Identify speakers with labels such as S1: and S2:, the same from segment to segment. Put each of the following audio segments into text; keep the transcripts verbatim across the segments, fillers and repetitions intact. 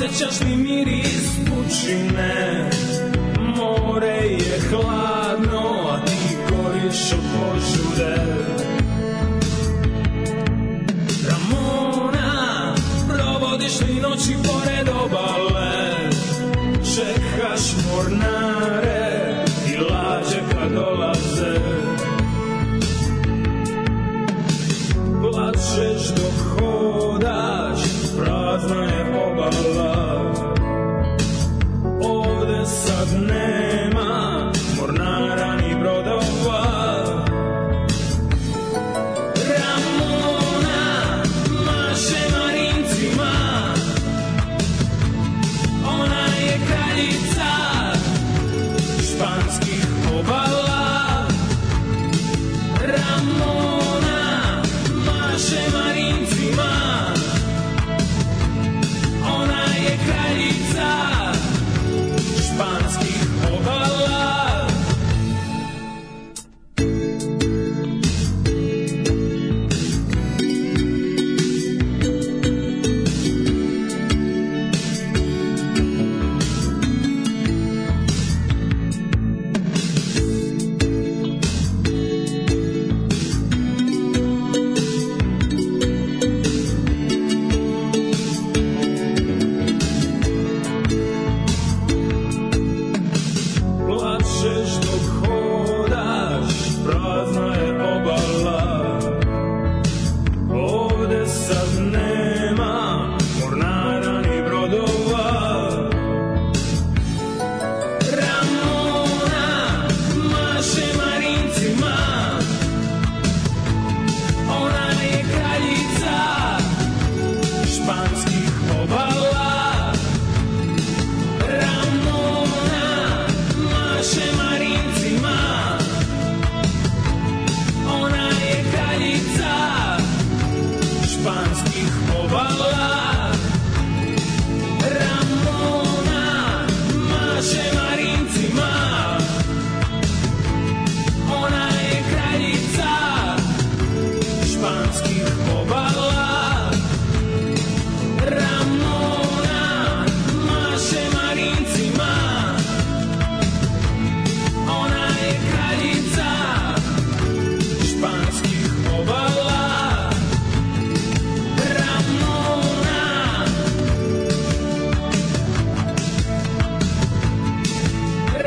S1: Osjećaš li miris pučine? More je hladno, a ti goriš od požude. Ramona, provodiš li noći pored obale? Čekaš mornare i lađe kad dolaze. Plačeš dok hodaš, prazna je obala. Ovde sad nema mornara ni brodova. Ramona maše marincima, ona je kraljica španskih obala. Ramona maše marincima, ona je kraljica španskih obala. Plačeš dok hodaš, prazna je obala. Ovde sad nema mornara ni brodova. Ramona maše marincima, ona je kraljica španskih obala. Ramona maše marincima, ona je kraljica španskih obala. Ramona maše marincima, ona je kraljica španskih obala. Ramona maše marincima, ona je kraljica španskih obala. Ramona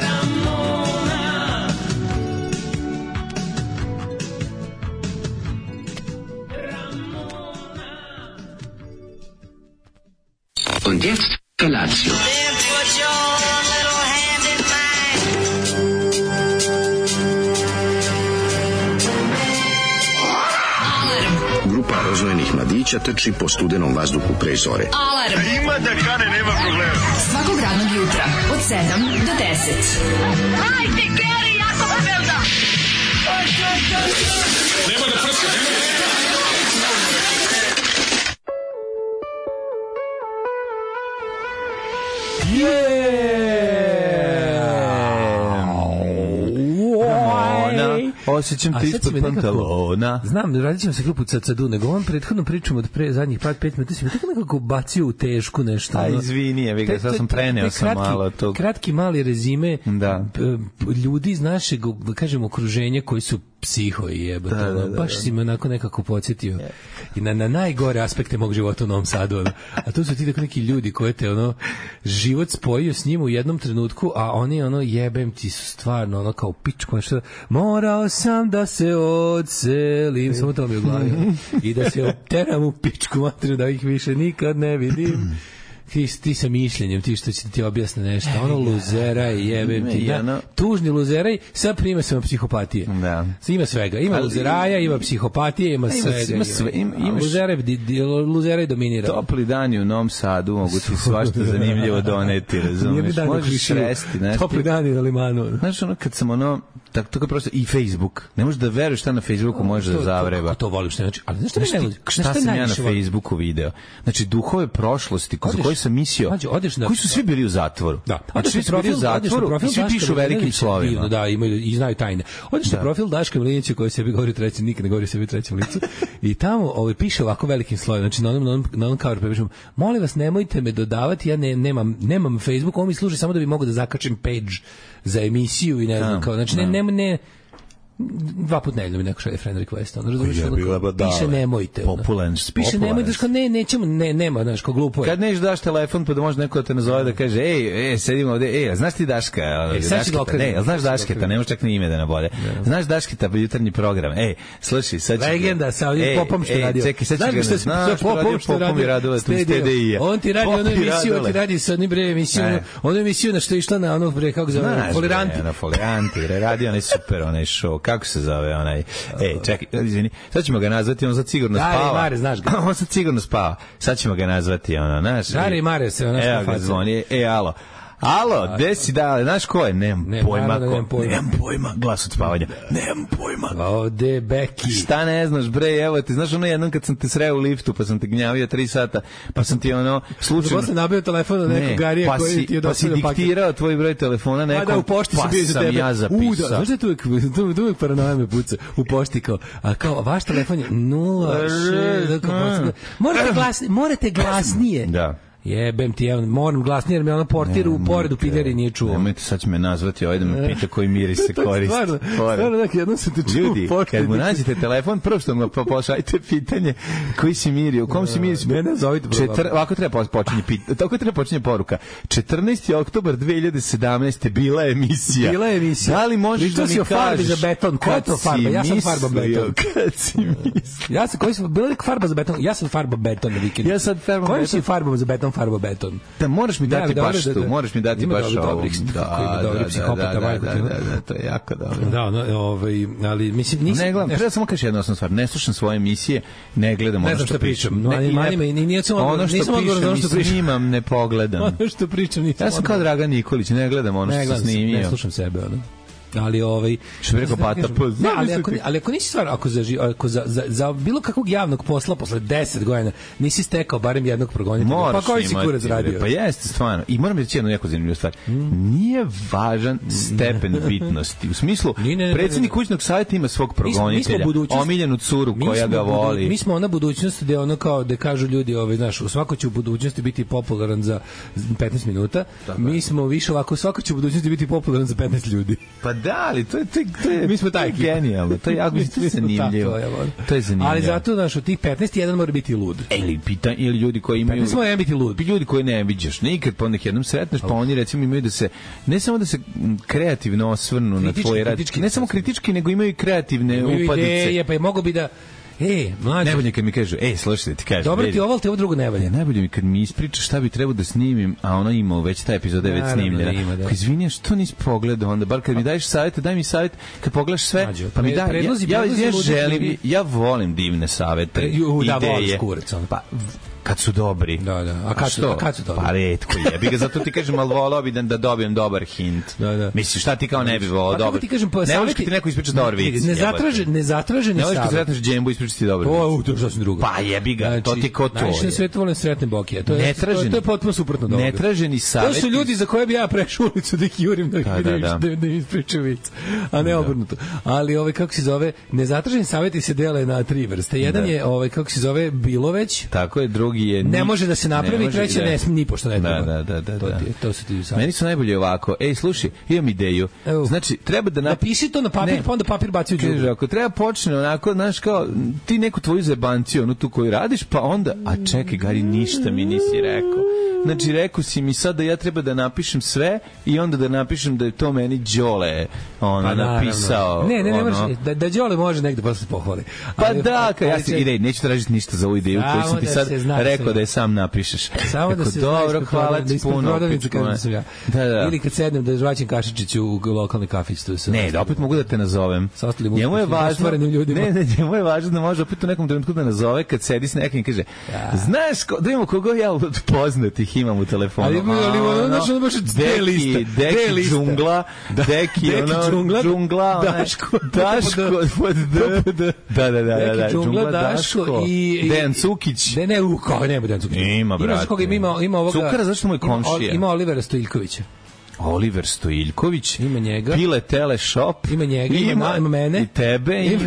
S1: Ramona Ramona.
S2: Und jetzt Felatio.
S3: Then put your little hand in mine.
S4: Grupa rozvojenih mladića trči po studenom vazduhu pre zore.
S5: Alarm.
S6: Ima da kane, nema problema.
S5: Svakog radnog jutra od sedam do deset.
S3: Hajde, Geri, jako se velda.
S6: Nema da prska, nema da prska.
S7: Osjećam te ispod pantalona.
S8: Znam, radit ćemo se grupu Cacadu, nego ovom prethodnom pričom od pre zadnjih pat pet minuta si me tako nekako bacio u tešku nešto.
S7: A
S8: ono.
S7: izvini, ja ga, sad sam preneo sam
S8: kratki,
S7: malo tog.
S8: Kratki mali rezime
S7: da.
S8: ljudi iz našeg, kažem, okruženja koji su psiho i jebote, da, da, da, baš si me onako nekako podsjetio yeah. i na, na najgore aspekte mog života u Novom Sadu, ono. A tu su ti tako neki ljudi koje te ono, život spojio s njim u jednom trenutku, a oni ono, jebem ti su stvarno ono kao pičko, nešto, morao sam da se odselim, samo to mi je u glavi, i da se oteram u pičku materiju, da ih više nikad ne vidim. Ti, ti sa mišljenjem, ti što će ti objasne nešto, ono luzeraj, jebem ti, da, tužni luzeraj sa primesama psihopatije. Da. Ima svega, ima ali, luzeraja, ima psihopatije, ima, ima svega. Ima sve, ima, ima luzeraj, luzeraj dominira.
S7: Topli dani u Novom Sadu mogu ti svašta zanimljivo doneti, razumiješ, možeš sresti.
S8: Topli dani na limanu.
S7: Znaš, ono, kad sam ono, tako tako prosto i Facebook. Ne možeš da veruješ šta na Facebooku može da zavreba.
S8: Kako to voliš, znači, ali znaš šta
S7: Znaš
S8: mi
S7: ti,
S8: ne
S7: šta sam ja na Facebooku video? Znači, duhove prošlosti ko- za
S8: Odeš-
S7: koje sam mislio,
S8: Mađo, odeš na-
S7: koji su svi bili u zatvoru.
S8: Da,
S7: Znači,
S8: odeš na
S7: svi su bili u
S8: profil, odeš na
S7: zatvoru
S8: profil
S7: i svi
S8: Daška
S7: pišu velikim
S8: Milinovića,
S7: slovima.
S8: divno, da, imaju i znaju tajne. Odeš na profil Daška Milinovića koji sebi govori treći, nikad ne govori sebi u trećem licu. I tamo ovaj piše ovako velikim slovom, znači na onom na onom, na onom coveru piše: "Molim vas, nemojte me dodavati, ja ne, nemam nemam Facebook, on mi služi samo da bi mogao da zakačim page za emisiju i ne znam, kao, znači ne ne ne dva put nedeljno mi neko šalje friend request, on razumiješ,
S7: Ja, bila ba dale.
S8: piše nemojte. ono.
S7: Popularno,
S8: Piše
S7: popularno.
S8: nemojte, znaš, kao, ne, nećemo, ne, nema, znaš, kao glupo je.
S7: Kad neš daš telefon pa da može neko da te nazove da kaže ej, ej, sedimo ovde, ej, a znaš ti Daška? Ono,
S8: E, sad ću ga
S7: Dašketa?
S8: okrenem.
S7: Ne, jel znaš
S8: Sad ću ga
S7: Dašketa,
S8: okrenem.
S7: ne možeš čak ni ime da nabode. Znaš Dašketa, jutarnji program. Ej, slušaj, sad ću...
S8: Legenda sa ovim
S7: Ej,
S8: popom što
S7: ej,
S8: radio.
S7: Čekaj, sad ću
S8: Znaš
S7: ga...
S8: što
S7: Znaš
S8: sa popom što
S7: Popom i Radule, tu iz T D I-a.
S8: On ti radi
S7: Pop
S8: onu
S7: i
S8: emisiju, on
S7: Radule.
S8: ti radi sa onim bre emisiju,
S7: Ne.
S8: onu emisiju na što je išla na onog bre, kako se zove,
S7: Znaš,
S8: Foliranti.
S7: bre, ono, Foliranti, bre, radi onaj super, onaj show, kako se zove onaj, ej, čekaj, izvini, sad ćemo ga nazvati, on sad sigurno
S8: Gari
S7: spava.
S8: Mare, znaš ga.
S7: On sad sigurno spava, sad ćemo ga nazvati, ono, znaš.
S8: Gari
S7: i-
S8: Mare se, ono,
S7: Evo
S8: što
S7: ga
S8: faca.
S7: zvoni, e, alo. Alo, gde si da, znaš ko je? Nemam
S8: Ne,
S7: pojma
S8: naravno da
S7: ko.
S8: nemam pojma.
S7: Nemam pojma, glas od spavanja. Nemam pojma.
S8: Ode Beki.
S7: Šta ne znaš, bre, evo ti, znaš ono jednom kad sam te sreo u liftu, pa sam te gnjavio tri sata, pa sam ti ono, slučajno...
S8: Zato sam nabio telefon od nekog Garija
S7: pa
S8: koji
S7: si,
S8: ti je
S7: pa si
S8: dostavio paket.
S7: diktirao tvoj broj telefona nekom,
S8: A da, u pošti
S7: pa
S8: sam bio za
S7: sam
S8: tebe.
S7: ja
S8: U, da,
S7: zapisao.
S8: znaš da je tu uvijek, tu, tu uvijek paranoja me puca u pošti kao, a kao, vaš telefon je nula šest, morate, glasnije, morate glasnije.
S7: Da.
S8: Jebem ti, evo, moram glasnije, jer me ono portir u poredu pideri nije čuo.
S7: Nemojte, sad će me nazvati ovaj da me pita koji miris se
S8: To je
S7: koristi.
S8: stvarno,
S7: Pored.
S8: stvarno, dakle, jednom sam te čuo
S7: Ljudi,
S8: u pošti.
S7: kad mu nađete telefon, prvo što mu po- pošaljite pitanje koji si mirio, u kom si mirio?
S8: Ne, ne, zovite, bro,
S7: Četir,
S8: bro.
S7: ovako treba počinje pit, tako treba počinje poruka. četrnaesti oktobar dve hiljade sedamnaeste bila je emisija.
S8: Bila je emisija.
S7: Da li možeš
S8: Pričao
S7: da mi
S8: si o farbi
S7: kažeš
S8: za beton, koja je
S7: kad
S8: to
S7: si
S8: farba? Ja sam farba
S7: mislio,
S8: beton.
S7: Kad si mislio?
S8: Ja sam, koji sam, bila je farba za beton? Ja sam farba beton na vikendu.
S7: Ja sad farbam
S8: Kojim
S7: beton.
S8: si farbom za beton, farba beton?
S7: Da, moraš mi dati
S8: Da,
S7: baš
S8: dobro, da,
S7: tu,
S8: da.
S7: moraš mi dati
S8: Ima
S7: baš
S8: dobrih,
S7: ovo.
S8: dobrih,
S7: Da,
S8: ima
S7: da,
S8: dobrih
S7: da,
S8: psihopata,
S7: da,
S8: majko
S7: da,
S8: ti,
S7: da,
S8: ono.
S7: da, to je jako dobro.
S8: Da, no, ovaj, ali mislim nisam
S7: Ne gledam,
S8: nešto-
S7: treba samo kažem jednu osnovnu stvar. Ne slušam svoje emisije, ne gledam
S8: Ne
S7: ono
S8: znam
S7: što
S8: šta pričam.
S7: pričam.
S8: Mani-
S7: Ne, i
S8: mani
S7: ne-
S8: me, ni- nisam odgovor-
S7: ono što
S8: nisam odgovor za ono
S7: pišem
S8: što
S7: i
S8: pričam.
S7: snimam, ne pogledam.
S8: ono što pričam nisam.
S7: Ja sam kao
S8: odgovor.
S7: Dragan Nikolić, ne gledam ono
S8: ne
S7: što sam
S8: gledam,
S7: snimio.
S8: ne slušam sebe, ono. Ali ovaj
S7: Što bi rekao
S8: ne znam
S7: Bata,
S8: da
S7: pa
S8: kažem. Ne, ali
S7: zamisli
S8: ako,
S7: ti.
S8: ali ako nisi stvar, ako, za, ži- ako za, za, za bilo kakvog javnog posla posle deset godina nisi stekao barem jednog progonitelja, pa
S7: Moraš
S8: koji si
S7: imati,
S8: kurac
S7: bre.
S8: radio?
S7: Pa jeste, stvarno. I moram reći jednu jako zanimljivu stvar. Nije važan stepen bitnosti. U smislu,
S8: Ni, ne, ne,
S7: predsjednik
S8: ne, ne.
S7: kućnog savjeta ima svog
S8: Mi smo- mi smo
S7: progonitelja,
S8: budućnost-
S7: omiljenu curu
S8: Mi
S7: koja
S8: smo
S7: ga
S8: budu-
S7: voli.
S8: Mi smo ona budućnost gde ono kao da kažu ljudi, ovaj znaš, u svako će u budućnosti biti popularan za petnaest minuta. Mi smo više ovako, svako će u budućnosti biti popularan za petnaest ljudi.
S7: Pa da, ali to je, to je, to je,
S8: Mi smo taj
S7: to je
S8: ekipa.
S7: genijalno. To je jako
S8: Mi
S7: to je
S8: smo
S7: zanimljivo.
S8: tako, evo.
S7: To je zanimljivo.
S8: Ali zato, znaš, od tih petnaest jedan mora biti lud.
S7: E, ili pita ili ljudi koji imaju
S8: petnaest mora jedan biti lud.
S7: ljudi koji ne viđaš nikad, pa onda ih jednom sretneš, pa oni recimo imaju da se ne samo da se m, kreativno osvrnu na
S8: Kritički,
S7: tvoj rad,
S8: kritički.
S7: ne samo kritički, nego imaju i kreativne
S8: Imaju
S7: upadice.
S8: ideje, pa je mogo bi da E, mlađe,
S7: Najbolje kad mi kažu, ej, slušaj, ti kažem.
S8: dobro ti
S7: vidi,
S8: ovo, ali ti ovo drugo ne valja.
S7: E, najbolje mi kad mi ispričaš šta bi trebao da snimim, a ono ima već ta epizoda je već
S8: Naravno
S7: snimljena.
S8: da ima, da.
S7: Kao, izvini, što nisi pogledao onda, bar kad mi daješ savjete, daj mi savjet, kad pogledaš sve,
S8: Mađo,
S7: pa mi
S8: pre-
S7: daj,
S8: predlozi-
S7: ja, ja,
S8: predlozi
S7: ja
S8: ludih
S7: želim,
S8: ljudi.
S7: ja volim divne savjete,
S8: Pre- ju, da,
S7: ideje.
S8: voliš kurac, ono.
S7: Pa, kad su dobri.
S8: Da, da. A kad su-
S7: što?
S8: a kad su dobri?
S7: Pa retko jebi ga, zato ti kažem, ali volao bi da, da dobijem dobar hint.
S8: Da, da.
S7: Misliš, šta ti kao ne bi volao
S8: Pa kako
S7: dobar?
S8: ti kažem, pa
S7: ne voliš
S8: savjeti-
S7: kad ti neko ispriča dobar vic.
S8: Ne
S7: jebote.
S8: zatraže, ne zatraženi
S7: Ne voliš kad
S8: savjet.
S7: sretneš džembu i ispriča ti dobar
S8: O,
S7: vic.
S8: u, to je sasvim drugo.
S7: Pa jebi ga, to ti ko to
S8: Najviše na
S7: je.
S8: svetu volim sretne bokije. To je,
S7: Netraženi.
S8: to, to je potpuno suprotno od ovoga.
S7: Netraženi
S8: To
S7: savjeti.
S8: su ljudi za koje bi ja prešao ulicu da ih jurim da,
S7: Da,
S8: da,
S7: da,
S8: da,
S7: da.
S8: da, da im ispričam vic. A ne obrnuto. Ali ovaj, kako se zove, nezatraženi savjeti se dele na tri vrste. Jedan
S7: Da.
S8: je, ovaj, kako se zove, bilo već,
S7: Tako je, drugi je...
S8: ne
S7: ni-
S8: može da se napravi,
S7: ne može,
S8: treće
S7: da.
S8: ne, ni pošto ne
S7: Da,
S8: treba.
S7: da, da, da,
S8: To,
S7: da.
S8: ti, to su ti savjeti.
S7: Meni su najbolje ovako. Ej, slušaj, imam ideju.
S8: Evo.
S7: Znači, treba da... Nap...
S8: Napiši to na papir,
S7: Ne.
S8: pa onda papir baci u
S7: Kaže,
S8: đubre.
S7: ako treba počne onako, znaš, kao, ti neku tvoju zebanciju, onu tu koju radiš, pa onda, a čekaj, Gari, ništa mi nisi rekao. Znači, rekao si mi sad da ja treba da napišem sve i onda da napišem da je to meni Đole ono,
S8: Pa, naravno.
S7: napisao.
S8: Ne, ne, ne,
S7: ono.
S8: moraš, da, da Đole može negde posle pohvali.
S7: Pa
S8: Ali-
S7: da, ka, ja
S8: ali
S7: se,
S8: će-
S7: ide, neću tražiti ništa za ovu ideju
S8: Samo
S7: koju sam ti
S8: da
S7: sad
S8: se zna.
S7: rekao da je sam napišeš.
S8: Samo da
S7: Rekao,
S8: se
S7: dobro,
S8: znaš,
S7: hvala
S8: da
S7: ti
S8: ispred
S7: puno.
S8: prodavnice
S7: pičku,
S8: kažem da sam ja.
S7: Da, da.
S8: Ili kad sednem da žvaćem kašičiću u lokalni kafić. Tu
S7: Ne, da opet mogu da te nazovem.
S8: Sa ostalim
S7: Njemu je
S8: uspešnim,
S7: važno,
S8: ostvarenim ljudima.
S7: ne, ne, njemu je važno da može opet u nekom trenutku da nazove kad sedi s nekim i kaže, znaš, ko, da imamo koga ja od poznatih imam u telefonu.
S8: Ali, ali, ono, znaš, ono baš D lista.
S7: Deki,
S8: D
S7: Deki
S8: lista.
S7: džungla, Deki,
S8: Deki
S7: ono,
S8: džungla,
S7: džungla, ona-
S8: Daško,
S7: Daško, pod D. Da, da, da, da, da,
S8: Deki džungla, Daško i... i-
S7: Dejan Cukić.
S8: Ne, ne, u kao, ne, Dejan Cukić.
S7: Ima, brate.
S8: Ima, koga, ima, ima ovoga...
S7: Cukara, zašto mu je
S8: ima-
S7: komšija?
S8: Ima Olivera Stojiljkovića.
S7: Oliver Stojiljković,
S8: Ima njega.
S7: Pile Teleshop,
S8: Ima njega, ima, na- ima mene.
S7: i tebe, ima,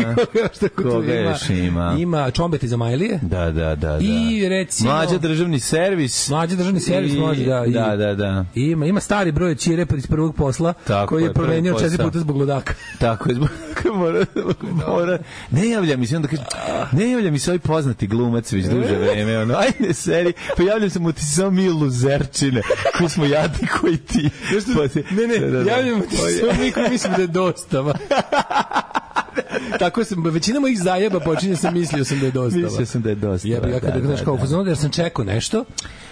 S8: Koga, šta ko tu
S7: koga
S8: ima?
S7: još ima?
S8: Ima Čombeti za Majlije.
S7: Da, da, da, da.
S8: I recimo...
S7: Mlađa državni servis.
S8: Mlađi državni servis
S7: I-
S8: može da... i-
S7: Da, da, da.
S8: Ima, ima stari broj od Ćire iz prvog posla,
S7: Tako
S8: koji je
S7: je, prvi
S8: promenio četiri
S7: posao.
S8: puta zbog ludaka.
S7: Tako je, zbog mora, mora, ne javlja mi se, onda kaže, ne javlja mi se ovaj poznati glumac već duže vreme, ono, ajde seri, pa javljam se mu ti si samo mi luzerčine, koji smo jadni koji ti. Pa ti-
S8: Ne, ne,
S7: da, da, da.
S8: javljamo ti
S7: Ovo je-
S8: sve mi koji mislim da je dostava. Tako sam, većina mojih zajeba počinje sam mislio sam da je dostava.
S7: Mislio sam da je dosta.
S8: Jebi ga kada znaš kao u fazonu, jer sam čekao nešto.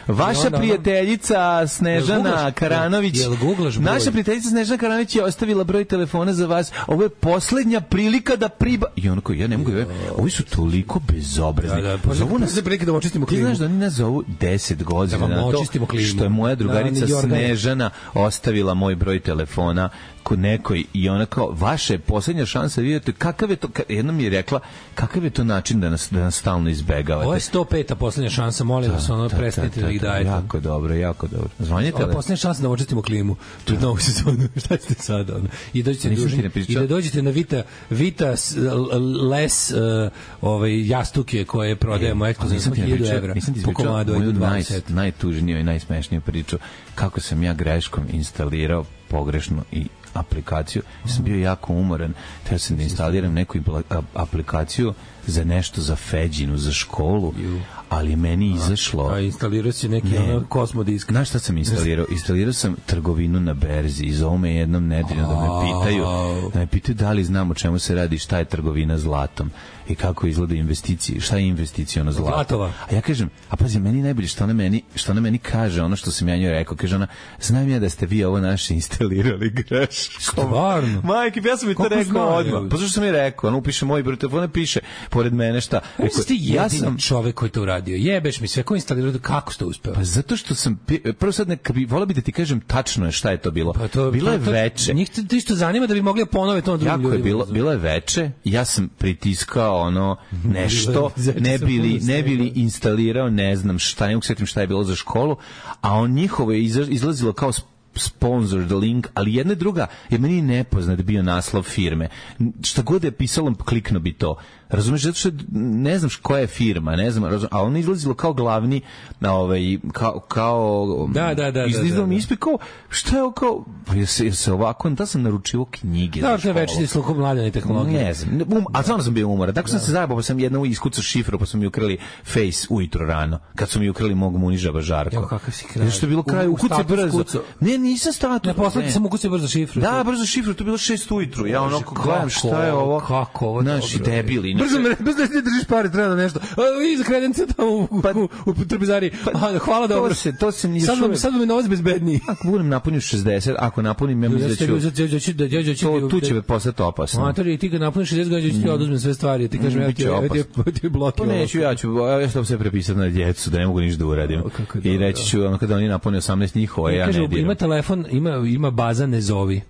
S8: I
S7: Vaša
S8: onda ono-
S7: prijateljica
S8: Jel
S7: Snežana
S8: googlaš?
S7: Karanović.
S8: Jel googlaš broj?
S7: Naša prijateljica Snežana Karanović je ostavila broj telefona za vas. Ovo je poslednja prilika da priba... I onako, ja ne mogu... Ja, ovi su toliko bezobrazni.
S8: Da, da, pa
S7: Zovu nas...
S8: za prilike da očistimo
S7: Ti
S8: klimu.
S7: znaš da oni nas zovu deset godina
S8: Da vam
S7: na to
S8: očistimo klimu.
S7: što je moja drugarica
S8: Da, New York.
S7: Snežana ostavila moj broj telefona kod nekoj i ona kao, vaša je poslednja šansa, vidite, kakav je to, ka- jedna mi je rekla, kakav je to način da nas, da nas stalno izbegavate.
S8: Ovo je sto peta poslednja šansa, molim vas, ono, prestanite da ih dajete.
S7: Jako dobro, jako dobro. Zvanjete
S8: Ovo
S7: li?
S8: je poslednja šansa da očistimo klimu pred novu sezonu. Šta ste sad? Ono? I dođete
S7: Nisam
S8: dužni,
S7: ti ne pričao.
S8: i da dođete na Vita, Vita s- l- Les uh, ovaj, jastuke koje prodajemo ekskluzivno
S7: Nisam ti ne
S8: hiljadu
S7: pričao,
S8: evra
S7: nisam ti
S8: po
S7: ispričao
S8: komadu
S7: moju
S8: od
S7: naj,
S8: dvadeset.
S7: najtužniju i najsmešniju priču kako sam ja greškom instalirao pogrešno i aplikaciju. Ja sam bio jako umoran. Teo sam da instaliram neku impla- a- aplikaciju za nešto za Feđinu, za školu, ali je meni izašlo...
S8: A instalirao si neki
S7: Ne.
S8: ono kosmodisk.
S7: Znaš šta sam instalirao? Instalirao sam trgovinu na berzi i zovu me jednom nedeljno da me pitaju, da me pitaju da li znam o čemu se radi, šta je trgovina zlatom i kako izgleda investicije, šta je investiciono zlato.
S8: Zlatova.
S7: A ja kažem, a pazi, meni najbolje što ona meni, što ona meni kaže, ono što sam ja njoj rekao, kaže ona, znam ja da ste vi ovo naše instalirali greškom.
S8: Stvarno?
S7: Majke, ja sam mi to
S8: Kako
S7: rekao
S8: znaju?
S7: odmah. Pa zašto sam mi rekao? Ono upiše moj broj telefona, piše pored mene šta.
S8: Kako
S7: Rekao,
S8: si ti
S7: ja
S8: jedini
S7: sam
S8: čovek koji to uradio? Jebeš mi sve, ko instalirao, kako ste uspeo?
S7: Pa zato što sam pi- prvo sad neka bi voleo bi da ti kažem tačno je šta je to bilo.
S8: Pa to,
S7: bilo je
S8: to- to-
S7: veče.
S8: Njih to isto zanima da bi mogli da ponove to na drugim
S7: Jako
S8: ljudima.
S7: je bilo,
S8: razumeš?
S7: bilo je veče, ja sam pritiskao ono nešto,
S8: Zeče
S7: ne
S8: sam
S7: bili,
S8: puno
S7: ne bili
S8: snega.
S7: instalirao, ne znam šta, ne mogu setim šta je bilo za školu, a on njihovo je izla- izlazilo kao sp- sponsored link, ali jedna i druga je meni nepoznat bio naslov firme. Šta god je pisalo, klikno bi to. Razumeš, zato što ne znam koja je firma, ne znam, razum, a ono izlazilo kao glavni, na ovaj, kao, kao
S8: Da, da, da,
S7: izlazilo
S8: da, da,
S7: mi
S8: da.
S7: ispred kao, šta je ovo kao, pa je se, je se ovako, da sam naručio knjige
S8: Da,
S7: za
S8: to je
S7: školu.
S8: večiti slukom mladene tehnologije.
S7: Ne znam, ne, um, a stvarno sam bio umoran. Tako sam se zajebao, pa sam jedno iskucao šifru, pa su mi ukrali Face ujutro rano. Kad su mi ukrali mog munižaba Žarko.
S8: Evo kakav si kraj.
S7: Što je bilo kraj,
S8: U- u
S7: ukucaj
S8: status
S7: brzo.
S8: kucao.
S7: Ne, nisam status.
S8: Ne, poslati
S7: ne.
S8: sam ukucaj brzo šifru.
S7: Da, brzo šifru, to je bilo šest ujutru. Ja ono
S8: Kako
S7: gledam šta je ovo.
S8: Kako ovo?
S7: Naši
S8: dobro.
S7: debili.
S8: Brzo me, brzo ne držiš pare, treba da nešto. A, vi za kredence tamo u, u, u, u trpezari. A, hvala,
S7: to
S8: dobro.
S7: se- to se ni
S8: sad
S7: još
S8: vam,
S7: uvek-
S8: sad vam je novac bezbedniji.
S7: Ako budem napunio šezdeset, ako napunim, ja mislim da ću... To, tu će me postati opasno.
S8: Matori, ti kad napuniš šezdeset godina, ću ti oduzmem sve stvari. Ti kažem,
S7: Mm,
S8: evo ti,
S7: biće
S8: evo ti,
S7: opasno.
S8: evo ti blok.
S7: Pa neću, ja ću, ja ću sve prepisati na djecu, da ne mogu ništa da uradim.
S8: O, kako
S7: I
S8: dobro.
S7: reći ću, ono, kada oni napune osamnaest njihova, ja
S8: Kaže,
S7: ne diram.
S8: ima telefon, ima, ima baza ne zovi.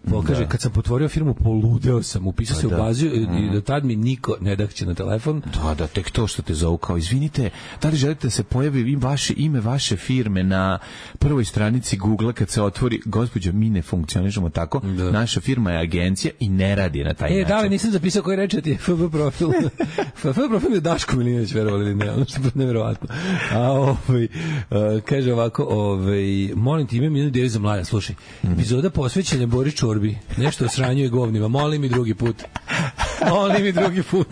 S8: Po, kaže, kad sam potvorio firmu, poludeo sam, upisao se u
S7: da.
S8: bazu i do tad mi niko ne dahće na telefon.
S7: Da, da, tek to što te zovu kao, izvinite, da li želite da se pojavi vaše ime, vaše firme na prvoj stranici Google kad se otvori, gospođo, mi ne funkcionišemo tako,
S8: Da.
S7: naša firma je agencija i ne radi na taj
S8: E,
S7: način.
S8: da li nisam zapisao koji reče ti je F B profil. F B profil je Daško Milinović, verovali ili ne, ono što je nevjerovatno. A ovaj, uh, kaže ovako, ovaj, molim ti, imam jednu ideju za mlada, slušaj, epizoda posvećena Boris Čorbi, nešto o sranju i govnima, molim i drugi put. Molim i drugi put.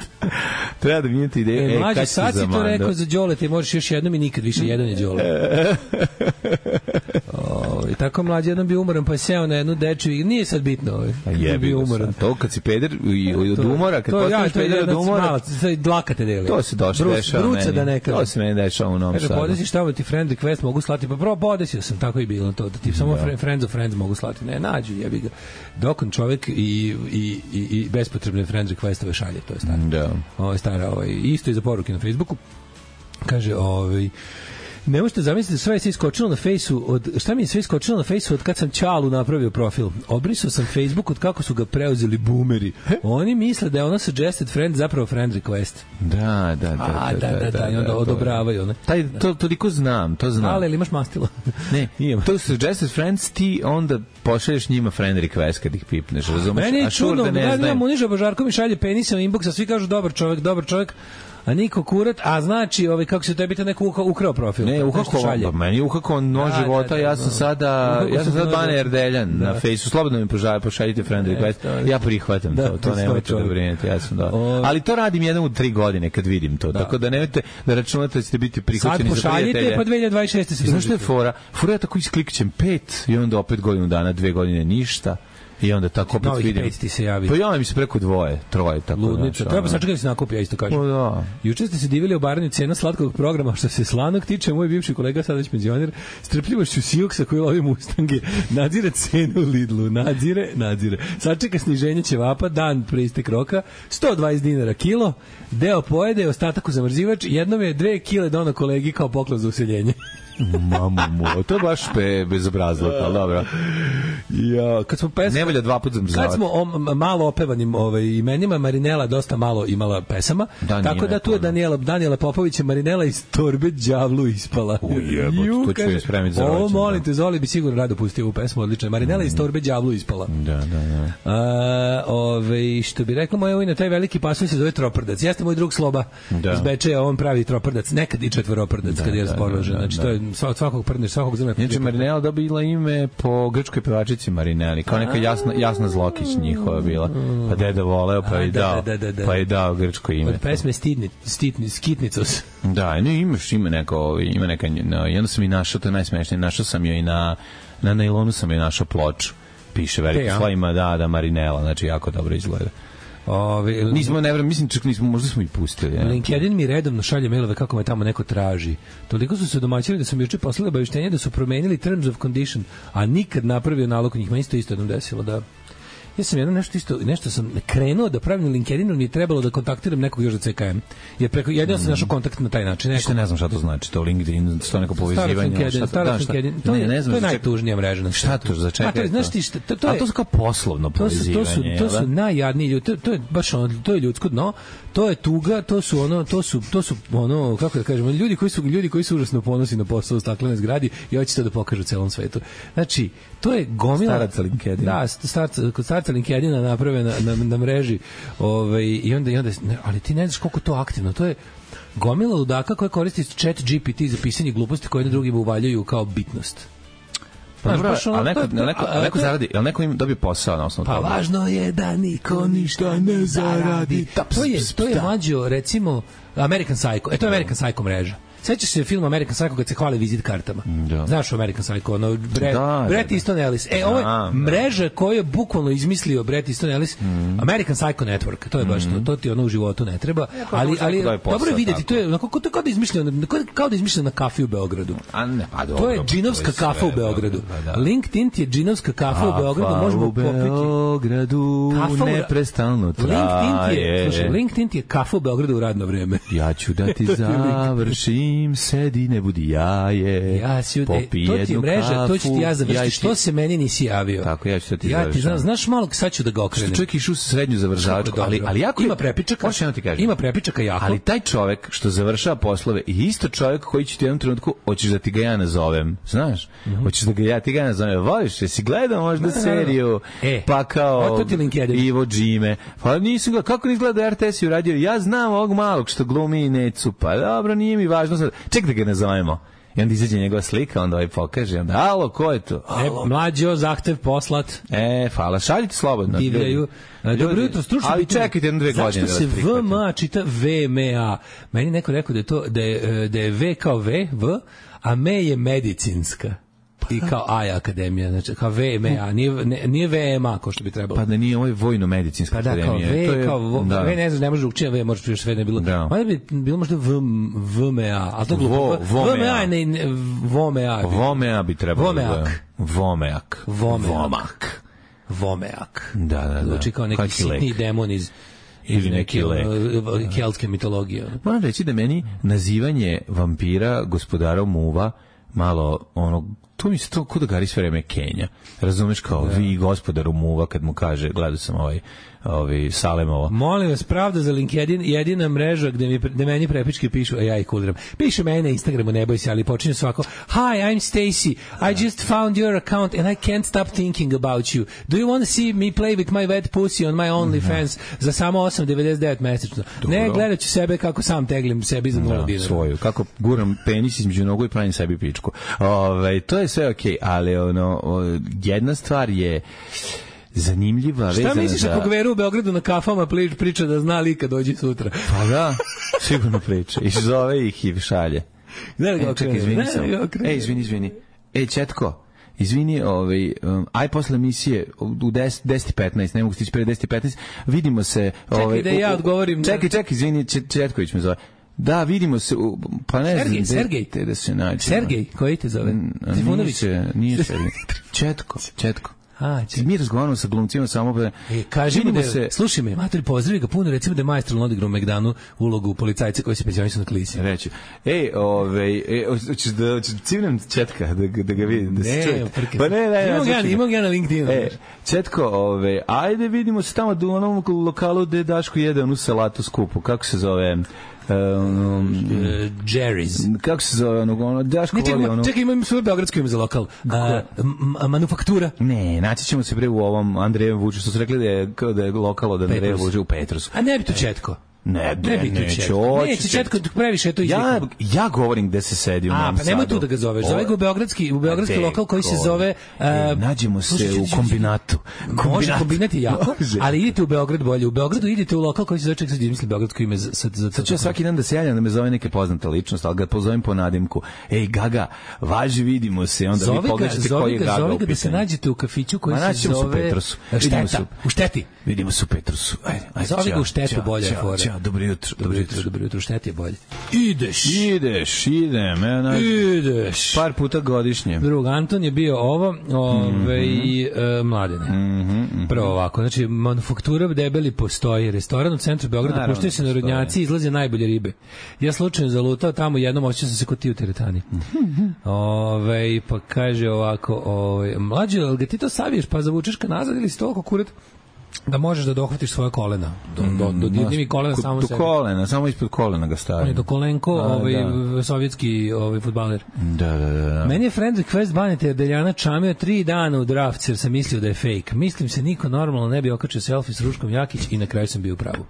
S7: Treba da mijenjate ideju.
S8: E, mlađe,
S7: kad si
S8: sad si
S7: za
S8: to
S7: Mando?
S8: rekao za Đole, te možeš još jednom i nikad više, jedan je Đole. Ovaj, Ovaj, tako mlađi jednom bio umoran, pa je seo na jednu dečju i nije sad bitno. Ovaj.
S7: A jebi
S8: bio
S7: ga
S8: umoran.
S7: sad. To kad si peder i od
S8: To-
S7: umora, kad
S8: to- ja,
S7: postaneš
S8: to je
S7: peder od
S8: jedna
S7: umora,
S8: mala, sad dlaka te deli.
S7: to se došlo
S8: Brus-
S7: dešava
S8: bruca
S7: meni.
S8: da ne kažem.
S7: To se meni dešava u Novom
S8: Kaže,
S7: Sadu.
S8: podesi šta ti friend request mogu slati, pa prvo podesio sam, tako i bilo to, da ti samo fre- friends of friends mogu slati, ne, nađu, jebi ga. Dok on čovek i, i, i, i bespotrebne friend requestove šalje, to je staro.
S7: Da.
S8: Ovo je stara, ovaj, isto i za poruke na Facebooku. Kaže, ovaj, ne možete zamisliti, sve je se iskočilo na fejsu od, šta mi je sve iskočilo na fejsu od kad sam Ćalu napravio profil. Obrisao sam Facebook od kako su ga preuzeli boomeri. Oni misle da je ono suggested friend zapravo friend request.
S7: Da, da, da.
S8: A, da, da, da, i onda
S7: to je.
S8: odobravaju one.
S7: Taj, to toliko znam, to znam.
S8: Ale, ili imaš mastilo?
S7: Ne,
S8: Imam.
S7: to su suggested friends, ti onda pošalješ njima friend request kad ih pipneš, razumeš?
S8: Meni je
S7: A sure
S8: čudno,
S7: da ne
S8: da, da,
S7: znaju.
S8: Muniža Božarko mi šalje penisa u inboxa, svi kažu dobar čovjek, dobar čovjek, a niko kurat, a znači, ovaj, kako se tebi to neko uha- ukrao profil.
S7: Ne,
S8: nešto
S7: uhakovan,
S8: šalje.
S7: pa meni je uhakovan nož
S8: Da,
S7: života,
S8: da, da,
S7: ja sam
S8: da.
S7: sada,
S8: Uhakao
S7: ja sam
S8: sam
S7: sada
S8: nož-
S7: Bane Erdeljan
S8: Da.
S7: na fejsu, slobodno mi požalje, pošaljite friend request,
S8: to je-
S7: ja prihvatam
S8: Da,
S7: to,
S8: to
S7: to
S8: je
S7: nemojte da
S8: čovjek.
S7: brinete, ja sam da.
S8: O-
S7: Ali to radim jednom u tri godine kad vidim to, tako da nemojte da računate da ćete biti
S8: Sad
S7: prihvaćeni za
S8: pošaljite,
S7: prijatelje.
S8: pa dve hiljade dvadeset šeste se
S7: I znaš što je
S8: družite.
S7: fora? Fora ja tako isklikćem pet i onda opet godinu dana, dve godine ništa. I onda tako opet
S8: Novih
S7: vidim.
S8: pet ti se javi.
S7: Pa ja mi se preko dvoje, troje, tako
S8: Ludnica.
S7: znaš,
S8: Treba
S7: ono.
S8: sačekati da se nakupi, ja isto kažem.
S7: Pa da.
S8: Juče ste se divili obaranju cena slatkog programa, što se slanog tiče, moj bivši kolega, sada već penzioner, strpljivošću Sioksa koji lovi Mustange, nadzire cenu u Lidlu, nadzire, nadzire. Sačeka sniženje ćevapa, dan pre istek roka, sto dvadeset dinara kilo, deo pojede, ostatak u zamrzivač, jednom je dve kile dono kolegi kao poklon za useljenje.
S7: Mamu mu, to je baš pe, bezobrazluk, ali dobro.
S8: Ja, kad smo pesma,
S7: Ne valja dva puta zamrzavati.
S8: kad smo o m- malo opevanim ovaj, imenima, Marinela dosta malo imala pesama,
S7: Da,
S8: tako
S7: nije
S8: da tu je
S7: puno.
S8: Daniela, Daniela Popović je Marinela iz torbe đavlu ispala.
S7: U, jebote,
S8: Ju,
S7: to ću
S8: kaže,
S7: joj spremiti za
S8: O,
S7: rođendan.
S8: molim te, Zoli bi sigurno rado pustio ovu pesmu, odlično je. Marinela iz torbe đavlu ispala.
S7: Da, da, da.
S8: A, ove, što bi rekla moja ujna, taj veliki pasulj se zove troprdac. Jeste moj drug Sloba
S7: Da.
S8: iz Bečeja, on pravi troprdac, nekad i četvoroprdac kad je
S7: da,
S8: raspoložen.
S7: da, da,
S8: Znači,
S7: da.
S8: to je sva- svakog prdneš, svakog zrna.
S7: Inače, Marinela dobila ime po grčkoj pevačici Marineli, kao neka jasna, jasna Zlokić njihova bila. Pa deda voleo, pa
S8: A,
S7: je
S8: da,
S7: dao,
S8: da, da, da.
S7: pa je dao grčko ime.
S8: Od pesme Stidni, Stitni, Skitnicos.
S7: Da, ne, imaš, ima neko, ima neka, no, i onda sam i našao, to je najsmešnije, našao sam joj i na, na nailonu sam joj našao ploču. Piše veliko
S8: Te, ja?
S7: slovima, da, da, Marinela, znači jako dobro izgleda.
S8: Ove,
S7: Nismo, ne vrem, mislim, čak nismo, možda smo i pustili. Ja.
S8: LinkedIn mi redovno šalje mailove kako me tamo neko traži. Toliko su se domaćili da su mi juče poslali obaveštenje da su promenili terms of condition, a nikad napravio nalog njih. Meni isto isto jednom desilo da ja sam jedno nešto isto, nešto sam krenuo da pravim na LinkedInu, mi je trebalo da kontaktiram nekog još za C K M. Jer preko, jedino sam našao kontakt na taj način.
S7: Ništa ne znam šta to znači, to LinkedIn, to neko povezivanje.
S8: Starac LinkedIn,
S7: šta to-
S8: starac
S7: da, šta-
S8: LinkedIn. To
S7: ne,
S8: je,
S7: ne znam
S8: to je
S7: za čega-
S8: najtužnija mreža na
S7: Šta to, za čega
S8: A to je,
S7: je
S8: znaš
S7: to?
S8: ti šta, to, to
S7: A
S8: je,
S7: to su kao poslovno
S8: to su, to su,
S7: povezivanje.
S8: to
S7: jel
S8: su
S7: da?
S8: najjadniji ljudi. To, to je baš ono, to je ljudsko dno. To je tuga, to su ono, to su, to su ono, kako da kažemo, ljudi koji su ljudi koji su užasno ponosni na posao u staklenoj zgradi i hoće to da pokažu celom svetu. Znači, to je gomila
S7: Staraca LinkedIn.
S8: Da, starca, kod starca LinkedIna naprave na, na, na mreži, ovaj i onda i onda ne, ali ti ne znaš koliko to aktivno. To je gomila ludaka koja koristi chat G P T za pisanje gluposti koje jedni drugima uvaljuju kao bitnost.
S7: Pa
S8: Znaš,
S7: dobro,
S8: baš ono,
S7: ali neko,
S8: to je-
S7: ali neko, ali neko
S8: a-
S7: zaradi, ali neko im dobije posao na osnovu
S8: Pa
S7: toga.
S8: važno je da niko ništa ne zaradi. To je, to je mlađo, recimo, American Psycho. E, to je American Psycho mreža. Sećaš se film American Psycho kad se hvale vizit kartama?
S7: Da.
S8: Znaš u American Psycho, ono, Bre,
S7: Da,
S8: Bret
S7: da, da.
S8: Easton Ellis. E, ovo je
S7: Da, da.
S8: mreža koju je bukvalno izmislio Bret Easton Ellis. American Psycho Network, to je baš to, to ti ono u životu ne treba. Ali,
S7: možda
S8: ali
S7: neko daje posao,
S8: dobro je vidjeti,
S7: tako.
S8: to je onako, to je kao da je izmišljeno, kao da je izmišljeno na kafi u Beogradu.
S7: A ne, pa dobro.
S8: To je džinovska
S7: sve,
S8: kafa u Beogradu.
S7: da, da.
S8: LinkedIn ti je džinovska kafa u Beogradu, možemo
S7: u
S8: popiti.
S7: Beogradu
S8: Kafa u-
S7: neprestano traje.
S8: LinkedIn ti je, slušaj, LinkedIn ti je kafa u Beogradu u radno vreme.
S7: Ja ću da ti završim, sedi, ne budi jaje.
S8: Ja si, e,
S7: Popi
S8: to ti je
S7: jednu
S8: mreža, to ću ti ja
S7: kafu,
S8: završiti.
S7: ću ti-
S8: Što se meni nisi javio?
S7: Tako, ja ću da ti
S8: Ja ti
S7: završam.
S8: znam, znaš malo, sad ću da ga
S7: Što
S8: okrenem.
S7: čovjek išao u srednju završavačku,
S8: Dobro.
S7: ali, ali jako je-
S8: Ima prepičaka.
S7: Možeš jedno ti kažem.
S8: Ima prepičaka jako.
S7: Ali taj čovjek što završava poslove i isto čovjek koji će ti u jednom trenutku, hoćeš da ti ga ja nazovem, znaš? Hoćeš da ga ja ti ga nazovem. Voliš, jesi gledao možda
S8: Da, da, da.
S7: seriju,
S8: E,
S7: pa kao
S8: a to ti LinkedIn.
S7: Ivo Džime. Pa nisam gledao, kako ne izgleda R T S i uradio? Ja znam ovog malog što glumi i Necu, pa dobro, nije mi važno sad. Ček da ga nazovemo. I onda izađe njegova slika, onda ovaj pokaže, onda, alo, ko je to?
S8: E, mlađo, zahtev poslat.
S7: E, hvala, šaljite slobodno.
S8: Divljaju.
S7: ljudi.
S8: E, Dobro
S7: Ljudi,
S8: jutro, stručno.
S7: ali
S8: pitanje.
S7: čekajte jedno dve godine da
S8: Zašto
S7: vas
S8: se
S7: prihvatim.
S8: V M A čita V M A? Meni neko rekao da je to da je, da je V kao V, V, a M je medicinska. i kao A je akademija, znači kao V M A, nije, ne, nije V M A kao što bi trebalo.
S7: Pa da nije ovo je vojno-medicinska
S8: Pa da, kao
S7: akademija.
S8: V,
S7: To je-
S8: kao vo,
S7: da.
S8: V ne znaš, ne može učiti, V može sve ne bilo.
S7: Da.
S8: Onda bi bilo možda V, VMA, ali to je glupo.
S7: Vo- VMA.
S8: VMA, ne, ne, VMA.
S7: Vomea bi trebalo.
S8: Vomeak.
S7: da- Vomeak.
S8: Vomeak.
S7: Vomak.
S8: Vomeak.
S7: Da, da, da.
S8: Zvuči kao neki
S7: Kaki lek.
S8: sitni demon iz
S7: Ili
S8: iz
S7: neki
S8: neke
S7: lek.
S8: ono, keltske mitologije. ono.
S7: Moram reći da meni nazivanje vampira gospodarom muva malo ono to mi se to kod da gari sve vreme Kenja. Razumeš kao vi gospodaru muva kad mu kaže gledao sam ovaj ovaj Salemova.
S8: Molim vas, pravda za LinkedIn, jedina mreža gde mi gde meni prepičke pišu, a ja ih kuldiram. Piše meni na Instagramu, ne boj se, ali počinje svako: "Hi, I'm Stacy. I just found your account and I can't stop thinking about you. Do you want to see me play with my wet pussy on my OnlyFans za samo osam devedeset devet mesečno?" Ne, gledat ću sebe kako sam teglim sebi za nula
S7: Da,
S8: dinara.
S7: svoju. Kako guram penis između nogu i pravim sebi pičku. Ovaj to je sve okej, ali ono o, jedna stvar je zanimljiva
S8: Šta
S7: vezana
S8: misliš
S7: za...
S8: ako Gveru u Beogradu na kafama pli- priča da zna lika dođi sutra?
S7: Pa da, sigurno priča. I zove ih i šalje.
S8: Ne,
S7: E,
S8: ga
S7: čekaj,
S8: okrene,
S7: izvini
S8: ne,
S7: samo.
S8: ga okrene.
S7: E, izvini, izvini. E, Četko, izvini, ovaj, um, aj posle emisije u deset, deset i petnaest, ne mogu stići pre deset i petnaest, vidimo se... Ovaj,
S8: da ja
S7: u- u-
S8: odgovorim.
S7: Čekaj, čekaj, izvini, Če- Četković me zove. Da, vidimo se, u, pa ne
S8: Sergej,
S7: znam,
S8: Sergej.
S7: te da se nađemo.
S8: Sergej, koji te zove?
S7: A
S8: Trifunović?
S7: Nije, se- nije Sergej. Četko, Četko.
S8: A,
S7: Ti mi razgovaramo sa glumcima samo pa...
S8: E, kaži mu
S7: vidimo
S8: da,
S7: se...
S8: slušaj me, mater, pozdravi ga puno, recimo da je majstor odigrao u Megdanu ulogu policajca koji se penzionišu na klisi.
S7: Reći. Ej, ovaj, e, hoćeš da hoćeš civnem Četka da ga- da ga vidi, da se
S8: Ne,
S7: čuje.
S8: prke.
S7: Pa ne, ne,
S8: Imam
S7: ne,
S8: ga, imam ga na LinkedInu.
S7: E, Četko, ove, ajde vidimo se tamo u onom lokalu gde Daško jede onu salatu skupu. Kako se zove? Um,
S8: E, Jerry's.
S7: kako se zove ono, ono Daško
S8: Ne, čekaj,
S7: voli
S8: ima,
S7: ono...
S8: čekaj, imam svoje beogradsko ime za lokal. A, m- manufaktura.
S7: Ne, naći ćemo se pre u ovom Andrejem Vučiću, što su rekli da je, kao da je lokal od Andreja
S8: Petrus.
S7: Vučića u Petrusu.
S8: A ne bi to Četko.
S7: Ne,
S8: Ne bi tu
S7: neće,
S8: Četko.
S7: hoću
S8: Neće
S7: Četko.
S8: Četko, previše je to
S7: Ja,
S8: izlikno.
S7: ja govorim gde se sedi u
S8: A,
S7: Novom
S8: pa nemoj
S7: Sadu.
S8: tu da ga zoveš. Zove ga u beogradski, u beogradski
S7: A,
S8: lokal koji se
S7: deko,
S8: zove...
S7: e,
S8: uh,
S7: nađemo se
S8: slušaj,
S7: u
S8: slušaj,
S7: kombinatu.
S8: Može, kombinat je jako,
S7: Može.
S8: ali idite u Beograd bolje. U Beogradu idite u lokal koji se zove, ček sad izmisli beogradsko ime za... za, za
S7: Sad ću ja svaki dan da se javljam da me zove neke poznata ličnost, ali ga pozovem po nadimku. Ej, Gaga, važi, vidimo se. Onda
S8: Zove
S7: vi
S8: ga,
S7: pogledate
S8: zove
S7: koji je
S8: ga,
S7: Gaga
S8: zove
S7: u
S8: ga da se
S7: pitanju.
S8: nađete u kafiću koji
S7: Ma,
S8: se
S7: naći ćemo se u
S8: zove...
S7: Petrusu. Vidimo se
S8: Šteta,
S7: u-
S8: u Šteti.
S7: Vidimo se u Petrusu. Ajde, ajde,
S8: Zove ga
S7: ćao,
S8: u Štetu,
S7: ćao,
S8: bolja je
S7: ćao,
S8: fora.
S7: ćao, dobro jutro,
S8: Dobro jutro, dobro jutro, u Šteti je bolje. Ideš.
S7: Ideš, idem. Ja, na,
S8: Ideš.
S7: par puta godišnje.
S8: Drug, Anton je bio ovo, ove, i
S7: Mhm.
S8: e, mladene. Prvo ovako, znači, manufaktura debeli postoji, restoran u centru Beograda,
S7: Naravno,
S8: puštaju se
S7: postoji.
S8: narodnjaci, izlaze najbolje ribe. Ja slučajno zalutao tamo, jednom osjećao sam se kod ti u teretani. Ove, pa kaže ovako, ove, mlađe, ali ga ti to saviješ, pa zavučeš ka nazad ili si toliko kurat da možeš da dohvatiš svoje kolena. Do, do, do, do, do kolena
S7: Kod-
S8: samo
S7: do
S8: sebi.
S7: kolena, samo ispod kolena ga
S8: On je
S7: stavim.
S8: do Kolenko,
S7: A,
S8: ovaj,
S7: da.
S8: sovjetski ovaj, fudbaler.
S7: Da, da, da. da.
S8: Meni je friend request Banete jer Deljana čamio tri dana u draft jer sam mislio da je fake. Mislim se niko normalno ne bi okačio selfie s Ruškom Jakić i na kraju sam bio u pravu.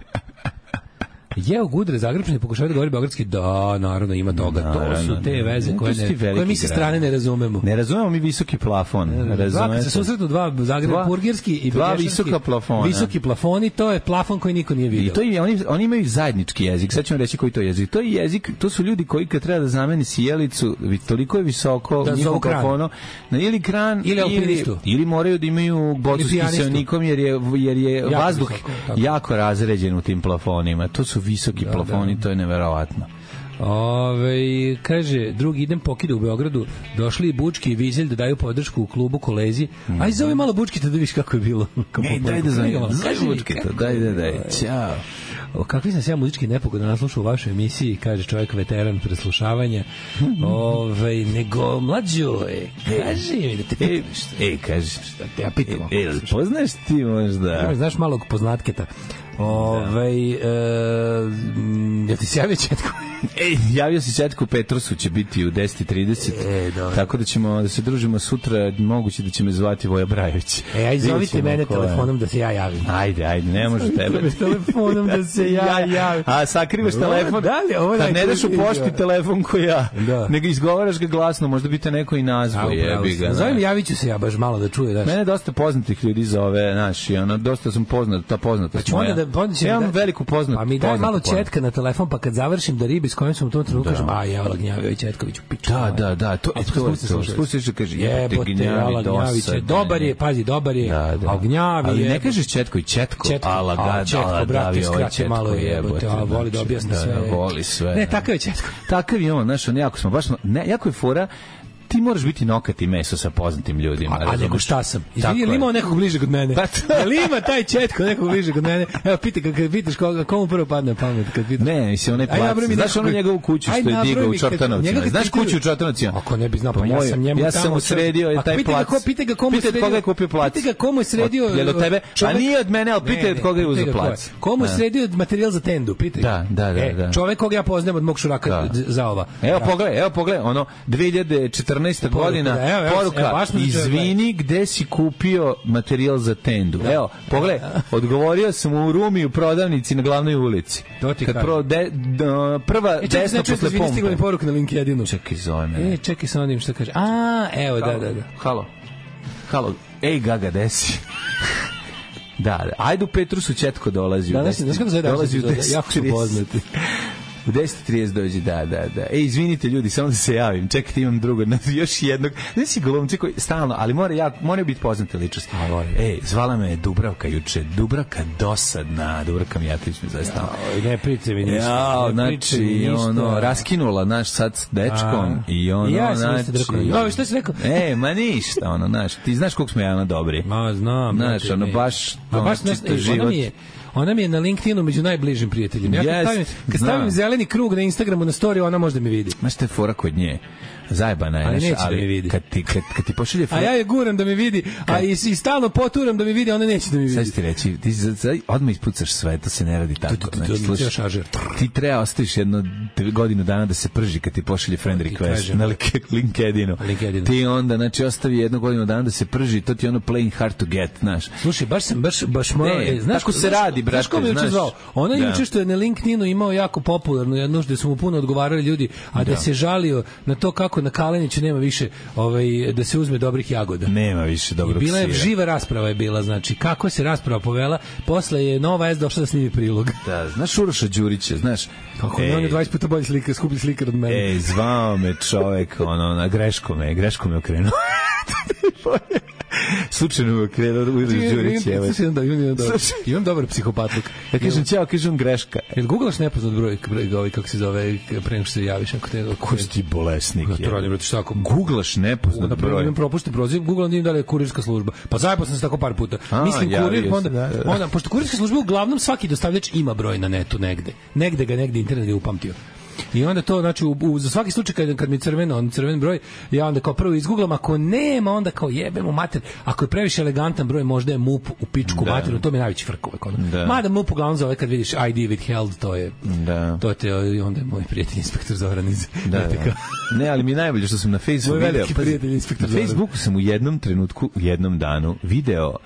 S8: Jeo Gudre, Zagrebčani pokušavaju da govori beogradski, da, naravno ima toga. To
S7: Naravno,
S8: su te veze
S7: ne,
S8: koje,
S7: to su ti
S8: ne,
S7: veliki
S8: koje mi sa strane
S7: gradovi.
S8: ne razumemo.
S7: Ne razumemo mi visoki plafon.
S8: Dva, kad
S7: Razumete?
S8: se susretnu dva Zagreb
S7: Dva-
S8: burgerski i
S7: dva
S8: Begešanski,
S7: visoka plafona.
S8: Visoki plafoni, to je plafon koji niko nije vidio.
S7: I to je, oni, oni imaju zajednički jezik. Sad ću vam reći koji to je jezik. To je jezik, to su ljudi koji kad treba da zameni sjelicu, vi- toliko je visoko
S8: Da
S7: u
S8: zovu
S7: njihovom
S8: kran.
S7: plafonu, na ili kran
S8: Ili alpinistu.
S7: ili moraju da imaju bocu
S8: Ili
S7: s
S8: pijanistu.
S7: kiseonikom jer je, jer je
S8: Jako
S7: vazduh
S8: visoko, tako.
S7: jako razređen u tim plafonima. To su visoki
S8: Da,
S7: plafoni,
S8: da.
S7: to je neverovatno.
S8: Ove, kaže, drugi idem pokida u Beogradu, došli i Bučki i Vizelj da daju podršku u klubu kolezi. Aj, zove malo Bučki da vidiš kako je bilo.
S7: E, daj da zovem.
S8: Kaži
S7: Zaj
S8: mi,
S7: Vučketa, daj, daj, daj. Ćao.
S8: O, kakvi sam se ja muzički nepogodan naslušao u vašoj emisiji, kaže čovjek veteran preslušavanja. Ove, nego, mlađo, e, kaži mi da te
S7: E,
S8: pitam
S7: e, kaži.
S8: da te ja pitam.
S7: E, jel poznaš ti možda?
S8: Znaš, znaš malog poznatketa. Ove, e, m, jel ti se javio Četko?
S7: Ej, javio si Četko Petrusu, će biti u deset i trideset.
S8: E, dobro.
S7: Tako da ćemo da se družimo sutra, moguće da će me zvati Voja Brajović.
S8: E, aj,
S7: Vidjet
S8: zovite
S7: ćemo
S8: mene
S7: ko je.
S8: telefonom da se ja javim.
S7: Ajde, ajde, ne može tebe.
S8: Telefonom da se ja javim.
S7: A sakrivaš
S8: Ovo,
S7: telefon.
S8: da li, ovo je
S7: Kad ne daš u
S8: najtužnije,
S7: pošti
S8: da.
S7: telefon ko ja,
S8: Da.
S7: nego izgovaraš ga glasno, možda bi te neko i nazvao, jebi ga.
S8: Zovem,
S7: znaš.
S8: javit ću se ja baš malo da čuje. Daš.
S7: Mene dosta poznatih ljudi zove, znaš, i ono, dosta sam poznat, ta poznatost
S8: Ću onda
S7: moja.
S8: da, onda će
S7: ja
S8: mi
S7: imam
S8: da-
S7: veliku poznat,
S8: Pa mi daj
S7: poznatu
S8: malo
S7: poznat.
S8: Četka na telefon telefon, pa kad završim da ribi s kojim sam u tom trenutku kažem, a je, Ala Gnjavio i Četkoviću, piču.
S7: Da, da, da, to
S8: A
S7: je
S8: to
S7: to.
S8: spusti slušalicu.
S7: Spustiš da kaže,
S8: Jebote, Ala Gnjaviće, dobar je, pazi, dobar je,
S7: Da, da.
S8: a Gnjavi
S7: Ali
S8: je...
S7: ne kažeš Četković, Četko,
S8: Četko,
S7: Ala
S8: a,
S7: Gad,
S8: Četko,
S7: Ala
S8: brate,
S7: Davi, ovaj
S8: skraće
S7: Četko,
S8: malo je, jebote, a voli da objasni sve.
S7: Da, voli sve.
S8: Ne, takav je Četko.
S7: Takav je on, znaš, on jako smo, baš smo, ne, jako je fora, ti moraš biti nokat i meso sa poznatim ljudima.
S8: A, a
S7: razumeš?
S8: nego šta sam?
S7: Tako
S8: Izvini, ili
S7: je.
S8: imao nekog bliže kod mene?
S7: Pa to-
S8: Ali ima taj Četko nekog bliže kod mene? Evo, piti, kad, kad pitaš koga, komu prvo padne na pamet? Kad pitaš?
S7: Ne, mislim, onaj
S8: Aj,
S7: plac.
S8: nabroj mi
S7: Znaš
S8: nekog-
S7: onu njegovu kuću
S8: Aj,
S7: što je
S8: nabroj
S7: digao
S8: mi
S7: u
S8: kad-
S7: Čortanovcima?
S8: njega kad
S7: Znaš
S8: pitaju-
S7: kuću u Čortanovcima?
S8: Ako ne bi znao, pa
S7: Pa
S8: ja
S7: moj-
S8: sam njemu
S7: ja
S8: tamo
S7: sam mu
S8: sve-
S7: sredio je
S8: A
S7: taj
S8: pitaj ga
S7: plac.
S8: ko- pitaj ga komu je
S7: Pitaj od
S8: sredio-
S7: koga je kupio plac.
S8: Pitaj ga komu je sredio...
S7: Od- je li od tebe?
S8: čovek-
S7: A nije od mene, ali
S8: Ne,
S7: pitaj od
S8: ne,
S7: koga je
S8: pitaj
S7: uzeo
S8: ga ko
S7: plac.
S8: Komu je
S7: Da.
S8: sredio materijal za tendu? Pitaj.
S7: Da, da, da,
S8: E,
S7: da.
S8: čovek koga ja poznajem od mog šuraka
S7: Da.
S8: za ova.
S7: Evo pogledaj, evo pogledaj, ono dve hiljade četrnaesta
S8: Poruka,
S7: godina,
S8: da, evo, evo,
S7: poruka,
S8: evo, baš me začeo
S7: izvini, gde si kupio materijal za tendu? Evo, pogledaj, odgovorio sam u Rumi u prodavnici na glavnoj ulici.
S8: To ti
S7: Kad
S8: kažem.
S7: pro, de, d- prva
S8: E, čekaj,
S7: desno
S8: znači,
S7: posle
S8: izvini, stigla mi
S7: pompe.
S8: poruka na LinkedInu.
S7: Čekaj, zove me.
S8: E, čekaj sa onim što kaže. A, evo, da, da, da.
S7: Halo. Halo. Ej, Gaga, desi. Da, da. Ajde u Petrusu Četko dolazi. u
S8: Danas,
S7: deset-
S8: znaš kako zove danas
S7: dolazi u
S8: epizoda?
S7: deset
S8: Jako su
S7: trideset.
S8: poznati.
S7: U deset trideset dođe, da, da, da. Ej, izvinite ljudi, samo da se javim. Čekajte, imam drugo, još jednog. Ne si glumci koji stalno, ali mora ja, mora biti poznate ličnosti.
S8: A, mora.
S7: Ej, zvala me Dubravka juče. Dubravka dosadna. Dubravka Mijatović me zove stalno.
S8: Oj, ne priče mi ništa.
S7: Ja,
S8: ne priče mi
S7: znači,
S8: ništa.
S7: ono, raskinula naš sad s dečkom
S8: A.
S7: i ono,
S8: I ja sam isto
S7: znači...
S8: rekao. No, šta si rekao?
S7: E, ma ništa, ono, znaš, ti znaš koliko smo javno dobri.
S8: Ma, znam.
S7: Znaš,
S8: brate,
S7: ono,
S8: mi.
S7: baš,
S8: Ma,
S7: ono,
S8: baš znaš,
S7: čito
S8: ej,
S7: život.
S8: Ona mi je, ona mi je na LinkedInu među najbližim prijateljima. Ja kad
S7: Jest,
S8: stavim, kad stavim
S7: znam.
S8: zeleni krug na Instagramu na story, ona možda me vidi.
S7: Znaš, te fora kod nje. Zajebana je,
S8: Ali
S7: znaš,
S8: neće da me vidi.
S7: Kad ti, kad, kad ti pošalje...
S8: A ja je guram da me vidi, a i, i stalno poturam da me vidi, a ona neće da me
S7: Sad
S8: vidi.
S7: ću ti reći, ti za- za- odmah ispucaš sve, to se ne radi tako.
S8: tu, tu,
S7: Znači,
S8: tu,
S7: slušaj,
S8: ceo šaržer.
S7: ti treba ostaviš jedno dve godinu dana da se prži kad ti pošalje friend
S8: ti
S7: request
S8: kažem.
S7: na link- LinkedInu.
S8: LinkedInu.
S7: Ti onda, znači, ostavi jednu godinu dana da se prži, to ti je ono playing hard to get, znaš.
S8: Slušaj, baš sam baš baš morao,
S7: Ne,
S8: e, znaš
S7: tako se
S8: znaš-
S7: radi,
S8: Znaš
S7: brate,
S8: ko me juče
S7: znaš.
S8: zvao? Ona
S7: Da.
S8: juče što je na LinkedInu imao jako popularnu jednu gde su mu puno odgovarali ljudi, a da,
S7: Da.
S8: se žalio na to kako na Kaleniću nema više ovaj da se uzme dobrih jagoda.
S7: Nema više
S8: I
S7: dobrog
S8: bila je
S7: sira.
S8: živa rasprava je bila, znači kako se rasprava povela, posle je Nova S došla da snimi prilog.
S7: Da, znaš Uroša Đurića, znaš?
S8: Kako ne, on je dvadeset puta bolji slika, skuplji slikar od mene.
S7: Ej, zvao me čovek, ono, na greško me, greško me okrenuo. Slučajno me okrenuo Uroš Đurić, evo.
S8: Slušaj, imam, da, imam, imam, dobar,
S7: Slušaj.
S8: imam dobar psihopatluk.
S7: Ja kažem, ćao, kažem greška.
S8: Jel googlaš nepoznat broj, broj ovaj, kako se zove, pre nego što se javiš? Ako te,
S7: Ko si ti bolesnik?
S8: Ja to radim, brate, šta ako...
S7: Googlaš nepoznat
S8: Na prvom
S7: broj.
S8: imam propušten proziv, Google onda im da li je kurirska služba. Pa zajebao sam se tako par puta.
S7: A,
S8: Mislim
S7: javio
S8: kurir,
S7: se,
S8: pa onda,
S7: da, da.
S8: onda, pošto kurirska služba uglavnom svaki dostavljač ima broj na netu negde. Negde ga, negde internet je upamtio. I onda to, znači, u, u, za svaki slučaj kad, kad mi je crveno, on crven broj, ja onda kao prvo izgooglam, ako nema, onda kao jebemo mater, ako je previše elegantan broj, možda je M U P u pičku
S7: Da.
S8: materu, to mi je najveći frk uvek. Ono.
S7: Da.
S8: Mada M U P uglavnom zove kad vidiš I D withheld, to je,
S7: Da.
S8: to te, onda je moj prijatelj inspektor Zoran iz
S7: Da,
S8: R T K.
S7: da. Ne, ali mi je najbolje što sam na Facebooku
S8: Moj
S7: video.
S8: veliki
S7: pazi,
S8: prijatelj, inspektor
S7: na
S8: Zoran.
S7: Facebooku sam u jednom trenutku, u jednom danu video,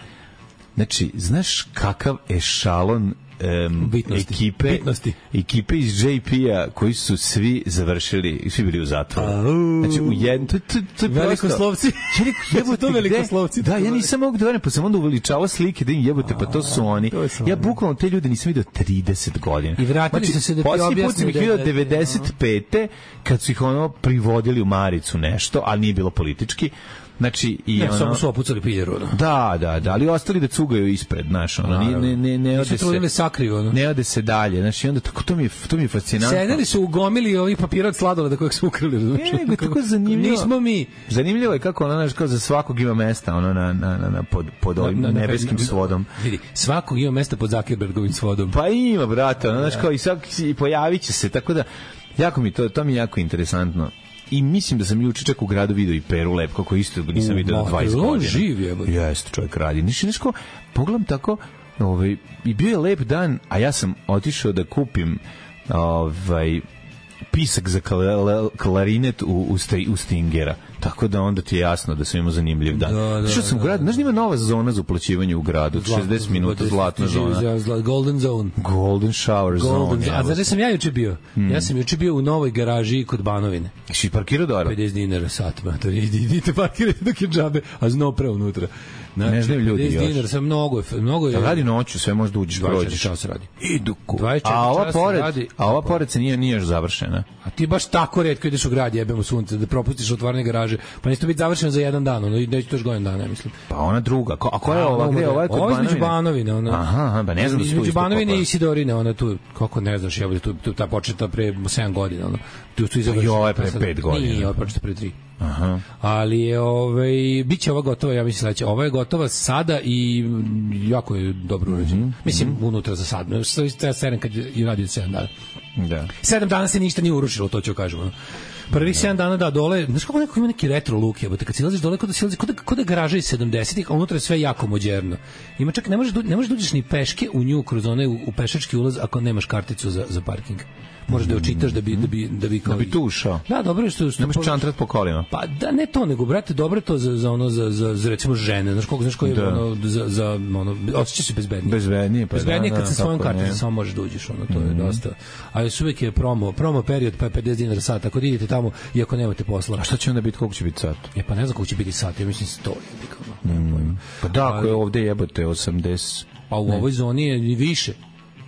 S7: znači, znaš kakav ešalon em,
S8: Bitnosti.
S7: ekipe,
S8: Bitnosti.
S7: ekipe iz J P-a koji su svi završili, svi bili u zatvoru. Znači, u jednom, to, to, to je prosto...
S8: Velikoslovci.
S7: Ja rekao, jebote,
S8: To
S7: gde?
S8: velikoslovci.
S7: Da, ja nisam mogu da verujem, pa sam onda uveličavao slike da im jebote, pa to su oni.
S8: to su
S7: Ja
S8: oni.
S7: bukvalno te ljude nisam vidio trideset godina.
S8: I vratili su se da ti
S7: posljednji put
S8: objasne
S7: sam ih
S8: da-
S7: vidio
S8: da-
S7: devedeset pete kad su ih ono privodili u maricu nešto, ali nije bilo politički. Znači, i
S8: Ne,
S7: ono...
S8: samo su opucali piljeru. Ono.
S7: Da, da, da, ali ostali da cugaju ispred, znaš, ono, ne, ne, ne, ne ode
S8: Nisu trudili
S7: se...
S8: sakriju, ono.
S7: Ne ode se dalje, znači, onda tako, to mi je, to mi je fascinantno.
S8: Sedeli su u gomili ovih papira od sladoleda kojeg su ukrali.
S7: Ne, nego je tako zanimljivo.
S8: Nismo mi.
S7: Zanimljivo je kako ono, znaš, kao za svakog ima mesta, ono, na, na, na, na pod, pod ovim
S8: Na- na-
S7: nebeskim
S8: na-
S7: svodom.
S8: Vidi, svakog ima mesta pod Zuckerbergovim svodom.
S7: Pa ima, brate, ono, znaš, kao i, svak, i pojavit će se, tako da, jako mi to, to mi je jako interesantno. I mislim da sam juče čak u gradu video i Peru Lepko, koji isto nisam
S8: U,
S7: vidio
S8: ma,
S7: do dvadeset
S8: on
S7: godina.
S8: živ je, ba.
S7: Jeste, čovjek radi. Niš, nešto, pogledam tako, ovaj, i bio je lep dan, a ja sam otišao da kupim ovaj, pisak za kla- klarinet u, u, sti, u Stingera. Tako da onda ti je jasno da sam imao zanimljiv dan.
S8: Da, da,
S7: Što sam u gradu, znaš da ima nova zona za uplaćivanje u gradu, šezdeset minuta zlatna zona.
S8: Golden zone.
S7: Golden shower
S8: Golden
S7: zone.
S8: zone. A znaš da sam ja juče bio? Ja sam juče bio u novoj garaži kod Banovine.
S7: Si parkirao dobro?
S8: pedeset dinara sat, ma to idi, idite parkirajte dok je džabe, a zno pre unutra. Znači,
S7: ne znaju ljudi
S8: pedeset
S7: još.
S8: dinara, sam mnogo, je- mnogo je.
S7: Da radi noću, sve možda uđeš,
S8: dvadeset četiri
S7: prođeš.
S8: časa radi.
S7: Idu ku.
S8: dvadeset četiri
S7: A ova
S8: časa
S7: pored,
S8: radi.
S7: a ova pored se nije, nije još završena.
S8: A ti baš tako retko ideš u grad, jebemo sunce, da propustiš otvaranje garaže. Pa neće to biti završeno za jedan dan, ono, neće to još godin dana, ja mislim.
S7: Pa ona druga. Ko, a koja je ova? Gde je ova? Je kod
S8: Ovo je između
S7: Banovine?
S8: Banovine, ona.
S7: Aha, aha, pa ne znam da su tu
S8: između
S7: isto
S8: Banovine
S7: kopali.
S8: i Sidorine, ona tu, kako ne znaš, jebote, tu, tu ta početa pre sedam godina, ono. Tu su
S7: Pa i ova je pre pet godina.
S8: Nije, ova je početa pre tri.
S7: Aha.
S8: Ali je, ovaj, bit će ova gotova, ja mislim sledeće. Ova je gotova sada i mm, jako je dobro urađena. Mislim, unutra za sad. Sve sedam kad je radio sedam dana.
S7: Da.
S8: Sedam dana se ništa nije urušilo, to ću kažem. Ono. Prvih sedam dana da dole, znaš kako neko ima neki retro look, jebote, kad silaziš dole, kod da silaziš, kod da, kod da garaža iz sedamdesetih, a unutra je sve jako moderno. Ima čak, ne možeš, da- ne možeš da uđeš ni peške u nju kroz onaj u, u pešački ulaz ako nemaš karticu za, za parking. Možeš da je očitaš da bi, da bi, da bi, kao,
S7: Da bi tu ušao.
S8: Da, dobro je što... što
S7: Ne možeš čantrat po kolima.
S8: Pa da ne to, nego brate, dobro je to za, za ono za, za, za recimo žene, znaš koliko, znaš koji je
S7: Da.
S8: ono za za ono osjećaš se bezbednije.
S7: Bezbednije, pa
S8: bezbednije
S7: da,
S8: kad
S7: da,
S8: sa svojom
S7: kako ne.
S8: karticom samo možeš da uđeš, ono to je dosta. A još uvijek je promo, promo period pa je pedeset dinara sat, tako da idete tamo iako nemate posla.
S7: A šta će onda biti, koliko će biti sat?
S8: E pa ne znam koliko će biti sat, ja mislim sto je ono. nemam pojma.
S7: Pa da, ako je ovde jebote osamdeset.
S8: Pa u ovoj zoni je i više.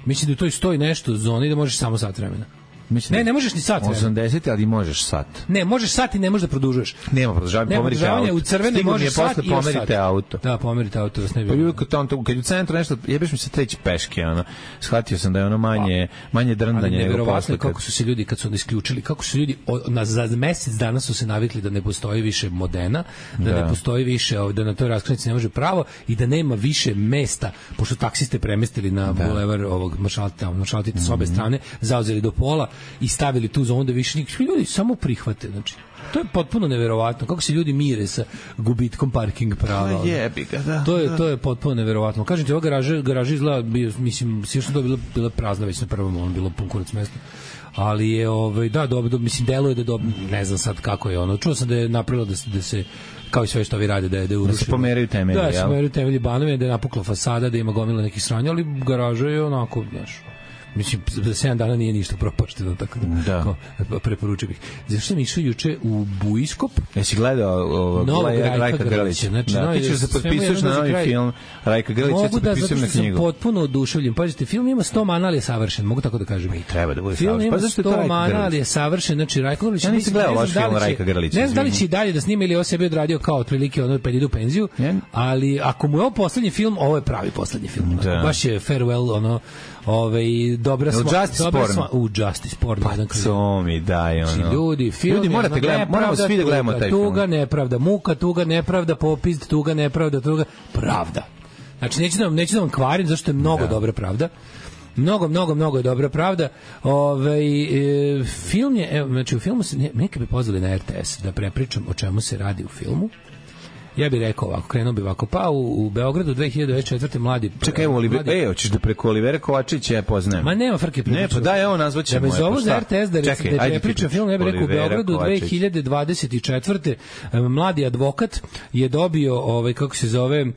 S8: Mislim da u toj stoji nešto u zoni da možeš samo sat vremena.
S7: Mislim
S8: Ne,
S7: da-
S8: ne možeš ni sat vremena.
S7: osamdeset, ali možeš sat.
S8: Ne, možeš sat i ne možeš da produžuješ.
S7: Nema produžavanja,
S8: Nema
S7: pomerite
S8: produžavanja,
S7: auto.
S8: u crvene
S7: Stiglo mi
S8: možeš
S7: je
S8: sat
S7: posle
S8: i još
S7: pomerite
S8: sat.
S7: auto.
S8: Da, pomerite auto, da se ne bi.
S7: Pa bilo kad tamo, kad je u centru nešto, jebeš mi se treći peške, ono. Shvatio sam da je ono manje, manje
S8: Ali
S7: drndanje nego
S8: neverovatno
S7: posle.
S8: je
S7: Kad...
S8: kako su se ljudi kad su onda isključili, kako su ljudi o, na za mesec dana su se navikli da ne postoji više Modena, da,
S7: Da.
S8: ne postoji više, o, da na toj raskrsnici ne može pravo i da nema više mesta, pošto taksiste premestili na bulevar ovog maršalta, maršaltita s obe strane, zauzeli do pola i stavili tu zonu da više nikakvi ljudi samo prihvate, znači to je potpuno neverovatno kako se ljudi mire sa gubitkom parking prava.
S7: Pa jebi ga, da.
S8: To je to je potpuno neverovatno. Kažem ti, ova garaža, garaža izgleda bio, mislim, sigurno to je bilo bila prazna već na prvom, on bilo pun kurac mesta. Ali je ovaj da dobro, do, mislim deluje da dobro, ne znam sad kako je ono. Čuo sam da je napravilo da se da se kao i sve što vi rade da je da je urušeno.
S7: Da se pomeraju temelji,
S8: Da, se
S7: jel?
S8: pomeraju temelji Banovine, da je napukla fasada, da ima gomila nekih sranja, ali garaža je onako, znaš, mislim, za sedam dana nije ništa propašteno, tako da,
S7: Da.
S8: kao, preporučio bih. Zašto sam išao juče u Buiskop?
S7: Jesi gledao ovog
S8: Novog
S7: Rajka,
S8: Rajka
S7: Rajka
S8: Grlića,
S7: Grlića?
S8: znači,
S7: Da,
S8: novi-
S7: ti ćeš da se
S8: sve mu
S7: potpisuješ
S8: jedno
S7: na
S8: za
S7: novi
S8: kraj.
S7: film Rajka Grlića, ja
S8: Mogu
S7: se
S8: da, zato
S7: potpisujem
S8: što
S7: na
S8: sam
S7: knjigu.
S8: potpuno oduševljen. Pazite, film ima sto mana, ali je savršen. Mogu tako da kažem. I
S7: treba da bude
S8: film
S7: savršen.
S8: ima
S7: Pa zašto je to
S8: sto
S7: Rajko
S8: mana,
S7: Grlić?
S8: ali je savršen. Znači, Rajko Grlić...
S7: Ja nisam
S8: mislim,
S7: gledao
S8: ne
S7: vaš
S8: znam da li
S7: film
S8: će-
S7: Rajka Grlića,
S8: Ne znam da li
S7: izvini.
S8: će i dalje da snima ili ovo sebi odradio kao otprilike ono kad ide u penziju,
S7: Ne.
S8: ali ako mu je ovo poslednji film, ovo je pravi poslednji film.
S7: Da.
S8: Baš je farewell, ono, ovaj, dobra
S7: Jel
S8: sva...
S7: Justice
S8: dobra
S7: porn?
S8: sva... U, Justice porn. jedan kroz jedan.
S7: To mi daj, ono.
S8: Znači, ljudi, film
S7: Ljudi,
S8: je
S7: morate
S8: ono,
S7: gledamo, moramo
S8: nepravda,
S7: svi da gledamo
S8: tuga,
S7: taj film.
S8: Tuga, nepravda, muka, tuga, nepravda, popizd, tuga, nepravda, tuga, pravda. Znači, neću da vam, neću da vam kvarim, zašto je mnogo dobra pravda. Mnogo, mnogo, mnogo je dobra pravda. Ove, e, film je, evo, znači u filmu se, ne, neka bi pozvali na R T S da prepričam o čemu se radi u filmu. Ja bih rekao ovako, krenuo bi ovako, pa u, u Beogradu dve hiljade dvadeset četvrte mladi...
S7: Čekaj, evo, Oliver,
S8: mladi-
S7: e, hoćeš da preko Olivera Kovačića ja poznajem.
S8: Ma nema frke.
S7: Ne, pa daj, evo, nazvaćemo.
S8: Da me
S7: je,
S8: zovu
S7: pa
S8: za
S7: šta?
S8: R T S da,
S7: Čekaj,
S8: da
S7: ajde
S8: ne
S7: ti
S8: pričam
S7: pričaj.
S8: film, ja bih rekao u
S7: Olivera
S8: Beogradu
S7: Kovačić.
S8: dve hiljade dvadeset četvrte mladi advokat je dobio, ovaj, kako se zove, uh,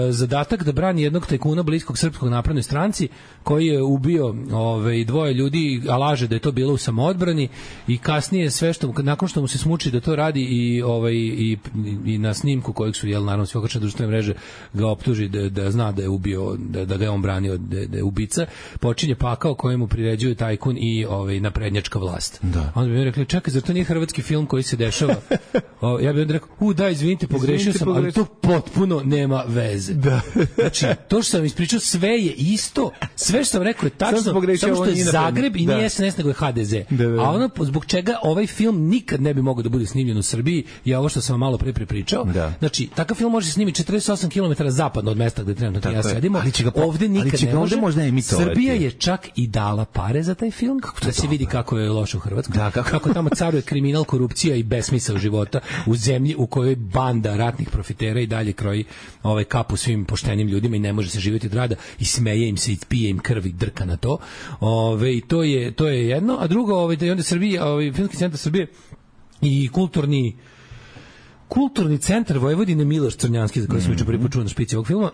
S8: zadatak da brani jednog tajkuna bliskog srpskog naprednoj stranci koji je ubio ovaj, dvoje ljudi, a laže da je to bilo u samoodbrani i kasnije sve što, nakon što mu se smuči da to radi i, ovaj, i, i na snimku kojeg su, jel, naravno, sve okačene društvene mreže ga optuži da, da zna da je ubio, da, da ga je on branio, da, da je ubica, počinje pakao kojemu priređuje tajkun i ovaj, naprednjačka vlast.
S7: Da.
S8: Onda bi mi rekli, čekaj, zar to nije hrvatski film koji se dešava? O, ja bih onda rekao, u da, izvinite, pogrešio
S7: Izvinite,
S8: sam, ali
S7: pogrešio.
S8: to potpuno nema veze. Da. Znači, to što sam ispričao, sve je isto, sve što sam rekao je tačno,
S7: Samo sam pogrešio,
S8: samo što
S7: ovo
S8: je
S7: nije
S8: Zagreb i
S7: da.
S8: nije S N S, nego je H D Z.
S7: Da, da.
S8: A ono zbog čega ovaj film nikad ne bi mogao da bude snimljen u Srbiji je ovo što sam vam malo pre prepričao.
S7: Da.
S8: Znači, takav film može se snimiti četrdeset osam kilometara zapadno od mesta gde trenutno ja
S7: Tako je.
S8: sedimo.
S7: Ali će ga po-
S8: ovde
S7: ali
S8: nikad
S7: će
S8: ne
S7: ga
S8: može.
S7: ovde možda emitovati.
S8: Srbija je čak i dala pare za taj film, da se vidi kako je loše u Hrvatskoj.
S7: Da, kako-
S8: kako tamo caruje kriminal, korupcija i besmisao života u zemlji u kojoj banda ratnih profitera i dalje kroji ovaj kapu svim poštenim ljudima i ne može se živjeti od rada i smeje im se i pije im krv i drka na to. Ove, i to je to je jedno, a drugo, ovaj da je onda Srbija, ovaj filmski centar Srbije i kulturni Kulturni centar Vojvodine Miloš Crnjanski, za koji sam juče prvi put čuo na špici ovog filma,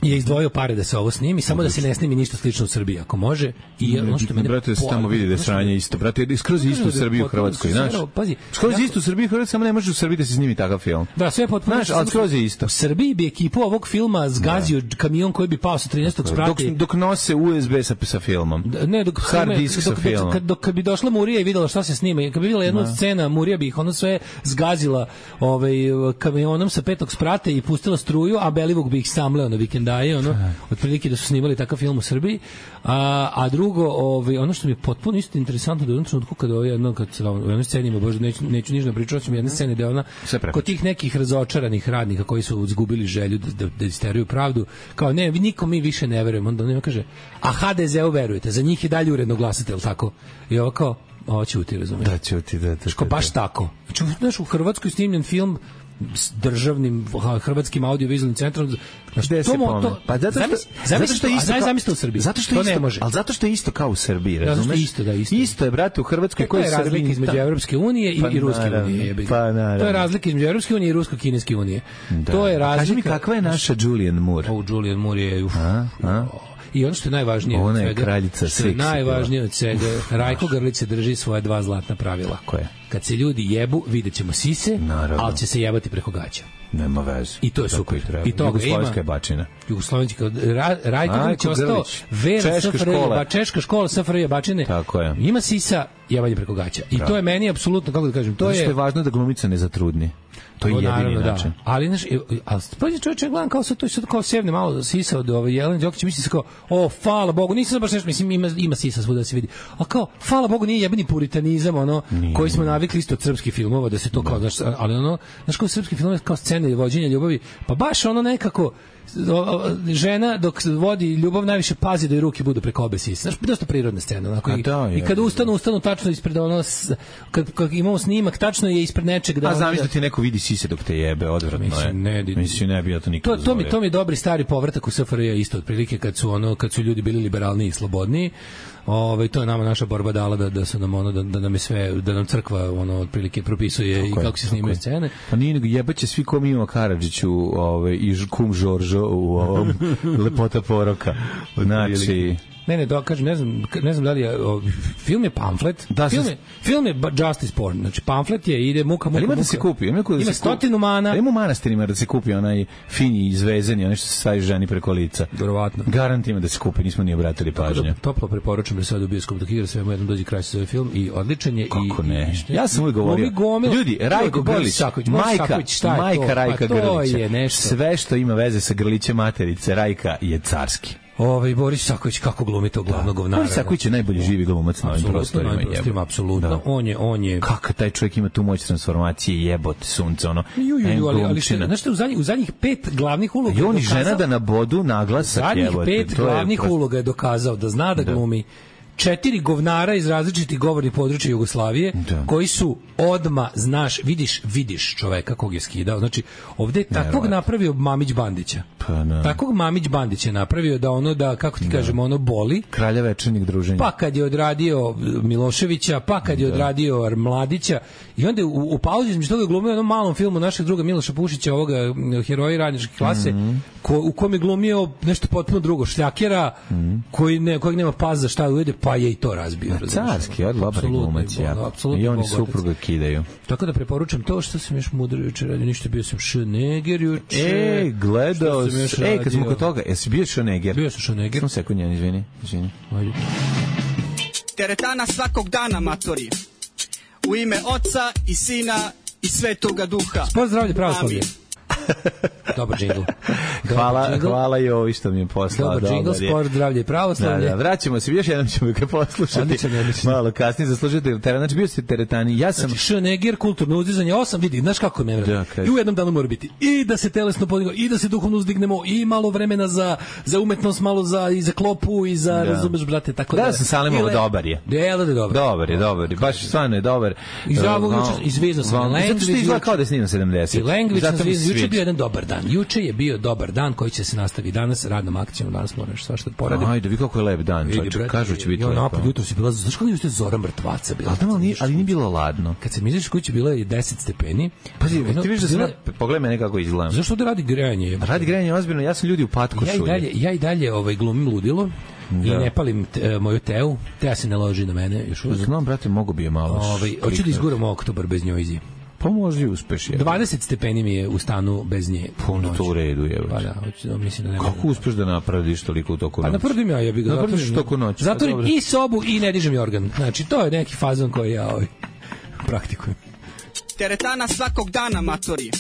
S8: je izdvojio pare da se ovo snimi, samo da se ne snimi ništa slično u Srbiji, ako može. I ono što mene...
S7: Brate, da se tamo vidi da je sranje isto. Brate, skroz isto u Srbiji u Hrvatskoj, znaš.
S8: Pazi,
S7: skroz isto u Srbiji u Hrvatskoj, samo ne može u Srbiji da se snimi takav film.
S8: Da, sve potpuno.
S7: Znaš, ali skroz je isto.
S8: U Srbiji bi ekipu ovog filma zgazio kamion koji bi pao sa trinaestog sprata.
S7: Dok, dok nose U S B sa, sa filmom.
S8: Ne, dok
S7: hard disk sa
S8: dok,
S7: filmom.
S8: Dok, dok, kad bi došla Murija i videla šta se snima, kad bi videla jednu od scena, Murija bi ih ono sve zgazila ovaj, kamionom sa petog sprata i pustila struju, a Belivuk bi ih samleo na vikendaje, ono, otprilike da su snimali takav film u Srbiji. A, a drugo, ovaj, ono što mi je potpuno isto interesantno da u jednom trenutku kada ovaj jedno, kad u jednoj sceni ima, bože, neću, neću ništa pričati, mi jedne scene da ona, kod tih nekih razočaranih radnika koji su izgubili želju da, da, da isteruju pravdu, kao ne, vi nikom mi više ne verujemo, onda on kaže, a ha de ze u verujete, za njih je dalje uredno glasate, jel tako? I ovo kao, ovo ćuti, razumiješ?
S7: Da, ćuti, da, da, da.
S8: Ško, baš tako. Znači, znaš, u Hrvatskoj snimljen film s državnim hrvatskim audiovizualnim centrom.
S7: Gde se pomene? Pa zato što, zato što je isto,
S8: zamisli u Srbiji.
S7: Zato što
S8: to
S7: isto,
S8: ne može.
S7: Ali zato što je isto kao u Srbiji, razumeš?
S8: Zato što isto, da, isto.
S7: Isto je, brate, u Hrvatskoj koji
S8: je razlika između Evropske unije i,
S7: pa,
S8: i Ruske
S7: naravno,
S8: unije.
S7: Pa, naravno.
S8: To je razlika između Evropske unije i Rusko-kineske unije.
S7: Da.
S8: To je razlika.
S7: Kaži mi kakva je naša Julianne Moore?
S8: O, Julianne Moore je... Uf,
S7: a, a?
S8: I ono što je najvažnije
S7: ona je
S8: od svega,
S7: kraljica
S8: što je
S7: seksi,
S8: najvažnije od svega, Rajko Grlić se drži svoje dva zlatna pravila.
S7: Koje?
S8: Kad se ljudi jebu, vidjet ćemo sise,
S7: naravno,
S8: ali će se jebati preko gaća.
S7: Nema veze.
S8: I to je super. I to
S7: Jugoslovenska je bačina.
S8: Jugoslovenska Ra, Rajko Grlić je ostao vera S F R J, češka škola S F R J bačine.
S7: Tako je.
S8: Ima sisa, jebanje preko gaća. I to je meni apsolutno, kako da kažem, to je...
S7: Što je važno da glumica ne zatrudni. To je jedini način.
S8: Da. Ali znaš, al pazi čovjek gledam kao sa to što kao sevne malo sisa od ove Jelene Đokić, misli se kao, o, hvala Bogu, nisam baš nešto, mislim ima ima sisa svuda da se vidi. Al kao, hvala Bogu, nije jebeni puritanizam, ono nije, koji smo navikli isto od srpskih filmova da se to kao, znaš, ali ono, znaš kao srpski filmovi kao scene vođenja ljubavi, pa baš ono nekako žena dok vodi ljubav najviše pazi da joj ruke budu preko obe sise. Znaš, dosta prirodna scena. Onako, i,
S7: da, je,
S8: i kad ustanu, ustanu tačno ispred ono, kad, kad imamo snimak, tačno je ispred nečeg. Da
S7: a znam da ti neko vidi sise dok te jebe, odvratno
S8: mislim,
S7: je.
S8: Ne,
S7: mislim, ne bi ja to nikad
S8: to, to, mi, to mi je dobri stari povratak u S F R J isto, otprilike kad su, ono, kad su ljudi bili liberalniji i slobodniji. Ovaj to je nama naša borba dala da da su nam ono da, da nam je sve da nam crkva ono otprilike propisuje tako i kako je, se snimaju scene.
S7: Pa nije nego jebaće svi ko Mimo Karadžić u ovaj i kum Žoržo u ovom Lepota poroka. Znači
S8: Ne, ne, dokažem, ne znam, ne znam da li je, o, film je pamflet,
S7: da,
S8: film,
S7: se...
S8: je, film je justice porn, znači pamflet je, ide muka, muka,
S7: ima
S8: muka.
S7: da se kupi, ima, da
S8: ima
S7: se
S8: stotinu mana.
S7: Da ima u manastirima da se kupi onaj fini izvezeni, onaj što se stavi ženi preko lica.
S8: Verovatno.
S7: Garant ima da se kupi, nismo ni obratili pažnju.
S8: Da, toplo preporučujem da se ode u bioskop dok igra svemu jednom dođe kraj se zove film i odličan je.
S7: Kako
S8: i,
S7: ne?
S8: I,
S7: ja sam uvijek govorio, ljudi, Rajko Grlić, majka, majka Rajka Grlića, sve što ima veze sa Grlićem materice, Rajka je carski.
S8: Ovaj Boris Saković kako glumi to glavnog govnara.
S7: Boris Saković je najbolji živi glumac na ovim prostorima,
S8: jebote. Apsolutno, da. On je, on je.
S7: Kakav taj čovjek ima tu moć transformacije, jebote sunce, ono.
S8: Ju, ju, ju, ali, ali što, znaš što, u zadnjih, u zadnjih pet glavnih uloga...
S7: I on i žena da na bodu naglasak, jebote.
S8: Zadnjih pet glavnih prost... uloga je dokazao da zna da, da. glumi četiri govnara iz različitih govornih područja Jugoslavije, da. Koji su odma, znaš, vidiš, vidiš čoveka kog je skidao. Znači, ovde je takvog napravio Mamić Bandića.
S7: Pa, no.
S8: Takvog Mamić Bandić je napravio da ono, da, kako ti da. kažemo, ono boli.
S7: Kralja večernjeg druženja.
S8: Pa kad je odradio Miloševića, pa kad je da. odradio Mladića, i onda u, u pauzi između toga je glumio onom malom filmu našeg druga Miloša Pušića, ovoga Heroji radničke klase, mm-hmm. ko, u kom je glumio nešto potpuno drugo, šljakera, mm-hmm. koji ne, kojeg nema pas za šta ujede, pa je i to razbio.
S7: Carski, od dobar glumac, ja. I oni supruga kidaju.
S8: Tako da preporučujem to što sam još mudro juče radio, ništa, bio sam Schneger juče.
S7: E, gledao sam, e, kad smo kod toga, jesi bio Schneger?
S8: Bio sam Schneger.
S7: Samo sekund, njen, izvini, izvini. Ajde.
S9: Teretana svakog dana, matori. U ime Oca i Sina i Svetoga Duha.
S8: Sport zdravlje pravoslavlje. Dobar džingl.
S7: Hvala, džingl. Hvala i ovi što mi je poslao.
S8: Dobar džingl, sport, zdravlje i pravoslavlje.
S7: Da, da, vraćamo se, još jednom ćemo ga poslušati.
S8: Odličan, odličan.
S7: Malo kasnije zaslužite teretan. Znači, bio ste teretani. Ja sam...
S8: Znači, Schneger, kulturno uzdizanje, osam, vidi, znaš kako me vreme. I u jednom danu mora biti i da se telesno podignemo, i da se duhovno uzdignemo, i malo vremena za, za umetnost, malo za, i za klopu, i za, da. razumeš, brate, tako da...
S7: Da, sam Salimovo, dobar je.
S8: Delo da je dobar.
S7: Dobar je, dobar je. Baš stvarno je dobar.
S8: Iz ovog, izvezno sam.
S7: Zato što izgleda kao da je snimam sedamdeset.
S8: I Language sam juče je bio jedan dobar dan. Juče je bio dobar dan koji će se nastaviti danas radnom akcijom. Danas moraš svašta da poradim.
S7: Ajde, vi kako je lep dan, čovječe. Kažu će biti
S8: lepo.
S7: lepo.
S8: Napad jutro si bila, znaš kako je Zora mrtvaca bila?
S7: Ali, tamo nije, ali nije bilo ladno.
S8: Kad sam izašao kući bilo je deset stepeni.
S7: Pazi,
S8: Ono,
S7: ti vidiš da
S8: bila-
S7: sam, pogledaj mene kako izgledam.
S8: Zašto ovde radi grejanje? jebote?
S7: Radi grejanje ozbiljno, ja sam ljudi u patku
S8: Ja i
S7: šulje.
S8: dalje, ja i dalje ovaj, glumim ludilo i
S7: Da.
S8: ne palim te, moju teu. Teja se ne loži na mene još uvijek.
S7: Znam, brate, mogu bi je malo.
S8: Ovaj, hoću da
S7: kliknuti.
S8: izguram oktobar bez njojzi.
S7: Pa možda i uspeš je.
S8: dvadeset stepeni mi je u stanu bez nje.
S7: Puno to u redu je.
S8: Pa da, hoću da mislim da ne
S7: Kako uspeš da napraviš toliko u toku
S8: Pa
S7: noći?
S8: napravim ja, ja bih ga
S7: Napraviš
S8: zatvorim.
S7: toku noći, pa
S8: Zatvorim
S7: dobro.
S8: i sobu i ne dižem jorgan. Znači, to je neki fazon koji ja ovaj, praktikujem.
S9: Teretana svakog dana, matori.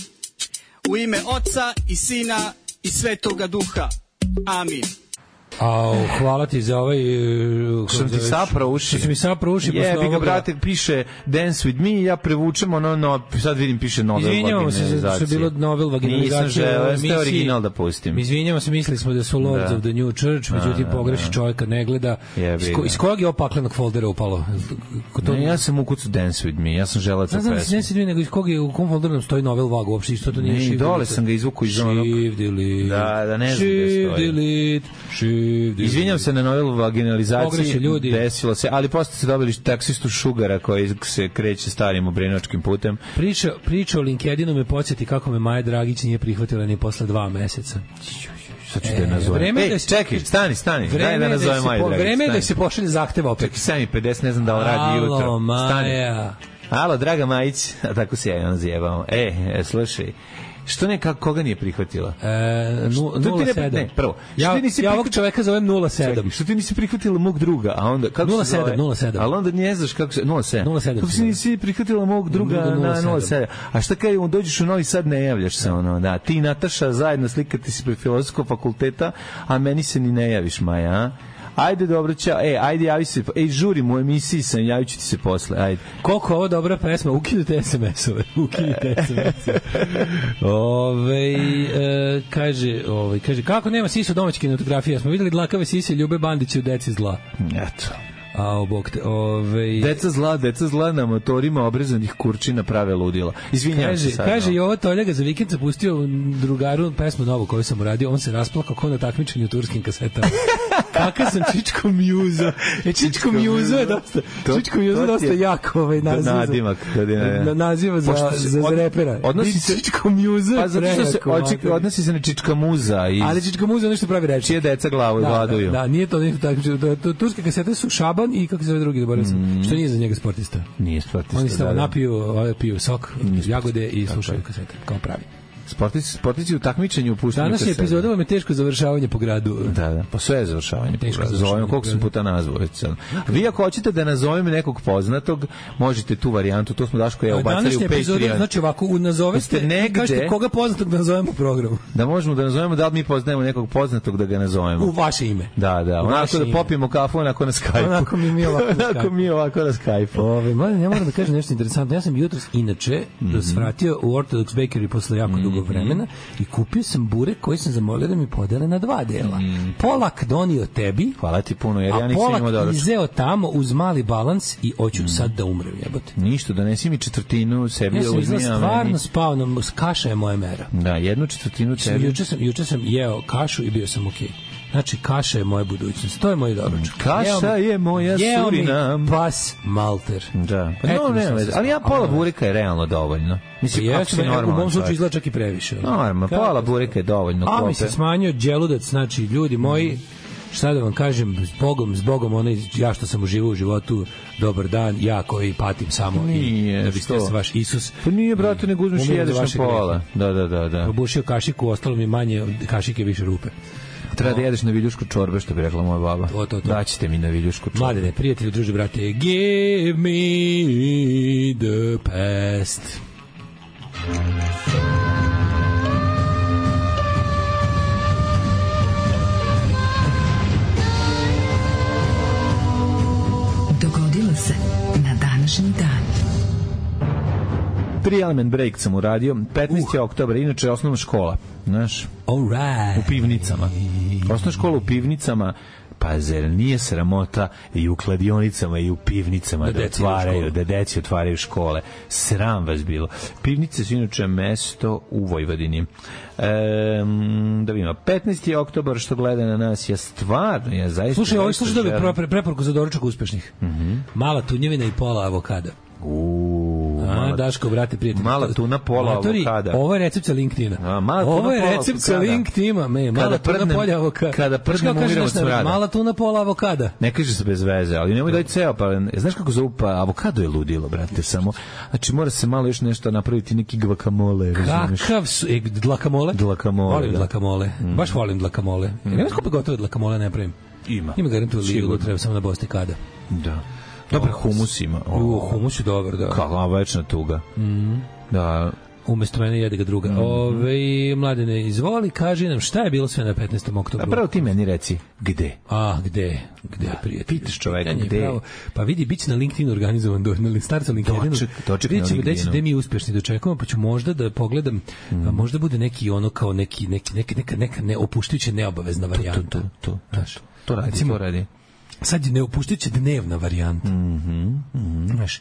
S9: U ime Oca i Sina i Svetoga Duha. Amin.
S8: Au, hvala ti za ovaj... uh,
S7: Što sam ti saprao uši.
S8: Što si mi saprao uši posle
S7: Jebi ga,
S8: ovoga.
S7: brate, piše Dance with me, ja prevučem ono, no, sad vidim piše novel
S8: Izvinjavamo se za što je bilo novel vaginizacija.
S7: Nisam želeo, jeste
S8: emisiji.
S7: original da pustim.
S8: Izvinjavamo se, mislili smo da su Lords
S7: Da.
S8: of the New Church, međutim
S7: Da,
S8: pogreši
S7: da.
S8: čovjek kad ne gleda.
S7: Jebi
S8: Iz, ko,
S7: ga.
S8: iz kojeg je opaklenog foldera upalo? Ko to...
S7: Ne, ja sam ukucu Dance with me, ja sam želeo
S8: Ne
S7: to
S8: znam da se
S7: pesmu.
S8: ne sjedim, nego iz kog je, u kom folderu nam stoji novel vagu, uopšte isto to nije
S7: Ne, i
S8: shift
S7: dole
S8: delete.
S7: sam ga izvukao iz onog-
S8: Shift delete.
S7: Da, da, ne znam gde
S8: Shift
S7: stoji.
S8: delete, shift delete.
S7: Izvinjam se na novel vaginalizaciji,
S8: Pogreše ljudi.
S7: desilo se, ali posle ste dobili taksistu Šugara koji se kreće starim obrenočkim putem.
S8: Priča, priča o LinkedInu me podsjeti kako me Maja Dragić nije prihvatila ni posle dva meseca.
S7: Sad ću
S8: E,
S7: da je nazovem.
S8: vreme je
S7: Ej,
S8: da se-
S7: čekaj, stani, stani. Daj
S8: Vreme
S7: da
S8: je da
S7: nazovem
S8: se
S7: Maju
S8: po-
S7: Dragić.
S8: vreme je da
S7: stani.
S8: se pošalje zahtev opet.
S7: Čekaj, sedam i pedeset, ne znam da li radi jutro.
S8: Alo,
S7: Stani.
S8: Maja.
S7: Alo, draga Majić, a tako se ja on zjebao. E, e, slušaj, što ne, kako, koga nije prihvatila?
S8: E, nu-
S7: Što ti
S8: nula
S7: ne-
S8: sedam.
S7: ne, prvo, što
S8: Ja,
S7: ti nisi
S8: ja ovog
S7: prihvat-
S8: čoveka zovem nula sedam.
S7: Čekaj, što ti nisi prihvatila mog druga, a onda kako
S8: nula
S7: se
S8: sedam,
S7: zove?
S8: nula sedam.
S7: Ali onda ne znaš kako se nula sedam.
S8: nula sedam
S7: Kako
S8: se
S7: si nisi prihvatila mog druga
S8: Druga nula
S7: na
S8: sedam.
S7: nula sedam. A šta kaj, on dođeš u Novi Sad, ne javljaš se ono, da. Ti i Nataša zajedno slikate se pred filozofskog fakulteta, a meni se ni ne javiš, Maja, a? Ajde, dobro, ćao. Ej, ajde, javi se. Ej, žurim u emisiji sam, javit ću ti se posle. Ajde.
S8: Koliko je ovo dobra pesma, ukinite es em es-ove, ukinite es em es-ove. Ove, e, kaže, ove, kaže, kako nema sisa domaće kinematografije, smo videli dlakave sise Ljube Bandića u Deci zla.
S7: Eto.
S8: A, obok te, ove...
S7: Deca zla, deca zla na motorima obrezanih kurčina prave ludila. Izvinjavam se
S8: Kaže,
S7: sad.
S8: kaže
S7: no.
S8: i ovo Toljaga za vikend sam pustio drugaru pesmu novu koju sam uradio, on se rasplakao kao na takmičenju u turskim kasetama. Kakav sam Čičko Mjuza. E, Čičko Mjuza je dosta,
S7: To-
S8: Čičko Mjuza je
S7: to ti
S8: dosta
S7: je
S8: jako ovaj naziv. za-
S7: nadimak, kad je, ne.
S8: na- naziva za,
S7: Pošto se
S8: za, za
S7: od-
S8: repera.
S7: odnosi se-
S8: Čičko Mjuza
S7: Pa
S8: je
S7: zato što se
S8: prejako,
S7: oči,
S8: mater.
S7: odnosi se na Čička muza i
S8: Ali Čičko Mjuza je nešto pravi reči.
S7: čije deca glavu
S8: Da,
S7: gladuju.
S8: da, da, nije to nešto tako. da- to- Turske kasete su Šaban i kako se zove drugi, zaboravio sam. Što nije za njega sportista.
S7: Nije sportista.
S8: Oni samo
S7: da, da.
S8: napiju, ovaj, piju sok,
S7: Nije
S8: jagode i
S7: Tako
S8: slušaju
S7: je.
S8: kasete, kao pravi.
S7: Sportisti, sportisti u takmičenju puštaju
S8: Danas je
S7: kasete.
S8: epizoda vam je teško završavanje po gradu.
S7: Da, da, pa sve je završavanje.
S8: Teško
S7: Teško
S8: završavanje.
S7: zovem, koliko sam puta nazvao već sad. Vi ako hoćete da nazovem nekog poznatog, možete tu varijantu, to smo Daško i ja ubacali u
S8: Današnja epizoda,
S7: Patreon.
S8: znači ovako, u nazoveste,
S7: Jeste negde-
S8: kažete koga poznatog da nazovemo u programu.
S7: Da možemo da nazovemo, da li mi poznajemo nekog poznatog da ga nazovemo.
S8: U vaše ime.
S7: Da, da,
S8: U
S7: onako
S8: vaše
S7: da
S8: ime.
S7: popijemo kafu, onako na Skype-u.
S8: Onako mi mi ovako na
S7: Onako
S8: Skype-u.
S7: mi ovako na Skype-u.
S8: Ove, mladen, ja moram da kažem nešto interesantno. Ja sam jutros inače
S7: Mhm.
S8: mm -hmm. svratio u Orthodox Bakery posle jako dugo vremena i kupio sam burek koji sam zamolio da mi podele na dva dela. Polak donio tebi,
S7: Hvala ti puno, jer ja
S8: a
S7: nisam imao
S8: polak
S7: doručak.
S8: izeo tamo uz mali balans i hoću sad da umrem, jebote.
S7: Ništa, donesi mi četvrtinu sebi,
S8: Ja sam
S7: uzmi,
S8: izgleda
S7: a
S8: stvarno
S7: meni...
S8: spao, na, kaša je moja mera.
S7: Da, jednu četvrtinu
S8: Sam,
S7: tebi.
S8: juče, sam, juče sam jeo kašu i bio sam okej. Znači, kaša je moja budućnost. To je moj doručak.
S7: Kaša
S8: Jeo mi-
S7: je moja
S8: jeo mi
S7: Surinam.
S8: pas malter.
S7: Da. Pa
S8: Eto
S7: no,
S8: mi
S7: ne,
S8: šta
S7: ne,
S8: se
S7: ali ja
S8: spao.
S7: pola
S8: A,
S7: bureka je realno dovoljno. Mislim, kako
S8: Jesam,
S7: si
S8: u mom
S7: normalan
S8: slučaju
S7: čovjek.
S8: izgleda čak i previše.
S7: Normalno,
S8: Kako
S7: pola
S8: se-
S7: bureka je dovoljno.
S8: A mi
S7: klope.
S8: se smanjio đeludac, znači, ljudi moji, šta da vam kažem, s Bogom, s Bogom, onaj, ja što sam uživao u životu, dobar dan, ja koji patim samo
S7: Nije,
S8: i da biste
S7: što?
S8: se vaš Isus
S7: Pa nije, brate, nego uzmeš i
S8: umirio za
S7: jedeš na
S8: vaše
S7: pola. Da, da, da, da.
S8: obušio kašiku, ostalo mi manje od kašike, više rupe.
S7: Treba da jedeš na viljušku čorbe, što bi rekla moja baba.
S8: To, to, to.
S7: Daćete mi na viljušku čorbe.
S8: Mladene, prijatelji, druže, brate, give me the past.
S5: Dogodilo se na današnji dan.
S7: Tri element break sam uradio. petnaesti oktobra, inače je osnovna škola. Znaš,
S8: All right.
S7: u pivnicama. Osnovna škola u pivnicama. pa zar nije sramota i u kladionicama i u pivnicama
S8: Da
S7: da,
S8: deci idu u
S7: otvaraju,
S8: školu.
S7: da deci otvaraju škole. Sram vas bilo. Pivnice su inače mesto u Vojvodini. Ehm, da vidimo, petnaesti oktobar što gleda na nas, ja stvarno, ja zaista...
S8: Slušaj, ovo
S7: zaista
S8: slušaj da
S7: želim-
S8: pre, preporuku za doručak uspešnih. Mala tunjevina i pola avokada.
S7: Uuu,
S8: A,
S7: mala-
S8: Daško, brate, prijatelj.
S7: mala tuna, pola
S8: Matori,
S7: avokada.
S8: Ovo je recept sa LinkedIna.
S7: A, mala tuna,
S8: ovo je
S7: pola
S8: recept sa
S7: avokada.
S8: LinkedIna. Me, mala
S7: Kada
S8: tuna,
S7: prdnem-
S8: polja avokada.
S7: kada
S8: Znaš kako
S7: prdnem
S8: kaže
S7: umiram
S8: naš
S7: od
S8: narod?
S7: smrada.
S8: Mala tuna, pola avokada.
S7: Ne kaže se bez veze, ali nemoj daj ceo, pa znaš kako zovu, pa avokado je ludilo, brate, samo. Znači mora se malo još nešto napraviti, neki guacamole, razumeš?
S8: Kakav su... E, dlakamole?
S7: Dlakamole,
S8: Volim
S7: da.
S8: dlakamole. Baš volim dlakamole. Mm. Nema skupo gotove dlakamole ne pravim.
S7: Ima.
S8: Ima garantu lilu,
S7: Sigurno.
S8: treba samo na bosti kada.
S7: Da. Dobar humus ima.
S8: U, humus je dobar, da.
S7: Kakva večna tuga.
S8: Mm.
S7: Da.
S8: Umesto mene jede ga druga. Mm. Ove, Mladene, izvoli, kaži nam šta je bilo sve na petnaestom
S7: A
S8: oktobru.
S7: pravo ti meni reci, gde?
S8: A, gde? Gde, prijatelj?
S7: pitaš čoveka,
S8: Pitanje je
S7: gde?
S8: pravo. Pa vidi, bit će na LinkedIn organizovan, do, na starcu LinkedInu.
S7: Doček- doček na
S8: Vidjet ćemo gde će-
S7: LinkedInu.
S8: gde mi uspešni dočekamo, pa ću možda da pogledam, a možda bude neki ono kao neki, neki, neki neka, neka neopuštujuća neobavezna varijanta.
S7: To, to, to,
S8: Znaš,
S7: to radi,
S8: recimo,
S7: to radi.
S8: sad je neopuštujuća dnevna varijanta.
S7: Mhm, mhm.
S8: Znaš,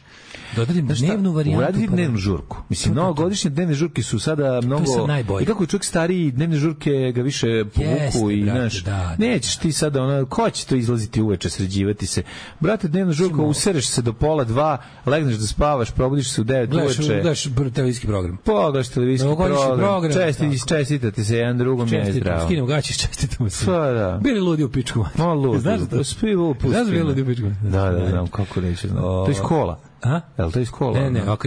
S8: dodadim dnevnu varijantu.
S7: Uraditi
S8: pa-
S7: dnevnu žurku. Mislim, novogodišnje dnevne žurke su sada mnogo...
S8: sad najbolje.
S7: I kako je čovjek stariji, dnevne žurke ga više povuku
S8: Jeste,
S7: i,
S8: brate,
S7: znaš,
S8: da, da.
S7: nećeš ti sada, ono, ko će to izlaziti uveče, sređivati se? Brate, dnevna žurka, usereš se do pola dva, legneš da spavaš, probudiš se u devet
S8: Gledaš,
S7: uveče.
S8: gledaš br- televizijski program.
S7: Pogledaš televizijski
S8: Novogodišnji
S7: program,
S8: program,
S7: česti,
S8: tako.
S7: čestitate se jedan drugom, je
S8: Čestitamo,
S7: zdravo.
S8: skinemo gaće, čestitamo se.
S7: Pa da.
S8: Bili ludi u pičku. mater.
S7: Ma lud,
S8: Znaš za to?
S7: spi u
S8: Znaš za bili ludi u
S7: pustima.
S8: pičku?
S7: Da, da, znam, kako reći, znam. To je iz kola.
S8: A?
S7: Jel to iz kola?
S8: Ne, ne,
S7: ono?
S8: ok,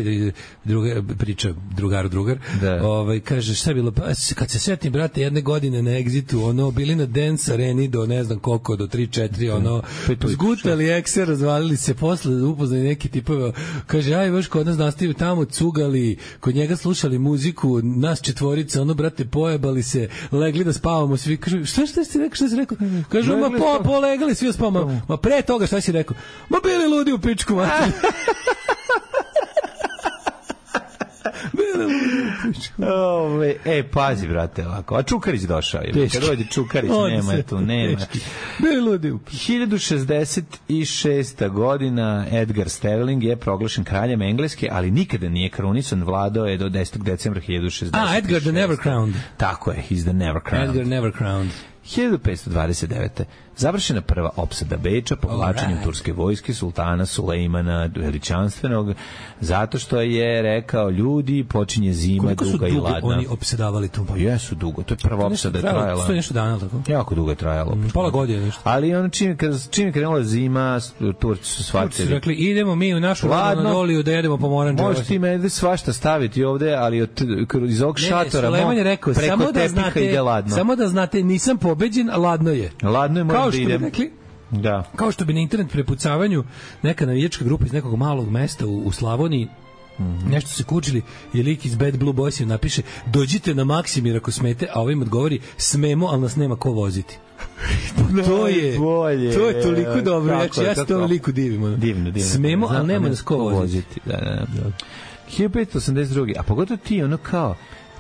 S8: druga priča, drugar, drugar.
S7: Da.
S8: Ovaj, kaže, šta je bilo? Pa, s- kad se setim, brate, jedne godine na Exitu, ono, bili na Dance Areni do ne znam koliko, do tri četiri, ono,
S7: Pet ujutru,
S8: zgutali ekse, razvalili se, posle upoznali neki tipove, kaže, aj, baš kod nas nastavili tamo, cugali, kod njega slušali muziku, nas četvorica, ono, brate, pojebali se, legli da spavamo, svi, kaže, šta, šta si rekao, šta si rekao? Kaže, ma,
S7: Legli
S8: po,
S7: smo.
S8: polegali, svi spavamo, ma, pre toga, šta si rekao? Ma, bili ludi u pičku, mater.
S7: Ove, e, pazi, brate, ovako. A Čukarić došao je.
S8: Teški.
S7: Kad dođe Čukarić,
S8: On
S7: nema
S8: se-
S7: tu, nema.
S8: teški. Bili ludi u
S7: hiljadu šezdeset šesta. godina Edgar Sterling je proglašen kraljem Engleske, ali nikada nije krunisan, vladao je do desetog decembra hiljadu šezdeset šeste.
S8: A, Edgar the Never Crowned.
S7: Tako je, he's the never crowned.
S8: Edgar Never Crowned.
S7: hiljadu petsto dvadeset devete. Završena prva opsada Beča povlačenjem
S8: Alright.
S7: turske vojske sultana Sulejmana veličanstvenog, zato što je rekao, ljudi, počinje zima,
S8: Koliko su
S7: duga i
S8: dugo
S7: ladna.
S8: oni opsedavali tu?
S7: Pa jesu dugo, to je prva
S8: To nešto
S7: opsada
S8: trajalo,
S7: trajala.
S8: sto i nešto dana, tako?
S7: Jako dugo je trajalo.
S8: Pola godine nešto.
S7: Ali ono čim, kad, čim je krenula zima, s- Turci su
S8: Turci su
S7: shvatili.
S8: rekli, idemo mi u našu
S7: Ladno.
S8: Anadoliju da jedemo pomoranđe.
S7: Možeš ti mene svašta staviti ovde, ali od, kroz- iz ovog šatora
S8: Sulejman je rekao,
S7: preko
S8: samo da
S7: tepiha
S8: znate,
S7: ide ladno.
S8: samo da znate, nisam pobeđen, a ladno je.
S7: Ladno je, moram
S8: Kao
S7: da
S8: što bi
S7: idem.
S8: rekli,
S7: Da.
S8: kao što bi na internet prepucavanju neka navijačka grupa iz nekog malog mesta u, u Slavoniji nešto se kučili i lik iz Bad Blue Boysima napiše, dođite na Maksimir ako smete, a ovim odgovori, smemo, ali nas nema ko voziti. to je
S7: Najbolje.
S8: to je toliko dobro, ja,
S7: Kako
S8: ću-
S7: je,
S8: ja se
S7: kako?
S8: tom liku divim. ono.
S7: Divno, divno.
S8: Smemo,
S7: Znam,
S8: ali nema
S7: ne
S8: nas ko voziti.
S7: Da, da, da. hiljadu petsto osamdeset druge. A pogotovo ti, ono kao,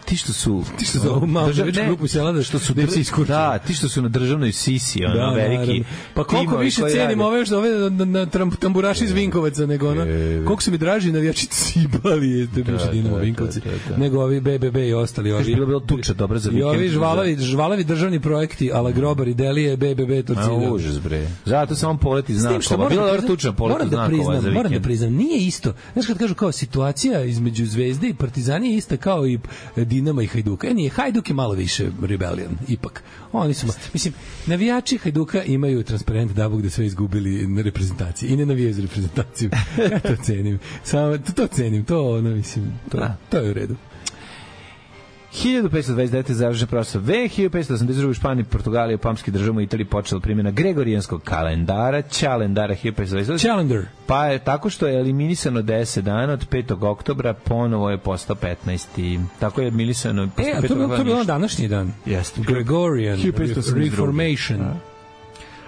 S7: ti što su
S8: Ti što za ovu malu
S7: držav-
S8: navijačku
S7: ne,
S8: grupu sela da-
S7: što su
S8: da im se
S7: dr-
S8: iskurčili.
S7: da, ti što su na državnoj sisi, ono,
S8: Da,
S7: veliki.
S8: naravno. Pa koliko
S7: timovi
S8: više
S7: koji
S8: cenim
S7: rade.
S8: ove što ove na, na, na tamburaši iz Vinkovaca nego ono.
S7: E,
S8: Koliko su mi draži navijači Cibali jeste bivši
S7: Da,
S8: Dinamo
S7: da,
S8: Vinkovci
S7: da, da, da.
S8: nego ovi B B B i ostali ovi.
S7: bilo bilo tuča dobra za
S8: I
S7: vikend.
S8: ovi žvalavi, žvalavi državni projekti ala Grobar i Delije B B B
S7: Ma,
S8: Torcida.
S7: užas, bre. Zato samo poleti
S8: S tim što
S7: znakova.
S8: moram
S7: Bilo
S8: da
S7: dobro
S8: priznam-
S7: tuča poleti
S8: moram da
S7: znakova
S8: priznam,
S7: za
S8: moram da
S7: vikend.
S8: priznam, nije isto. Znaš kad kažu kao situacija između Zvezde i Partizani je ista kao i Dinama i Hajduka. E, nije, Hajduk je malo više rebellion, ipak. Oni su, ma- mislim, navijači Hajduka imaju transparent da Bog da sve izgubili na reprezentaciji i ne navijaju za reprezentaciju. Ja to cenim. Samo, to, to cenim, to ono, mislim, to,
S7: Da.
S8: to je u redu.
S7: hiljadu petsto dvadeset devete. završen prosto ve, hiljadu petsto osamdeset druge. u Španiji, Portugaliji, u Pamskim državama i Italiji počela primjena Gregorijanskog kalendara, kalendara hiljadu petsto dvadeset devete.
S8: Challenger.
S7: Pa je tako što je eliminisano deset dana, od petog oktobra ponovo je postao petnaesti. Tako je eliminisano.
S8: E,
S7: posle
S8: a to je
S7: petog
S8: bilo, to je bilo
S7: ništa.
S8: današnji dan.
S7: Jeste.
S8: Gregorian
S7: hiljadu petsto osamdeset druge.
S8: Reformation.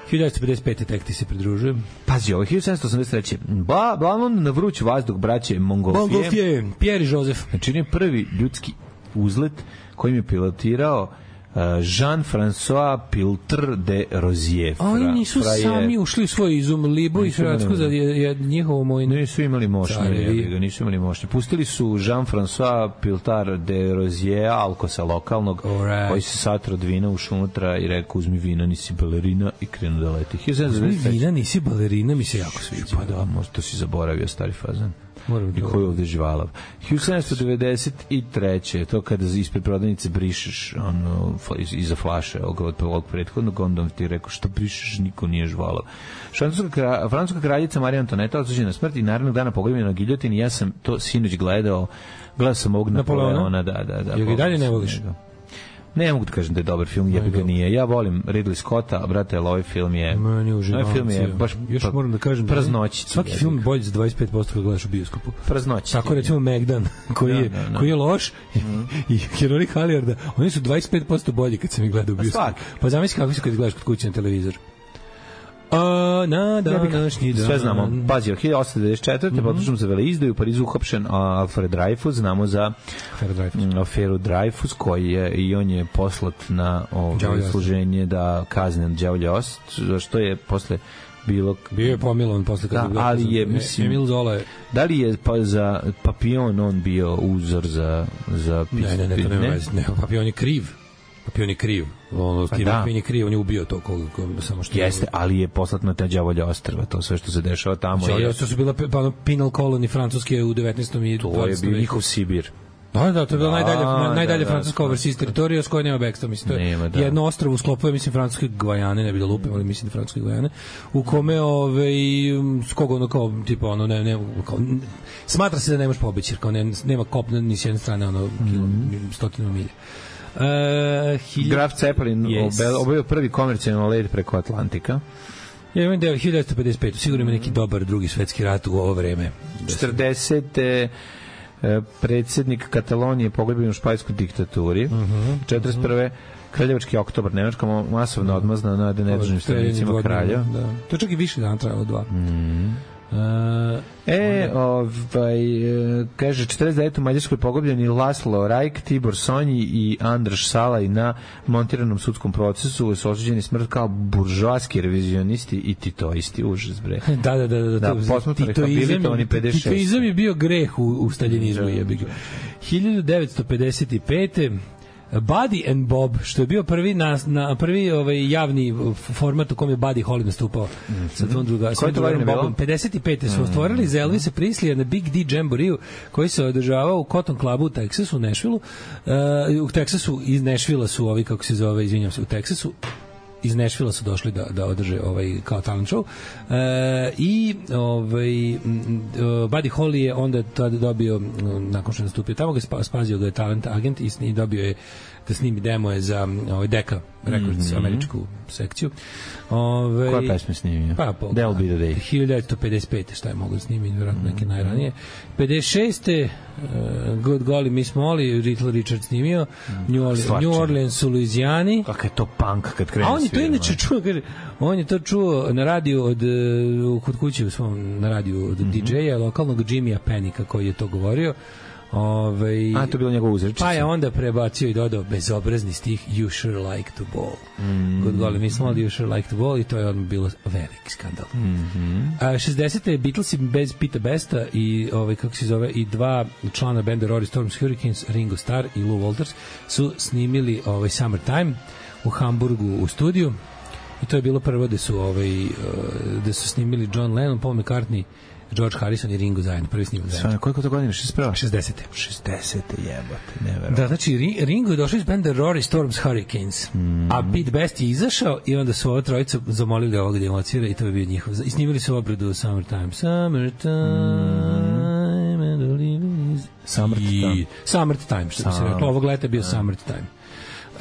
S8: hiljadu devetsto pedeset pete. tek ti se pridružujem.
S7: Pazi, ovo, hiljadu sedamsto osamdeset treće. Ba, balon na vruć vazduh braće Mongolfije.
S8: Montgolfier, Pierre i Joseph.
S7: Znači, on je prvi ljudski uzlet kojim je pilotirao Jean-François Piltre de Rozier.
S8: A oni nisu
S7: fra,
S8: sami ušli u svoj izum Libu i Hrvatsku za je, je njihovo mojno.
S7: Nisu imali mošnje, nisu imali mošnje. Pustili su Jean-François Piltre de Rozier, alkosa lokalnog, right. Koji se satro od vina ušao unutra i rekao uzmi vina, nisi balerina i krenu da leti.
S8: Uzmi vina, nisi balerina, mi se jako sviđa.
S7: Pa da, možda to si zaboravio, stari fazan. I koji je ovde živalav. hiljadu sedamsto devedeset treće to kada ispred prodavnice brišeš ono, iza flaše od ovog prethodnog, onda ti rekao što brišeš, niko nije živalav. Francuska, francuska kraljica Marija Antoneta osuđena na smrt i narednog dana pogrebljena na giljotini. Ja sam to sinoć gledao, gledao sam ovog Napoleona. Da, da, da.
S8: Jel ga i dalje ne voliš?
S7: Ne mogu da kažem da je dobar film, jebi ga nije. Ja volim Ridley Scotta, a brate, ali ovaj film je...
S8: Meni uživam.
S7: Ovaj film je baš...
S8: Još pa, moram da kažem da
S7: praznoći.
S8: Svaki film je bolji za dvadeset pet posto kad gledaš u bioskopu.
S7: Praznoći.
S8: Tako recimo Megdan, koji je, da, da, da. koji je loš, mm. i Heroji Halijarda, oni su dvadeset pet posto bolji kad sam ih gledao u bioskopu. Pa zamisli kako si kad gledaš kod kuće na televizor. A, na današnji dan.
S7: Sve znamo. Pazi, hiljadu osamsto devedeset četvrte Mm-hmm. Potužnom za veleizdaju u Parizu uhapšen Alfred Dreyfus. Znamo za aferu Dreyfus, koji je, i on je poslat na ovo služenje da kazne đavolji ost, što je posle bilo...
S8: Bio je pomilovan posle kada
S7: da, ali je, mislim,
S8: Emil Zola je...
S7: Da li je pa za Papillon on bio uzor za... za
S8: ne, ne, ne, to nema veze. Ne, Papillon je kriv. Papillon je kriv. Ono, pa da. Papillon je kriv, on je ubio to koga, koga, samo što...
S7: Jeste, ali je poslat na te đavolje ostrva, to sve što se dešava tamo.
S8: Đavolje ostrva su bila pa, penal colony francuske u devetnaestom i
S7: to je bio njihov Sibir.
S8: Da, da, to je bila najdalje, da, najdalje da, francuska overseas teritorija s kojoj nema bekstva, mislim, to je nema, da. Jedno ostrvo u sklopu, ja mislim, francuske Gvajane, ne bi da lupim, ali mislim da francuske Gvajane, u kome, ove, s koga ono kao, tipa, ono, ne, ne, kao, smatra se da nemaš pobeći, jer kao ne, nema kopna ni s jedne strane, ono, mm-hmm. stotinu milja. Uh, hilj...
S7: Graf Zeppelin yes. obavio prvi komercijalni let preko Atlantika.
S8: Ja imam deo hiljadu devetsto pedeset pete Sigurno ima neki dobar drugi svetski rat u ovo vreme.
S7: četrdesete predsjednik Katalonije pogljebljen u španskoj diktaturi. Uh-huh. četrdeset prve Kraljevački oktobar, Nemačka masovna odmazna na nedružnim stranicima kralja.
S8: Da. To čak i više dana trajalo dva.
S7: Mm. Uh, e, ovaj, kaže, četrdeset devete u Mađarskoj pogubljeni Laslo Rajk, Tibor Sonji i Andraš Salaj na montiranom sudskom procesu su osuđeni smrt kao buržoaski revizionisti i titoisti. Užas, bre.
S8: Da, da, da, da, da
S7: titoizam,
S8: titoizam je bio greh u, u staljinizmu. hiljadu devetsto pedeset pete Buddy and Bob, što je bio prvi na, na prvi ovaj javni format u kom je Buddy Holly nastupao mm-hmm. sa tom druga, sa drugim Bobom. pedeset pete su stvorili za Elvisa Preslija na Big D Jamboree koji se održavao u Cotton Clubu u Teksasu, u Nashvilleu. Uh, u Teksasu iz Nashvilla su ovi, kako se zove, izvinjam se, u Teksasu iz Nashvilla su došli da da održe ovaj kao talent show. E, i ovaj Buddy Holly je onda tada dobio, nakon što je nastupio tamo, ga spazio ga je talent agent i, i dobio je da snimi demo je za ovaj Decca Records, mm-hmm. američku sekciju. Ove,
S7: koja pesma snimio?
S8: Pa, po,
S7: That'll be the day.
S8: hiljadu devetsto pedeset pete šta je mogu da snimi, vjerojatno neke mm-hmm. najranije. pedeset šeste Uh, Good Golly Miss Molly, Little Richard snimio, mm. New, Orleans, New Orleans u Louisiani.
S7: Kakav je to punk kad krene
S8: a on je to inače čuo, kaže, on je to čuo na radiju od, uh, kod kuće u svom, na radiju od mm-hmm. D J-a, lokalnog Jimmya Pennika koji je to govorio. Ove,
S7: a to je bilo njegov uzrečica. Pa
S8: je onda prebacio i dodao bezobrazni stih You sure like to ball. Mm. Good Golly Miss Molly, You sure like to ball, i to je odmah bilo veliki skandal.
S7: Mm-hmm.
S8: A šezdesete Beatlesi bez Pita Besta i ovaj kako se zove i dva člana benda Rory Storms Hurricanes, Ringo Starr i Lou Walters su snimili ovaj Summertime u Hamburgu u studiju. I to je bilo prvo da su ovaj da su snimili John Lennon, Paul McCartney, George Harrison i Ringo zajedno, prvi snimak zajedno.
S7: Sve, koliko to godine? šezdeset
S8: šezdesete
S7: šezdesete jebote, neverovatno.
S8: Da, znači Ringo je došao iz benda Rory Storms Hurricanes, mm. a Pete Best je izašao i onda su ova trojica zamolili ovoga da emocira i to je bio njihov. I snimili su obradu Summertime. Summertime mm. and all is...
S7: Summertime.
S8: Summertime, što bi se reklo. Ovog leta je bio Summertime.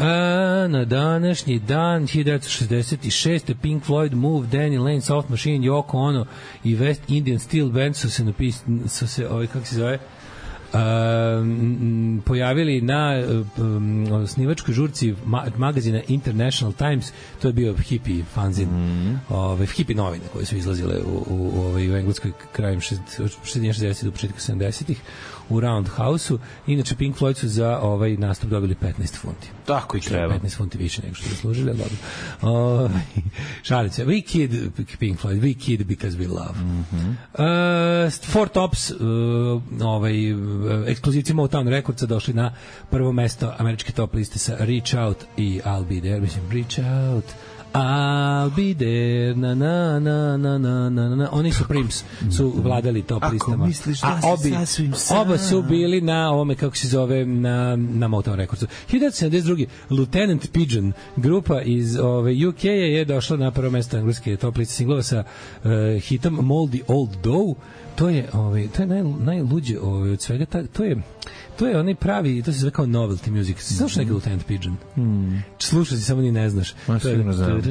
S8: A, na današnji dan hiljadu devetsto šezdeset šeste Pink Floyd, Move, Danny Lane, Soft Machine, Yoko Ono i West Indian Steel Band su se napisali, su se, ovaj, kako se zove, um, pojavili na um, osnivačkoj žurci ma, magazina International Times, to je bio hippie fanzin, mm. ove, hippie novine koje su izlazile u, u, u, u Engleskoj krajem šezdesetih do početka sedamdesetih u Roundhouse-u. Inače Pink Floyd su za ovaj nastup dobili petnaest funti.
S7: Tako i treba.
S8: petnaest funti više nego što zaslužili, ali dobro. Uh, šalim se. We kid Pink Floyd, we kid because we love.
S7: Mm-hmm.
S8: Uh, Four Tops, uh, ovaj, ekskluzivci Motown Recordsa došli na prvo mesto američke top liste sa Reach Out i I'll Be There. Mislim, Reach Out, I'll be there, na na na na na na na. Oni su Prims, su vladali top
S7: Ako
S8: listama.
S7: Misliš da
S8: a obi,
S7: sasvim sam.
S8: oba su bili na ovome, kako se zove, na, na Motown Recordsu. hiljadu devetsto sedamdeset druge. Lieutenant Pigeon, grupa iz ove, U K je došla na prvo mesto engleske top liste singlova sa uh, hitom Moldy Old Dough. To je, ovaj, to je naj, najluđe ovaj, od svega. Ta, to je to je onaj pravi, to se zove kao novelty music. Si slušao neki Lieutenant Pigeon?
S7: Mm.
S8: Slušao si, samo ni ne znaš.
S7: Ma, sigurno znam.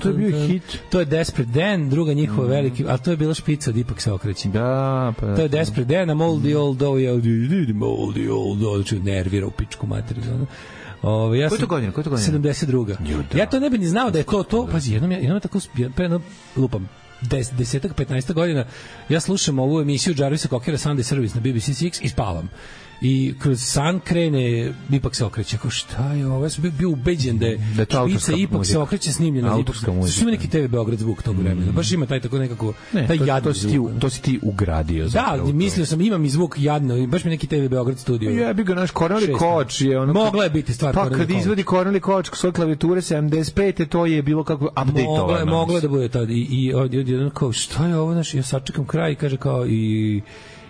S7: To je bio hit.
S8: To je Desperate Dan, druga njihova veliki, ali to je bila špica od Ipak se okreći.
S7: Da, pa.
S8: To je Desperate Dan, a Moldy Old Dough je Moldy Old Dough, ću nervira u pičku materiju. Ove, ja
S7: Koje to godine? Koje to godine?
S8: sedamdeset druga.
S7: Juda.
S8: Ja to ne bih ni znao da je to to. Pazi, jednom ja jednom tako pre jedno lupam des, desetak, petnaest godina ja slušam ovu emisiju Jarvisa Cockera Sunday Service na B B C Six i spavam. I kroz san krene, ipak se okreće. Kao šta je ovo? Ja sam bio, bio ubeđen da je,
S7: da je to
S8: špica ipak
S7: muzika.
S8: se okreće snimljena.
S7: Autorska muzika.
S8: Što ima neki T V Beograd zvuk tog vremena. Baš ima taj tako nekako,
S7: ne,
S8: taj
S7: to,
S8: jadni
S7: to si ti, to si ti ugradio.
S8: Da, mislio sam, imam i zvuk jadno. Baš mi neki T V Beograd studio.
S7: Ja bih ga naš Corneli Koč je ono.
S8: Mogla je biti stvar.
S7: Pa kad izvodi Corneli Koč svoje klavijature sedamdeset pete, to je bilo kako updateovano.
S8: Mogla je, mogla da bude tad. I, i od, od, od, kao, šta je ovo? Naš, ja sačekam kraj i kaže kao i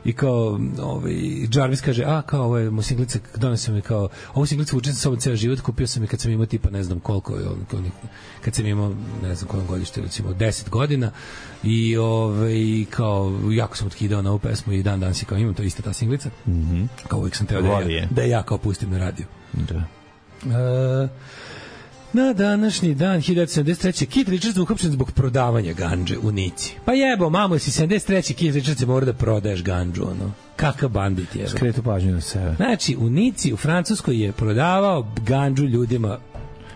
S8: i kao ovaj Jarvis kaže a kao ovo je mu singlica donesem mi kao ovu singlicu učim sa sobom ceo život, kupio sam je kad sam imao tipa ne znam koliko je on kad sam imao ne znam koliko godište, recimo deset godina i ovaj kao jako sam otkidao na ovu pesmu i dan danas kao imam to ista ta singlica.
S7: Mhm. Mm
S8: Kao uvijek sam teo da ja, da ja kao pustim na radio.
S7: Da.
S8: Uh, na današnji dan hiljadu devetsto sedamdeset treće. Keith Richards uhapšen zbog prodavanja gandže u Nici. Pa jebo, mamo, si sedamdeset treće. Keith Richards se mora da prodaješ gandžu, ono. Kakav bandit je.
S7: Skretu pažnju na sebe.
S8: Znači, u Nici, u Francuskoj je prodavao gandžu ljudima.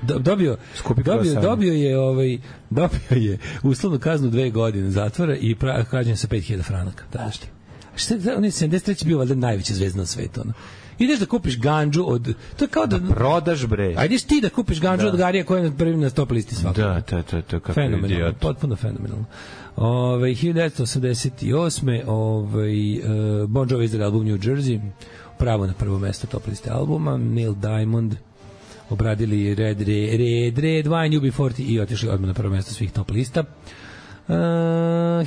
S8: Dobio, dobio, dobio je ovaj dobio je uslovnu kaznu dve godine zatvora i kažnjen sa pet hiljada franaka. Daš ti. Šta on je sedamdeset treće bio valjda najveća zvezda na svetu, ono. Ideš da kupiš gandžu od to je kao da,
S7: da prodaš bre.
S8: Ajde ti da kupiš gandžu da. Od Garija koja je na prvi na top listi svakako.
S7: Da, to to to kako
S8: fenomenalno, potpuno fenomenalno. Ovaj hiljadu devetsto osamdeset osme ovaj uh, Bon Jovi izdao album New Jersey, pravo na prvo mesto top liste albuma. Neil Diamond obradili Red Red Red, Red Wine U B četrdeset i otišli odmah na prvo mesto svih top lista. Uh,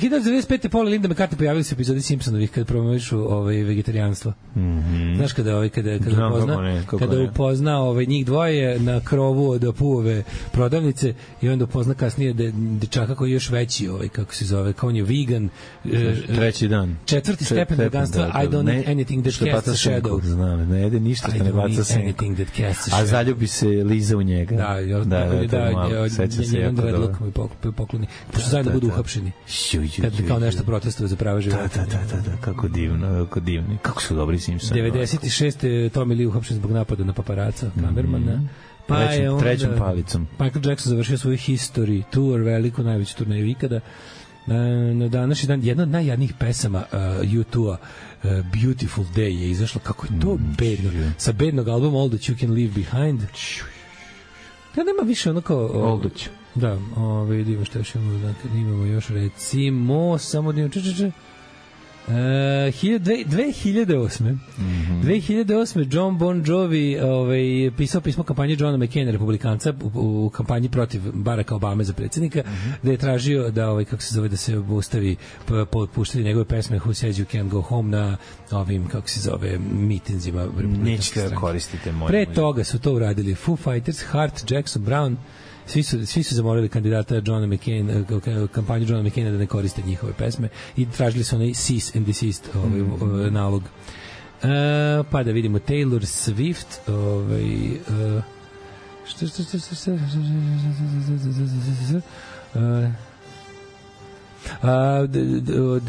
S8: hiljadu devetsto devedeset pete. Paul i Linda McCartney pojavili se u epizodi Simpsonovih kada promovišu ovaj vegetarijanstvo.
S7: Mm-hmm.
S8: Znaš kada ovaj kada kada Znam, upozna ne, kada ne. upozna ovaj njih dvoje na krovu od Puove prodavnice i onda upozna kasnije de, dečaka koji je još veći ovaj kako se zove kao on je vegan
S7: treći dan
S8: četvrti stepen veganstva. Da, da, I don't ne, need anything that casts a shadow.
S7: Znam, ne jede ništa što ne baca senku. A zaljubi se Liza u njega.
S8: Da, da, da, da, seća se jako dobro. Pokloni. Pošto zajedno budu uhapšeni. Kad kao nešto protestuje za prava života.
S7: Da, da, da, da, kako divno, kako divno. Kako su dobri Simpsoni.
S8: devedeset šeste. Tommy Lee uhapšen zbog napada na paparaca, kamermana. Mm-hmm.
S7: Pa trećom, je onda, trećom palicom.
S8: Michael Jackson završio svoju History Tour, veliku, najveću turneju ikada. Na današnji dan jedna od najjadnijih pesama uh, U dva uh, Beautiful Day je izašla. Kako je to mm, bedno. Sa bednog albuma All That You Can Leave Behind. Ja nema više ono kao...
S7: All That You.
S8: Da, ovaj vidimo šta još imamo, dakle, imamo još recimo samo da če če če Uh, dve hiljade osme. Mm-hmm. dve hiljade osme. John Bon Jovi ovaj, pisao pismo kampanji Johna McCaina, republikanca, u, u kampanji protiv Baracka Obame za predsjednika, mm-hmm. da je tražio da, ovaj, kako se zove, da se obustavi puštati njegove pesme Who Says You Can't Go Home na ovim, kako se zove, mitinzima.
S7: Nećete da koristite moj.
S8: Pre toga su to uradili Foo Fighters, Hart, Jackson Brown. Svi su, svi su zamolili kandidata Johna McCain, kampanju Johna McCaina da ne koriste njihove pesme i tražili su onaj cease and desist ovaj, mm. nalog. Uh, pa da vidimo Taylor Swift, ovaj, uh, Što, što, što, što, što, što, Uh,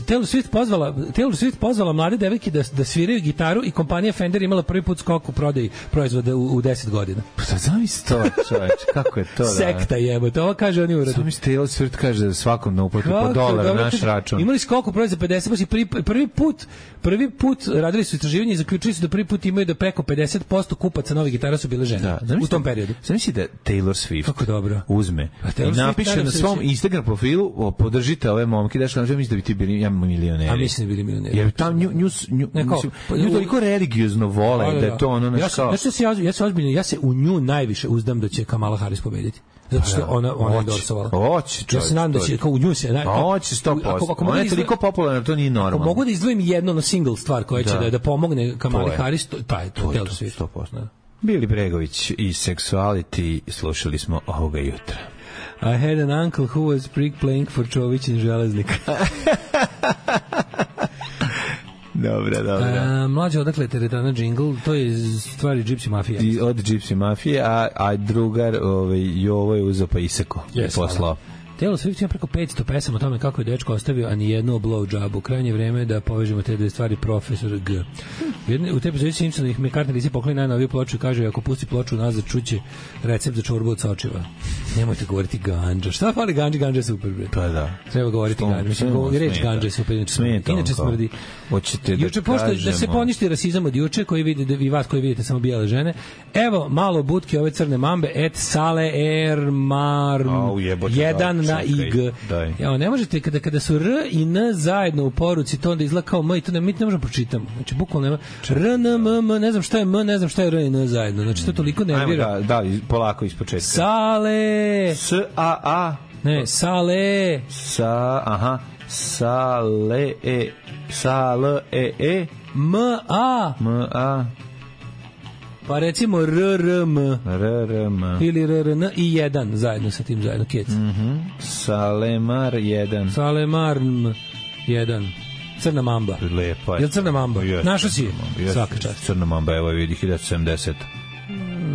S8: Taylor Swift pozvala Taylor Swift pozvala mlade devojke da da sviraju gitaru i kompanija Fender imala prvi put skok u prodaji proizvoda u, u deset godina.
S7: Pa sad zamisli to, čoveč, kako je to da...
S8: Sekta jebote, ovo kaže oni uradu.
S7: Zamisli Taylor Swift kaže da svakom na uplati po dolar na naš račun.
S8: Imali skok u prodaji za pedeset posto, prvi, prvi put prvi put radili su istraživanje i zaključili su da prvi put imaju da preko pedeset posto kupaca novih gitara su bile žene. Da, u tom periodu.
S7: Zamisli da Taylor Swift
S8: kako dobro
S7: uzme i napiše na svom Instagram profilu podržite ove momke, daš nam mislim da bi ti bili ja milioneri.
S8: A mislim da bili milioneri.
S7: Jer tam nju nju nju nju toliko religiozno vole da je to ono
S8: ja kao. Znači se ja ja se ozbiljno ja se u nju najviše uzdam da će Kamala Harris pobediti. Zato što ona ona je dorsovala.
S7: Hoće.
S8: Ja se nadam da će kao u nju se.
S7: Hoće sto posto. Ona je toliko popularna, to nije normalno.
S8: Mogu da izdvojim jednu na single stvar koja će da da pomogne Kamali Harris, pa je to Taylor Swift
S7: sto posto. Bili Bregović i Sexuality slušali smo ovoga jutra.
S8: I had an uncle who was freak playing for Čović in Železnik.
S7: Dobra, dobra.
S8: A, mlađe, odakle je teretana džingl, to je stvari Gypsy Mafije.
S7: I od Gypsy Mafije, a, a drugar ovaj, Jovo je uzeo pa iseko.
S8: Yes, poslao. Taylor Swift ima preko petsto pesama o tome kako je dečko ostavio, a ni jednu blow jobu. Krajnje vreme da povežemo te dve stvari, profesor G. U te epizodi Simpsonovih McCartney Lisi pokloni najnoviju ploču i kaže ako pusti ploču nazad čuće recept za čorbu od sočiva. Nemojte govoriti ganđa. Šta fali ganđa? Ganđa je super, bre.
S7: Pa da.
S8: Treba govoriti ganđa. Mislim, govori reč ganđa je super.
S7: Smeta.
S8: Inače smrdi.
S7: Hoćete da
S8: juče, pošto, da se poništi rasizam od juče, koji vidite, vi vas koji vidite samo bijele žene. Evo, malo butke ove crne mambe, et sale er mar jedan na ig. Evo, ne možete, kada, kada su R i N zajedno u poruci, to onda izgleda kao M i to ne, mi ne možemo pročitamo. Znači, bukvalno nema. R, N, M, M, ne znam šta je M, ne znam šta je R i N zajedno. Znači, to toliko nervira.
S7: Ajmo da, da, polako iz početka.
S8: Sale.
S7: S, A, A.
S8: Ne, sale.
S7: Sa, aha. Sale, E. Sale, E, E.
S8: M, A.
S7: M, A.
S8: Pa recimo R, R, M.
S7: R, R, M.
S8: Ili R, R, N i jedan zajedno sa tim zajedno. Kec.
S7: Mhm. Salemar jedan.
S8: Salemar jedan. Crna mamba.
S7: Lepa je.
S8: Jel crna mamba?
S7: Yes,
S8: Našo si je?
S7: Yes,
S8: svaka čast.
S7: Crna mamba, evo vidi, hiljadu sedamdeset.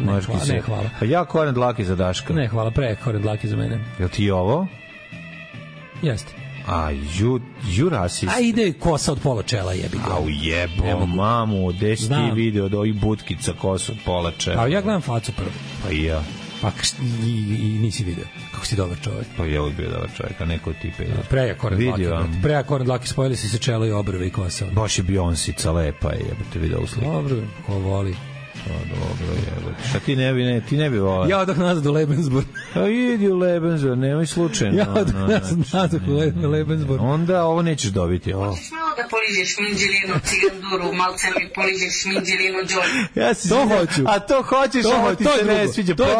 S8: Ne, hvala, ne, hvala.
S7: Pa ja koren dlaki za Daška.
S8: Ne, hvala, pre koren dlaki za mene.
S7: Jel ti ovo?
S8: Jeste.
S7: A ju, ju rasist.
S8: A ide kosa od pola čela, jebi ga.
S7: Au jebo, mamu, gde si ti video od ovih butkica kosa od pola čela?
S8: A ja gledam facu prvo.
S7: Pa i ja.
S8: Pa i, i nisi video. Kako si dobar čovjek.
S7: Pa je uvijek bio dobar čovjek, a neko od tipe.
S8: Preja koren dlaki. Preja koren dlaki, spojili si se čelo i obrve i kosa.
S7: Baš je Beyoncé, lepa je, jebate video u sliku.
S8: Dobro, ko voli.
S7: Pa dobro, jebate. Šta ti ne bi, ne, ti ne bi volao?
S8: Ja odah nazad u Lebensburg.
S7: A idi u Lebensburg, nemoj slučajno.
S8: Ja odah nazad, nazad u Lebensburg.
S7: Onda ovo nećeš dobiti.
S10: Hoćeš malo da poližeš minđelinu, ciganduru, malce mi poližeš minđelinu, džolj.
S7: Ja si to hoću. A to hoćeš, ovo ti se ne sviđa.
S8: To je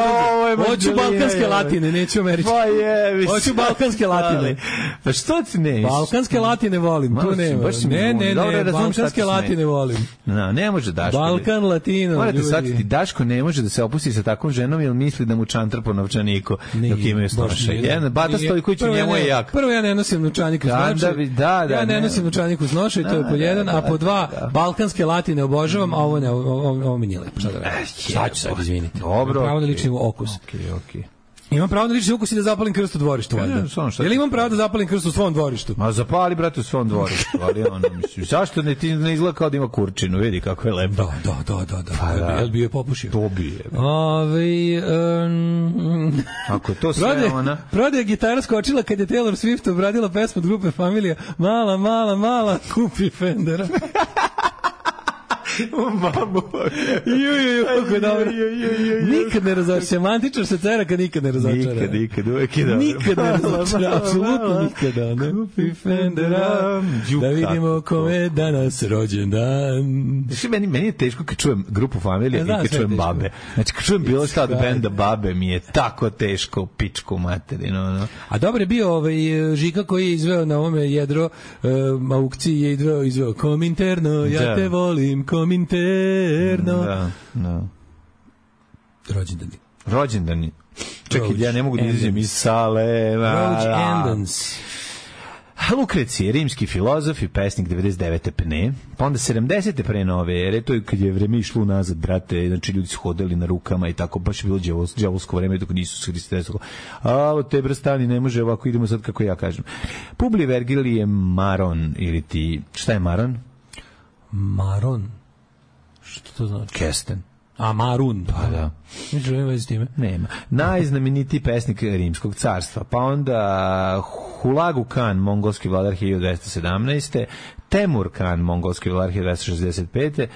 S8: drugo. Hoću balkanske latine, neću američke.
S7: Pa jebi.
S8: Hoću balkanske latine.
S7: Pa što ti ne?
S8: Balkanske latine volim, tu nema. Ne, ne, ne, balkanske latine volim.
S7: No, ne može Daško.
S8: Balkan latino.
S7: Morate shvatiti, Daško ne može da se opusti sa takvom ženom jer misli da mu čantra po novčaniku dok imaju snoša. Jedan Bata Stojković u njemu je jak.
S8: Prvo ja ne nosim novčanik uz noše.
S7: Da, da,
S8: ja ne nosim novčanik uz noše, to je po jedan, a po dva balkanske latine obožavam, a ovo ne, ovo mi nije lepo. Šta da radim? Šta ću sad, izvinite.
S7: Dobro.
S8: Pravo na lični okus.
S7: Okej, okej.
S8: Imam pravo na lični ukus i da zapalim krst u dvorištu, valjda. Jel imam pravo da zapalim krst u svom dvorištu?
S7: Ma zapali, brate, u svom dvorištu, ali ono, mislim, zašto ne ti ne izgleda kao da ima kurčinu, vidi kako je lepo.
S8: Da, da, da, da, da. Pa, da. Jel bi je popušio?
S7: To bi je.
S8: Ove, um,
S7: ako je to sve
S8: prode,
S7: ona...
S8: Prode je gitara skočila kad je Taylor Swift obradila pesmu od grupe Familija. Mala, mala, mala, kupi Fendera.
S7: Mamu.
S8: Ju, ju, ju, kako dobro. Nikad ne razočara. Semantičar se cera kad nikad ne razočara.
S7: Nikad, nikad, uvek je dobro.
S8: Nikad ne razočara, apsolutno nikada. Ne kupi Fendera, da vidimo kome je danas rođendan.
S7: Znači, meni, meni je teško kad čujem grupu Familija i kad čujem Babe. Znači, kad čujem bilo šta od benda Babe, mi je tako teško pičku materinu. No.
S8: A dobro je bio ovaj Žika koji je izveo na ovome jedro um, aukciji, je izveo, izveo Kominterno, ja te volim, Kominterno. Interno.
S7: Da, da.
S8: Rođendani.
S7: Rođendani. Čekaj, ja ne mogu da izađem iz sale.
S8: Rođendans.
S7: Lukrecije, rimski filozof i pesnik devedeset devete pne, pa onda sedamdesete pre nove ere, to je kad je vreme išlo nazad, brate, znači ljudi su hodali na rukama i tako, baš je bilo đavolsko, đavolsko vreme dok nisu se Hriste desilo. A, te brstani ne može ovako, idemo sad kako ja kažem. Publi Vergilije Maron, ili ti, šta je Maron?
S8: Maron? Što to znači?
S7: Kesten.
S8: A, Marun.
S7: Pa da.
S8: Ništa nema veze s time.
S7: Nema. Najznamenitiji pesnik Rimskog carstva. Pa onda Hulagu Khan, mongolski vladar hiljadu dvesta sedamnaeste. Temur Khan, mongolski vladar hiljadu dvesta šezdeset pete.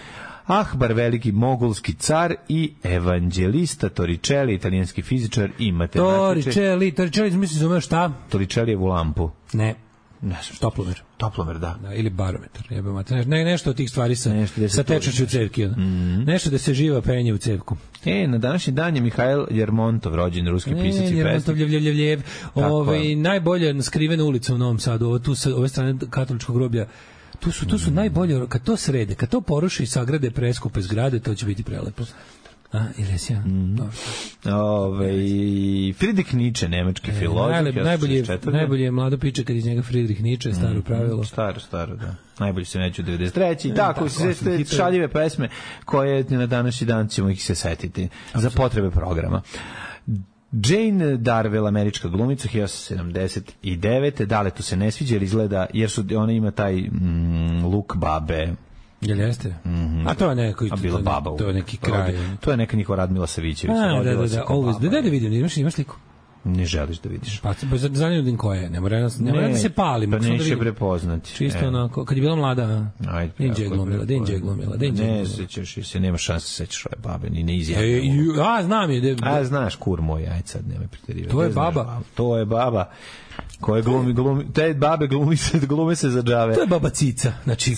S7: Ahbar, veliki mogolski car i evanđelista Torricelli, italijanski fizičar i matematičar.
S8: Torricelli, Torricelli, misli zove šta?
S7: Torricellijevu lampu.
S8: Ne.
S7: Ne znam.
S8: Toplomer.
S7: Toplomer, da.
S8: Da, ili barometar. Jebe mater. Ne, nešto od tih stvari sa,
S7: nešto
S8: sa tečnošću u cevki. Mm. Nešto da se živa penje u cevku.
S7: E, na današnji dan je Mihajl Jermontov, rođen ruski pisac i pesnik.
S8: Jermontov, ljev, ljev, ljev, ljev. Ove, najbolje skrivena ulica u Novom Sadu, ovo tu sa ove strane katoličkog groblja. Tu su, tu su mm. najbolje, kad to srede, kad to poruši i sagrade preskupe zgrade, to će biti prelepo. A, ili si ja? Mm.
S7: Ove, Friedrich Nietzsche, nemački e, filozof.
S8: Najbolje, najbolje, najbolje je mlado piče kad iz njega Friedrich Nietzsche, staro mm, pravilo.
S7: Staro, staro, da. Najbolje se neću u devedeset treće I tako, sve te šaljive pesme koje na današnji dan ćemo ih se setiti za potrebe programa. Jane Darwell, američka glumica, hiljadu osamsto sedamdeset devete. Dale tu se ne sviđa jer izgleda, jer su, ona ima taj mm, luk babe.
S8: Jel jeste? Mm-hmm. A to je neko,
S7: a bila baba.
S8: To je neki kraj.
S7: To je neka njihova Radmila Savićević.
S8: A, da, da, da. Always. Da, da, da vidim, imaš, imaš sliku?
S7: Ne želiš da vidiš.
S8: Pa zanimljiv koja je, ne mora, ne mora da se pali.
S7: Pa neće prepoznati.
S8: Čisto e. onako, kad je bila mlada,
S7: ajde,
S8: Denđe glumila, Denđe glumila, Denđe glumila.
S7: Ne sećaš se, nema šanse se sećaš ove babe, ni ne izjavno.
S8: E, a, znam je. De,
S7: a, znaš, kur moj, ajde sad, nemoj preterivati.
S8: To je baba.
S7: To je baba. Koje glumi, glumi, te babe glumi se, glume se za džave.
S8: To je baba Cica, znači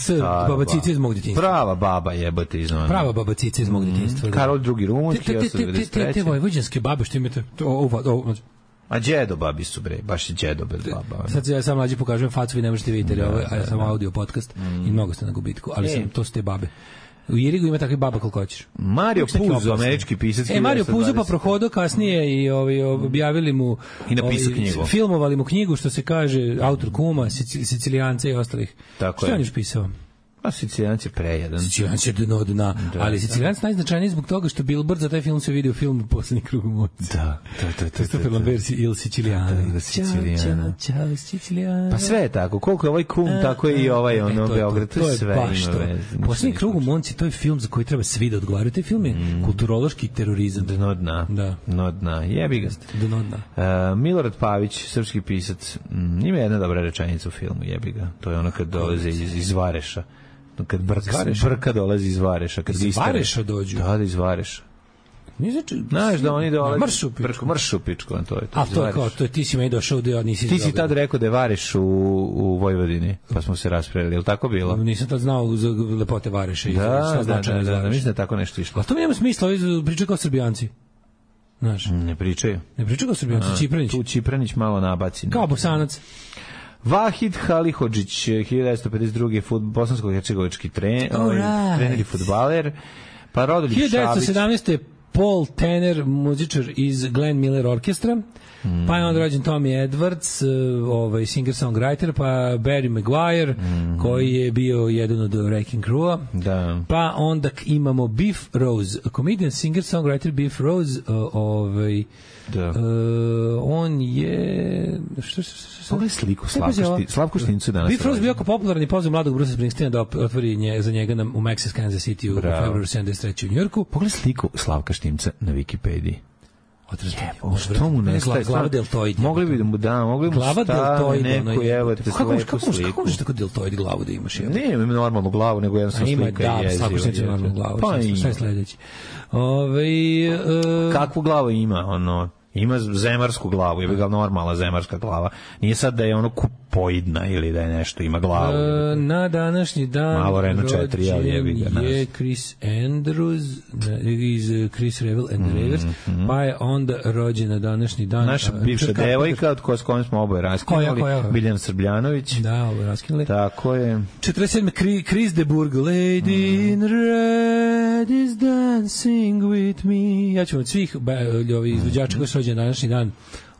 S8: baba Cica iz mog djetinjstva.
S7: Prava baba jebote iz ona.
S8: Prava baba Cica iz mog djetinjstva.
S7: Mm, Karol drugi rumunski,
S8: hiljadu osamsto devedeset treće. Te, te, te vojvođanske babe što imate, to, ovo, ovo,
S7: a džedo babi su bre, baš je džedo bez baba.
S8: Sad ja sam mlađi pokažem facu, vi ne možete vidjeti, da, a ja sam audio podcast mm. i mnogo ste na gubitku, ali e. sam, to su te babe. U Irigu ima takve baba koliko hoćeš.
S7: Mario Puzo, američki pisac.
S8: E, Mario Puzo pa prohodo kasnije i ovaj, objavili mu
S7: i napisao knjigu.
S8: Filmovali mu knjigu, što se kaže, autor Kuma, Sicilijanca i ostalih.
S7: Tako
S8: što
S7: je.
S8: on još pisao?
S7: Pa Sicilijanci je prejedan.
S8: Sicilijanci je dno dna, da, ali Sicilijanci da. najznačajniji zbog toga što Billboard za taj film se vidio film Poslednji krug u moći.
S7: Da, da, da.
S8: Christopher Lambert Il Siciliano.
S7: Da, da, Sicilijana.
S8: Ćao, ćao, Sicilijana.
S7: Pa sve je tako, koliko je ovaj kum, tako je i ovaj ono, Beograd, to je sve ima veze.
S8: Poslednji krug u Monci, to je film za koji treba svi da odgovaraju. Taj film je mm. kulturološki terorizam.
S7: Dno dna.
S8: Da.
S7: Dno dna. Jebi ga.
S8: Dno dna.
S7: Uh, Milorad Pavić, srpski pisac, mm, ima jedna dobra rečenica u filmu, jebi ga. To je ono kad dolaze iz, iz Vareša. Kad brka, brka dolazi iz Vareša. Kad
S8: iz Vareša dođu?
S7: Da, da iz Vareša.
S8: Znači,
S7: znaš da oni dolaze...
S8: Mršu pičku.
S7: Mršu pičku, to je to.
S8: A to je kao, to je, ti si meni došao da nisi...
S7: Ti si tad rekao da je Vareš u, u Vojvodini, pa smo se raspravili, je li tako bilo?
S8: Nisam tad znao za lepote Vareša.
S7: Da, da, da, da, da, da, mislim da je tako nešto išlo.
S8: A to mi nema smisla, ovi pričaju kao Srbijanci. Znaš?
S7: Ne pričaju.
S8: Ne pričaju kao Srbijanci, Čipranić.
S7: Tu Čipranić malo nabaci.
S8: Kao Bosanac.
S7: Vahid Halihodžić, hiljadu devetsto pedeset druge. bosansko-hercegovički tre,
S8: right.
S7: trener i fudbaler. Pa Rodoljub Šabić.
S8: hiljadu devetsto sedamnaeste. Paul Tanner, muzičar iz Glenn Miller Orkestra, mm. pa je on rođen Tommy Edwards, ovaj singer-songwriter, pa Barry Maguire, mm. koji je bio jedan od Wrecking Crew-a,
S7: da.
S8: Pa onda imamo Biff Rose, comedian, singer-songwriter Biff Rose, ovaj,
S7: da.
S8: Uh, on je... Što, što, što,
S7: Pogledaj sliku Slavko Štincu danas.
S8: Biff Rose bio jako popularan i pozvao mladog Bruce Springsteena da otvori nje, za njega na, u Maxis Kansas City u februaru sedamdeset treće u Njujorku.
S7: Pogledaj sliku Slavka Štimca na Wikipediji.
S8: Odrazbavljamo.
S7: Što mu nestaje?
S8: Glava deltoid.
S7: Mogli bi da mu da, mogli bi mu staviti neku, evo te slepu sliku.
S8: Kako možeš tako deltoid glavu da imaš?
S7: Ne, imam normalnu glavu, nego jednostavno slika je jeziva.
S8: Slavko Štinca normalnu glavu. Pa ima. Šta je sledeći? Ove, uh,
S7: kakvu glavu ima, ono... Ima zemarsku glavu, je bi ga normalna zemarska glava. Nije sad da je ono kupoidna ili da je nešto, ima glavu.
S8: E, na današnji dan
S7: malo Renault četiri, ali je bi ga nas.
S8: Je Chris Andrews iz Chris Revel and mm, Rivers, mm. pa je onda rođen na današnji dan.
S7: Naša bivša Čekaj, devojka, od koja s kojom smo oboje raskinuli, Biljana Srbljanović.
S8: Da, oboje raskinuli.
S7: Tako je.
S8: četrdeset sedme. Chris de Burgh, Lady mm. in Red is dancing with me. Ja ću od svih izvođača koji su rođen današnji dan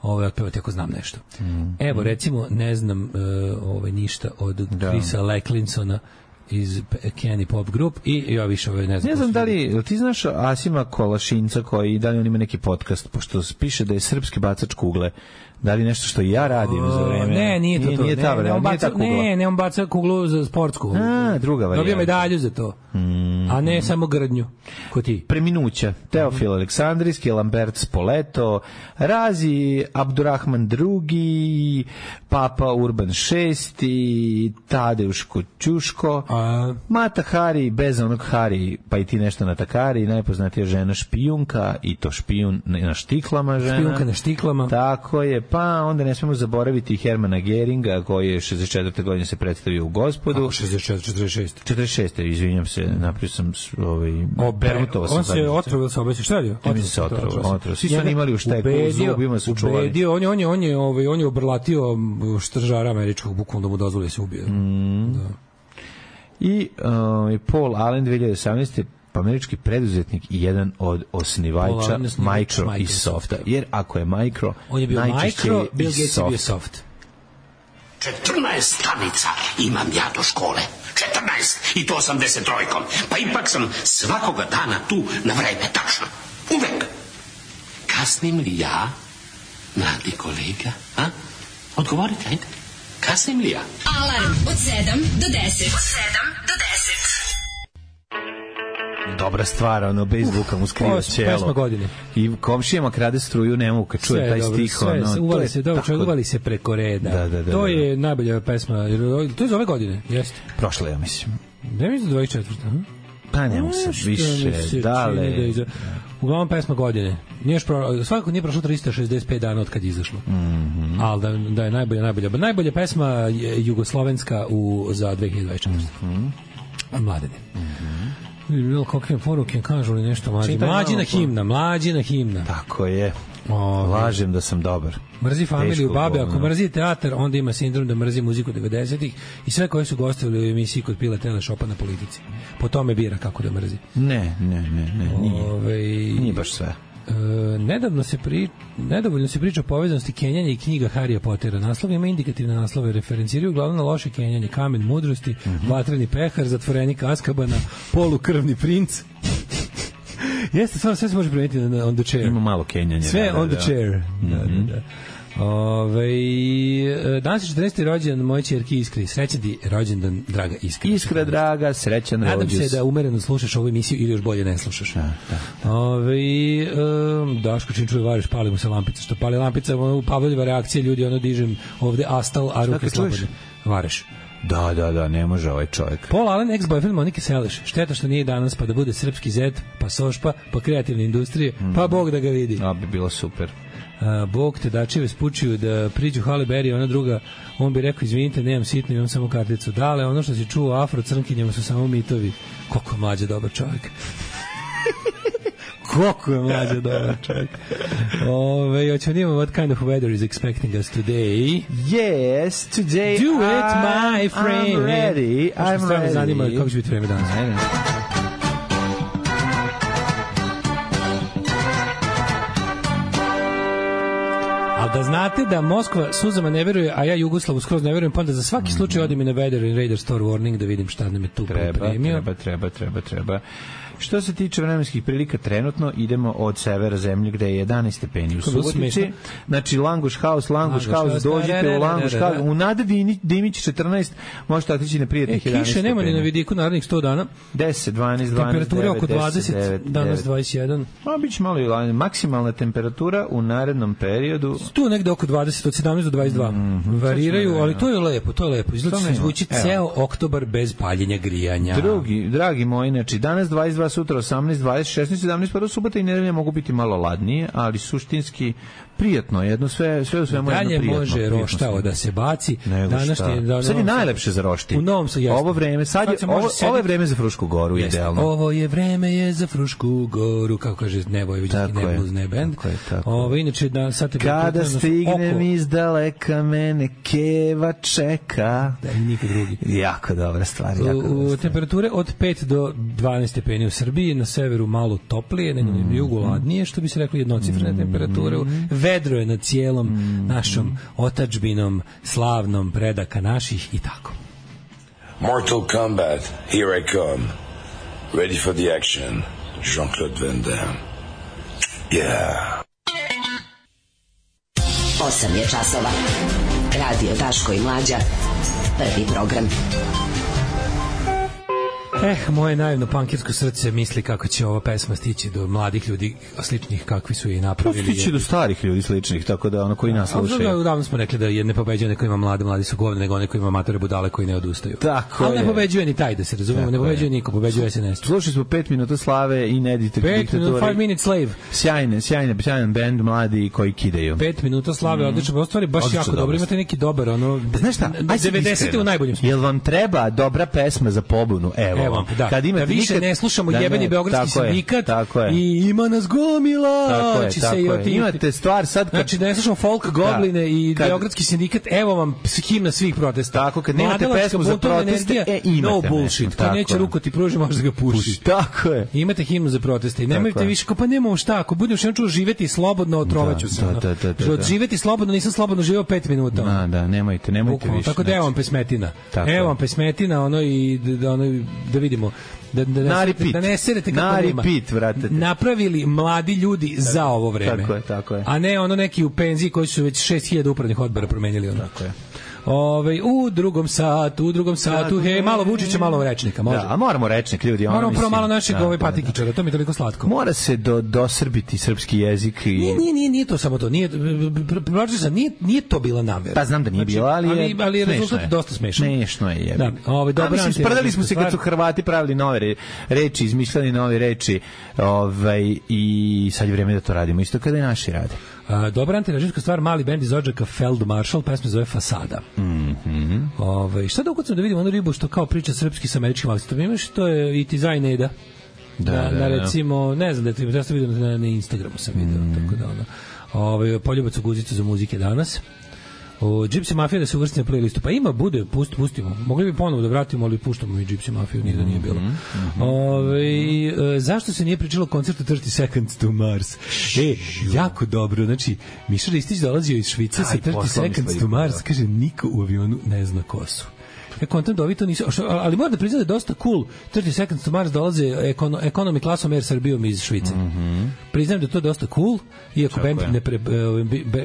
S8: ovaj, otpevati ako znam nešto. Mm. Evo, recimo, ne znam uh, ovaj, ništa od
S7: Da.
S8: Chrisa Lecklinsona iz Kenny Pop Group i ja više ovaj, ne znam.
S7: Ne znam da li, ti znaš Asima Kolašinca koji, da li on ima neki podcast, pošto piše da je srpski bacač kugle. Da li nešto što i ja radim za vreme?
S8: Ne, nije to
S7: nije,
S8: to.
S7: Nije ta,
S8: ne, ne, on
S7: nije
S8: baca,
S7: ta kugla.
S8: ne, ne, on baca kuglu za sportsku.
S7: A, druga varijanta.
S8: Dobio medalju za to. Mm. A ne samo grdnju. Ko ti?
S7: Preminuća. Teofil mm. Aleksandrijski, Lambert Spoleto, Razi Abdurrahman drugi, Papa Urban šesti, Tadeuš Kočuško,
S8: A...
S7: Mata Hari, bez onog Hari, pa i ti nešto na Takari, najpoznatija žena špijunka, i to špijun na štiklama žena.
S8: Špijunka na štiklama.
S7: Tako je, pa onda ne smemo zaboraviti Hermana Geringa, koji je šezdeset četvrte godine se predstavio u Gospodu.
S8: Kako šezdeset četiri, četrdeset šest?
S7: četrdeset šeste, izvinjam se, napravio sam ovaj, permutovao sam.
S8: On se otrovio sa obesi, šta je?
S7: On se otrovio, otrovio. Svi su imali u šteku, u zubima su čuvali.
S8: Ubedio, on je, on je, on je, ovaj, on je obrlatio štržara američkog, bukvalno da mu dozvoli se ubije.
S7: Mm.
S8: Da.
S7: I uh, Paul Allen dve hiljade osamnaeste pa američki preduzetnik i jedan od osnivača Micro i Softa. Jer ako je Micro,
S8: on je bio Micro, Bill Gates je bio Soft.
S2: četrnaest stanica imam ja do škole. četrnaest i to osamdeset trojkom. Pa ipak sam svakoga dana tu na vreme, tačno. Uvek. Kasnim li ja, mladi kolega? A? Odgovorite, ajde. Kasnim li ja?
S5: Alarm od sedam do deset. Od sedam do deset.
S7: Dobra stvar, ono, bez zvuka mu skriva ćelo. I komšijama krade struju, ne mogu kad čuje taj
S8: dobro,
S7: stih.
S8: Sve,
S7: ono,
S8: uvali, se, dobro, tako... uvali se preko reda. Da, da, da, to da, da. je najbolja pesma. To je za ove godine, jeste?
S7: Prošle, ja mislim.
S8: Ne mislim da dvadeset četvrte.
S7: Pa ne mogu se više, dale. Da iza...
S8: Uglavnom pesma godine. Pro... Svakako nije prošlo trista šezdeset pet dana od kad je izašlo. Mm -hmm. Ali da, da je najbolja, najbolja. Najbolja pesma je jugoslovenska u, za dve hiljade dvadeset četvrte. Mm -hmm. Mladene. Mm -hmm. Bilo kakve poruke, kažu li nešto mlađi. Mlađina himna, mlađina himna.
S7: Tako je. O, lažem da sam dobar.
S8: Mrzi familiju babe, ako mrzi teatar, onda ima sindrom da mrzi muziku devedesetih i sve koji su gostovali u emisiji kod Pila Telešopa na Politici. Po tome bira kako da mrzi.
S7: Ne, ne, ne, ne, nije. Ove, nije baš sve.
S8: E, nedavno se pri, nedovoljno se priča o povezanosti Kenjanja i knjiga Harija Pottera. Naslov ima indikativne naslove, referenciraju uglavnom na loše Kenjanje, Kamen mudrosti, mm -hmm. Vatreni pehar, Zatvorenik Azkabana, Polukrvni princ. Jeste, stvarno sve se može primetiti na on the chair.
S7: Ima malo Kenjanja.
S8: Sve
S7: da,
S8: on the
S7: da.
S8: chair. Mm -hmm. Da, da, da. Ove, danas je četrnaesti rođendan moje ćerke Iskri. Srećan ti rođendan, draga Iskra.
S7: Iskra, draga, srećan rođus.
S8: Nadam se da umereno slušaš ovu emisiju ili još bolje ne slušaš.
S7: Da, da.
S8: Ove, um, Daško čim čuje variš, pali mu se lampica. Što pali lampica, ono, Pavljiva reakcija, ljudi, ono dižem ovde astal, a ruke slobodne. Vareš.
S7: Da, da, da, ne može ovaj čovjek.
S8: Paul Allen, ex-boyfriend Monike Seleš. Šteta što nije danas, pa da bude srpski zet, pa sošpa, pa kreativne industrije, mm. pa Bog da ga vidi.
S7: A bi bilo super.
S8: A, Bog te dačeve spučuju da priđu Halle Berry, ona druga, on bi rekao, izvinite, nemam sitno, imam samo karticu. Dale, ono što si čuo afro crnkinjama su samo mitovi. Koliko mlađe dobar čovjek. Koliko je mlađe dobar čovjek. Ove, hoćemo nima what kind of weather is expecting us today.
S7: Yes, today
S8: do it, my friend.
S7: I'm ready. I'm
S8: ready.
S7: ready.
S8: Zanima kako će biti vreme danas.
S7: Ajde.
S8: Ali da znate da Moskva suzama ne veruje, a ja Jugoslavu skroz ne verujem, pa onda za svaki slučaj odim i na Weather and Radar Store Warning da vidim šta nam je tu pripremio.
S7: Treba, treba, treba, treba. Što se tiče vremenskih prilika, trenutno idemo od severa zemlje gde je jedanaest stepeni u Subotici. Znači Languš House, Languš House, dođite u Languš House. U Nade Dimić četrnaest, možete otići na prijatnih jedanaest stepeni.
S8: Kiše nema ni na vidiku narednih sto dana.
S7: deset, dvanaest, dvanaest,
S8: temperatura oko dvadeset, danas dvadeset jedan.
S7: Ma biće malo i maksimalna temperatura u narednom periodu.
S8: Tu negde oko dvadeset, od sedamnaest do dvadeset dva. Mm -hmm, variraju, ali to je lepo, to je lepo. Izgleda se zvuči ceo oktobar bez paljenja grijanja.
S7: Drugi, dragi moji, znači danas dvadeset dva, sutra osamnaest, dvadeset, šesnaest, sedamnaest, pa subota i nedelja mogu biti malo ladnije, ali suštinski prijatno, jedno sve sve u svemu jedno prijatno.
S8: Dalje može roštao da se baci.
S7: Danas je da, sad je najlepše za rošti.
S8: U Novom Sadu.
S7: Ovo vreme, sad je ovo, ovo je vreme za Frušku goru, jeste, idealno.
S8: Ovo je vreme je za Frušku goru, kako kaže Nebojvićki Nebluesne band. Ovo inače da sad
S7: kada stignem iz daleka mene keva čeka.
S8: Da, niko drugi.
S7: Jako dobra stvar, jako dobra
S8: stvar. Temperature od pet do dvanaest stepeni u Srbiji, na severu malo toplije, nego na jugu ladnije, što bi se reklo jednocifrene temperature. vedro je nad cijelom mm. našom otadžbinom, slavnom predaka naših i tako.
S11: Mortal Kombat, here I come. Ready for the action. Jean-Claude Van Damme. Yeah.
S5: osam je časova. Radio Daško i Mlađa. Prvi program.
S8: Eh, moje naivno punkirsko srce misli kako će ova pesma stići do mladih ljudi sličnih kakvi su je napravili.
S7: To stići do starih ljudi sličnih, tako da ono koji nas slušaju.
S8: Davno smo rekli da je ne pobeđuje neko ima mlade, mladi su govne, nego neko ima matore budale koji ne odustaju.
S7: Tako
S8: ali
S7: je.
S8: Ne pobeđuje ni taj, da se razumemo, ne pobeđuje niko, pobeđuje S N S.
S7: Slušali smo pet minuta slave i ne diktature.
S8: pet minuta, five minute slave.
S7: Sjajne, sjajne, sjajan bend mladi koji kidaju.
S8: pet minuta slave, mm. odlično, u stvari baš odlično, jako dobro, imate neki dobar, ono,
S7: znaš šta,
S8: devedesete u najboljem smislu.
S7: Jel vam treba dobra pesma za pobunu? Evo,
S8: Evo
S7: da. Kad imate
S8: da više
S7: nikad...
S8: ne slušamo da, jebeni beogradski sindikat i ima nas gomila.
S7: Tako je, tako je. Otim... Imate stvar sad kad...
S8: Znači ne slušamo folk gobline da, i kad... beogradski sindikat, evo vam himna svih protesta.
S7: Tako, kad nemate pesmu za proteste, e, imate.
S8: No bullshit, kad neće ruku ti pruži, možeš da ga pušiš.
S7: Tako je.
S8: Imate himnu za proteste i nemojte više, kao pa nemamo šta, ako budem što čuo živeti slobodno, otrovaću se.
S7: Da, da, da.
S8: Od živeti slobodno, nisam slobodno živeo pet minuta.
S7: Da, da, nemojte, nemojte više.
S8: Tako da evo vam pesmetina. Evo vam pesmetina, ono i da vidimo. Da, da, da, da ne serete kako nema. Napravili mladi ljudi tako, za ovo vreme.
S7: Tako je, tako je.
S8: A ne ono neki u penziji koji su već šest hiljada upravnih odbora promenili. Ono.
S7: Tako je.
S8: Ove, u drugom satu, u drugom satu, hej, malo Vučića, malo rečnika, može.
S7: Da, a moramo rečnik, ljudi.
S8: Moramo prvo malo našeg da, ovaj patikičara, da, da. To mi je toliko slatko.
S7: Mora se do, dosrbiti srpski jezik. I...
S8: Nije, nije, nije, nije to samo to, nije, nije, nije to bila namera.
S7: Pa znam da nije bila, ali je,
S8: ali, ali je rezultat dosta smešan.
S7: Smešno je, jebi.
S8: Da, ove, dobra,
S7: mislim, sprdali smo se kad su Hrvati pravili nove reči, izmišljali nove reči, ovaj, i sad je vreme da to radimo, isto kada i naši rade.
S8: Uh, dobra antirežimska stvar, mali bend iz Odžaka Feldmaršal, pesma zove Fasada.
S7: Mm-hmm.
S8: Ove, šta da ukucam da vidimo onu ribu što kao priča srpski sa američkim akcentom, imaš to je i Tizaj Neda. Da, na, na recimo, ne znam da ti ja sam vidio na, na Instagramu sam vidio, mm. tako da ono. Ovaj poljubac u guzicu za muzike danas. O Gypsy Mafia da se uvrsti na playlistu. Pa ima, bude, pust, pustimo. Mogli bi ponovo da vratimo, ali puštamo i Gypsy Mafiju, nije da nije bilo. Mm-hmm. Ove, e, zašto se nije pričalo o koncertu thirty seconds to Mars? E, jako dobro. Znači, Miša Ristić dolazio iz Švice sa thirty seconds to Mars. Kaže, niko u avionu ne zna ko su. Ja kontam da ovi to nisu, ali moram da priznam da je dosta cool. thirty seconds to Mars dolaze ekono, ekonomi klasom Air Srbijom iz Švice.
S7: Mm-hmm.
S8: Priznam da je to dosta cool, iako band, ne pre,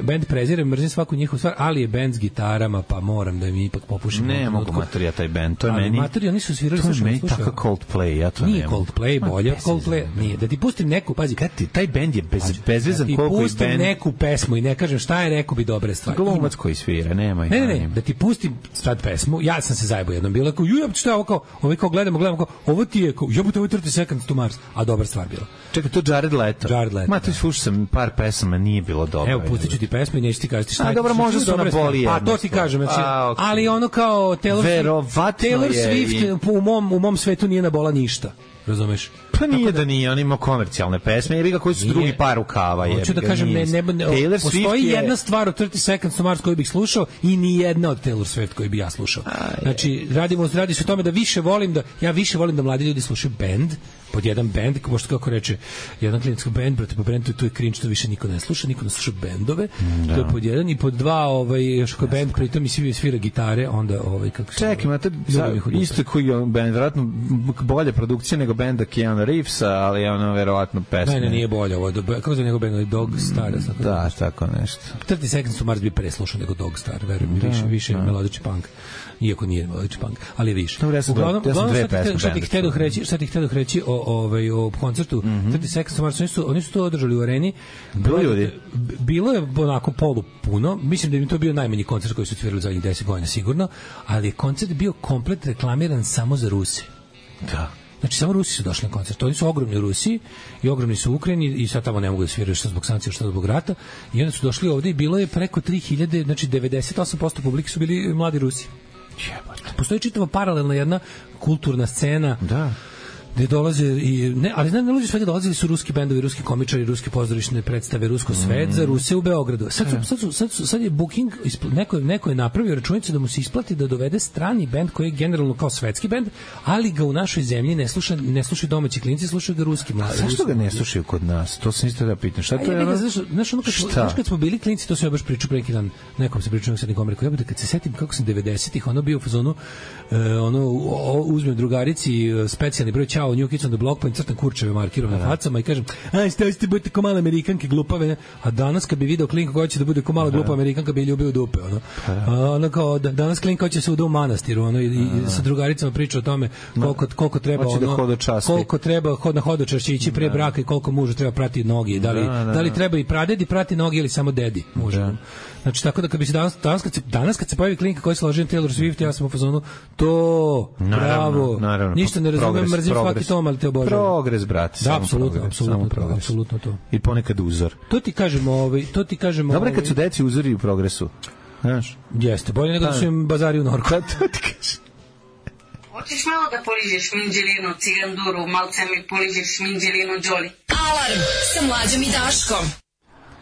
S8: band prezire, mrzim svaku njihovu stvar, ali je band s gitarama, pa moram da im ipak popušim.
S7: Ne mogu materija taj band, to je
S8: ali
S7: meni...
S8: Materija nisu svirali,
S7: to je meni tako Coldplay, ja to
S8: nije
S7: nemam.
S8: Coldplay, bolje od Coldplay, nije. Da ti pustim neku, pazi,
S7: kad ti, taj band je bez, bezvezan
S8: da
S7: koliko i band...
S8: Da ti pustim neku pesmu i ne kažem šta je, rekao bi dobre stvari.
S7: Glumac koji svira, nemoj.
S8: Ne, ne, ne, da ti pustim sad pesmu, ja sam se zajebao jednom, bilo kao, ju, šta je ovo kao, ovo kao gledamo, gledamo kao, ovo ti je kao, jebote, ovo je thirty seconds to Mars, a dobar stvar bila.
S7: Čekaj, to Jared Leto.
S8: Jared Leto.
S7: Ma, to slušao sam par pesama, nije bilo dobro.
S8: Evo, pustit ću ti pesmu i neću ti kažeti šta je.
S7: A dobro, možda su na boli jedno.
S8: A to ti kažem, znači, a, okay. Ali ono kao Taylor, Taylor Swift u mom, u mom svetu nije nabola ništa. Razumeš?
S7: Pa nije da, da nije, on ima komercijalne pesme, jebi ga koji su nije, drugi par rukava.
S8: Hoću da kažem, ne, ne, ne,
S7: Taylor
S8: postoji
S7: je...
S8: jedna stvar od thirty seconds to Mars koju bih slušao i ni jedna od Taylor Swift koju bih ja slušao. A, znači, radimo, radi se o tome da više volim da, ja više volim da mladi ljudi slušaju band, pod jedan band, možda kako reče, jedan klinički band, brate, po brandu, to je cringe, što više niko ne sluša, niko ne sluša bendove, da. To je pod jedan, i pod dva, ovaj, još koji band, pritom i svi svira gitare, onda, ovaj, kako se...
S7: Čekaj, imate isto koji je band, vjerojatno bolje produkcija nego benda Keanu Reevesa, ali je ono, verovatno, pesme.
S8: Ne, ne, nije bolje ovo, kako se njegov band, Dog Star,
S7: mm, da, tako nešto.
S8: thirty seconds to Mars bi preslušao nego Dog Star, verujem, da, više, više da. Melodični punk. Iako nije melodični punk, ali je više.
S7: Dobro, ja sam, uglavnom, ja sam dve pesme.
S8: Šta ti htjedoh reći, šta ti htjedoh reći o, ovaj, o koncertu mm -hmm. thirty seconds to Mars, oni su, oni su to održali u areni.
S7: Bilo ljudi?
S8: Bilo je onako polu puno, mislim da im to bio najmanji koncert koji su svirali zadnjih deset godina sigurno, ali je koncert bio komplet reklamiran samo za Ruse.
S7: Da.
S8: Znači, samo Rusi su došli na koncert. Oni su ogromni u Rusiji i ogromni su u Ukrajini i sad tamo ne mogu da sviraju što zbog sankcija, što zbog rata. I onda su došli ovde i bilo je preko tri hiljade, znači devedeset osam posto publike su bili mladi Rusi. Postoji čitava paralelna jedna kulturna scena.
S7: Da.
S8: gde dolaze i ne, ali znam, ne luđe svega dolazili su ruski bendovi, ruski komičari, ruske pozorišne predstave, rusko svet za Ruse u Beogradu. Sad, su, sad, su, sad, su, sad je booking, neko je, neko je napravio računicu da mu se isplati da dovede strani bend koji je generalno kao svetski bend, ali ga u našoj zemlji ne sluša, ne slušaju domaći klinci, slušaju ga ruski mladi.
S7: Zašto ga ne slušaju kod nas? To sam isto da pitam. Šta to je?
S8: Ono, znaš, znaš, ono kad, smo, znaš kad smo bili klinci, to sam ja baš pričao pre neki dan, nekom se pričao, sad nekom rekao, ja bude kad se setim kako sam devedesetih ono bio u fazonu, uh, ono, o, uzmem drugarici uh, specijalni broj Ćao, New Kids on the Block, pa im crtam kurčeve markirom na facama i kažem, aj, stavite, budete ko male Amerikanke glupave, a danas kad bi video klinka koja će da bude ko mala glupa Amerikanka bi ljubio dupe, ono. A, ono kao, da, danas klinka će se uda u manastiru, ono, i, i sa drugaricama priča o tome koliko, koliko treba, ono,
S7: da
S8: koliko treba hod na hodočašće ići pre braka i koliko mužu treba prati noge, da li, da, da, da li treba i pradedi prati noge ili samo dedi mužu. Da. Znači, tako da kad bi se danas, danas, kad se, danas kad se pojavi klinka koja se loži na Taylor Swift, ja sam u fazonu, to, bravo,
S7: naravno,
S8: ništa ne razumem, mrzim svaki tom, ali te obožavam.
S7: Progres, brate.
S8: Da, apsolutno, apsolutno, apsolutno to.
S7: I ponekad uzor.
S8: To ti kažemo, ovaj, to ti kažemo.
S7: Dobre kad su deci uzori u progresu. Znaš?
S8: Jeste, bolje nego da su im bazari u Norku.
S7: To ti kažem.
S10: Hoćeš malo da poližeš minđelinu, ciganduru, malce mi poližeš minđelinu, Đoli.
S5: Alarm sa Mlađom i Daškom.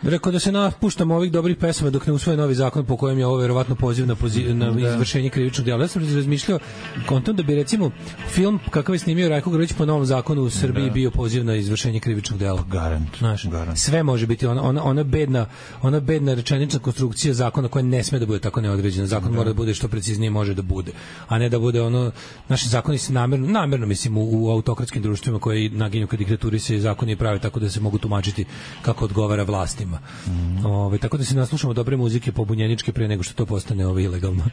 S8: Rekao da se napuštamo ovih dobrih pesama dok ne usvoje novi zakon po kojem je ovo verovatno poziv na, poziv, na da. izvršenje krivičnog djela. Ja sam razmišljao kontom da bi recimo film kakav je snimio Rajko Grlić po novom zakonu u Srbiji da. bio poziv na izvršenje krivičnog djela.
S7: Garant.
S8: Znaš,
S7: Garant.
S8: Sve može biti ona, ona, ona, bedna, ona bedna rečenična konstrukcija zakona koja ne sme da bude tako neodređena. Zakon da. mora da bude što preciznije može da bude. A ne da bude ono, naši zakoni se namerno, namerno mislim u, u autokratskim društvima koji naginju ka diktaturi se zakoni prave tako da se mogu tumačiti kako odgovara vlastima. Mm. Ove, tako da se naslušamo dobre muzike pobunjeničke pre nego što to postane ovo ilegalno.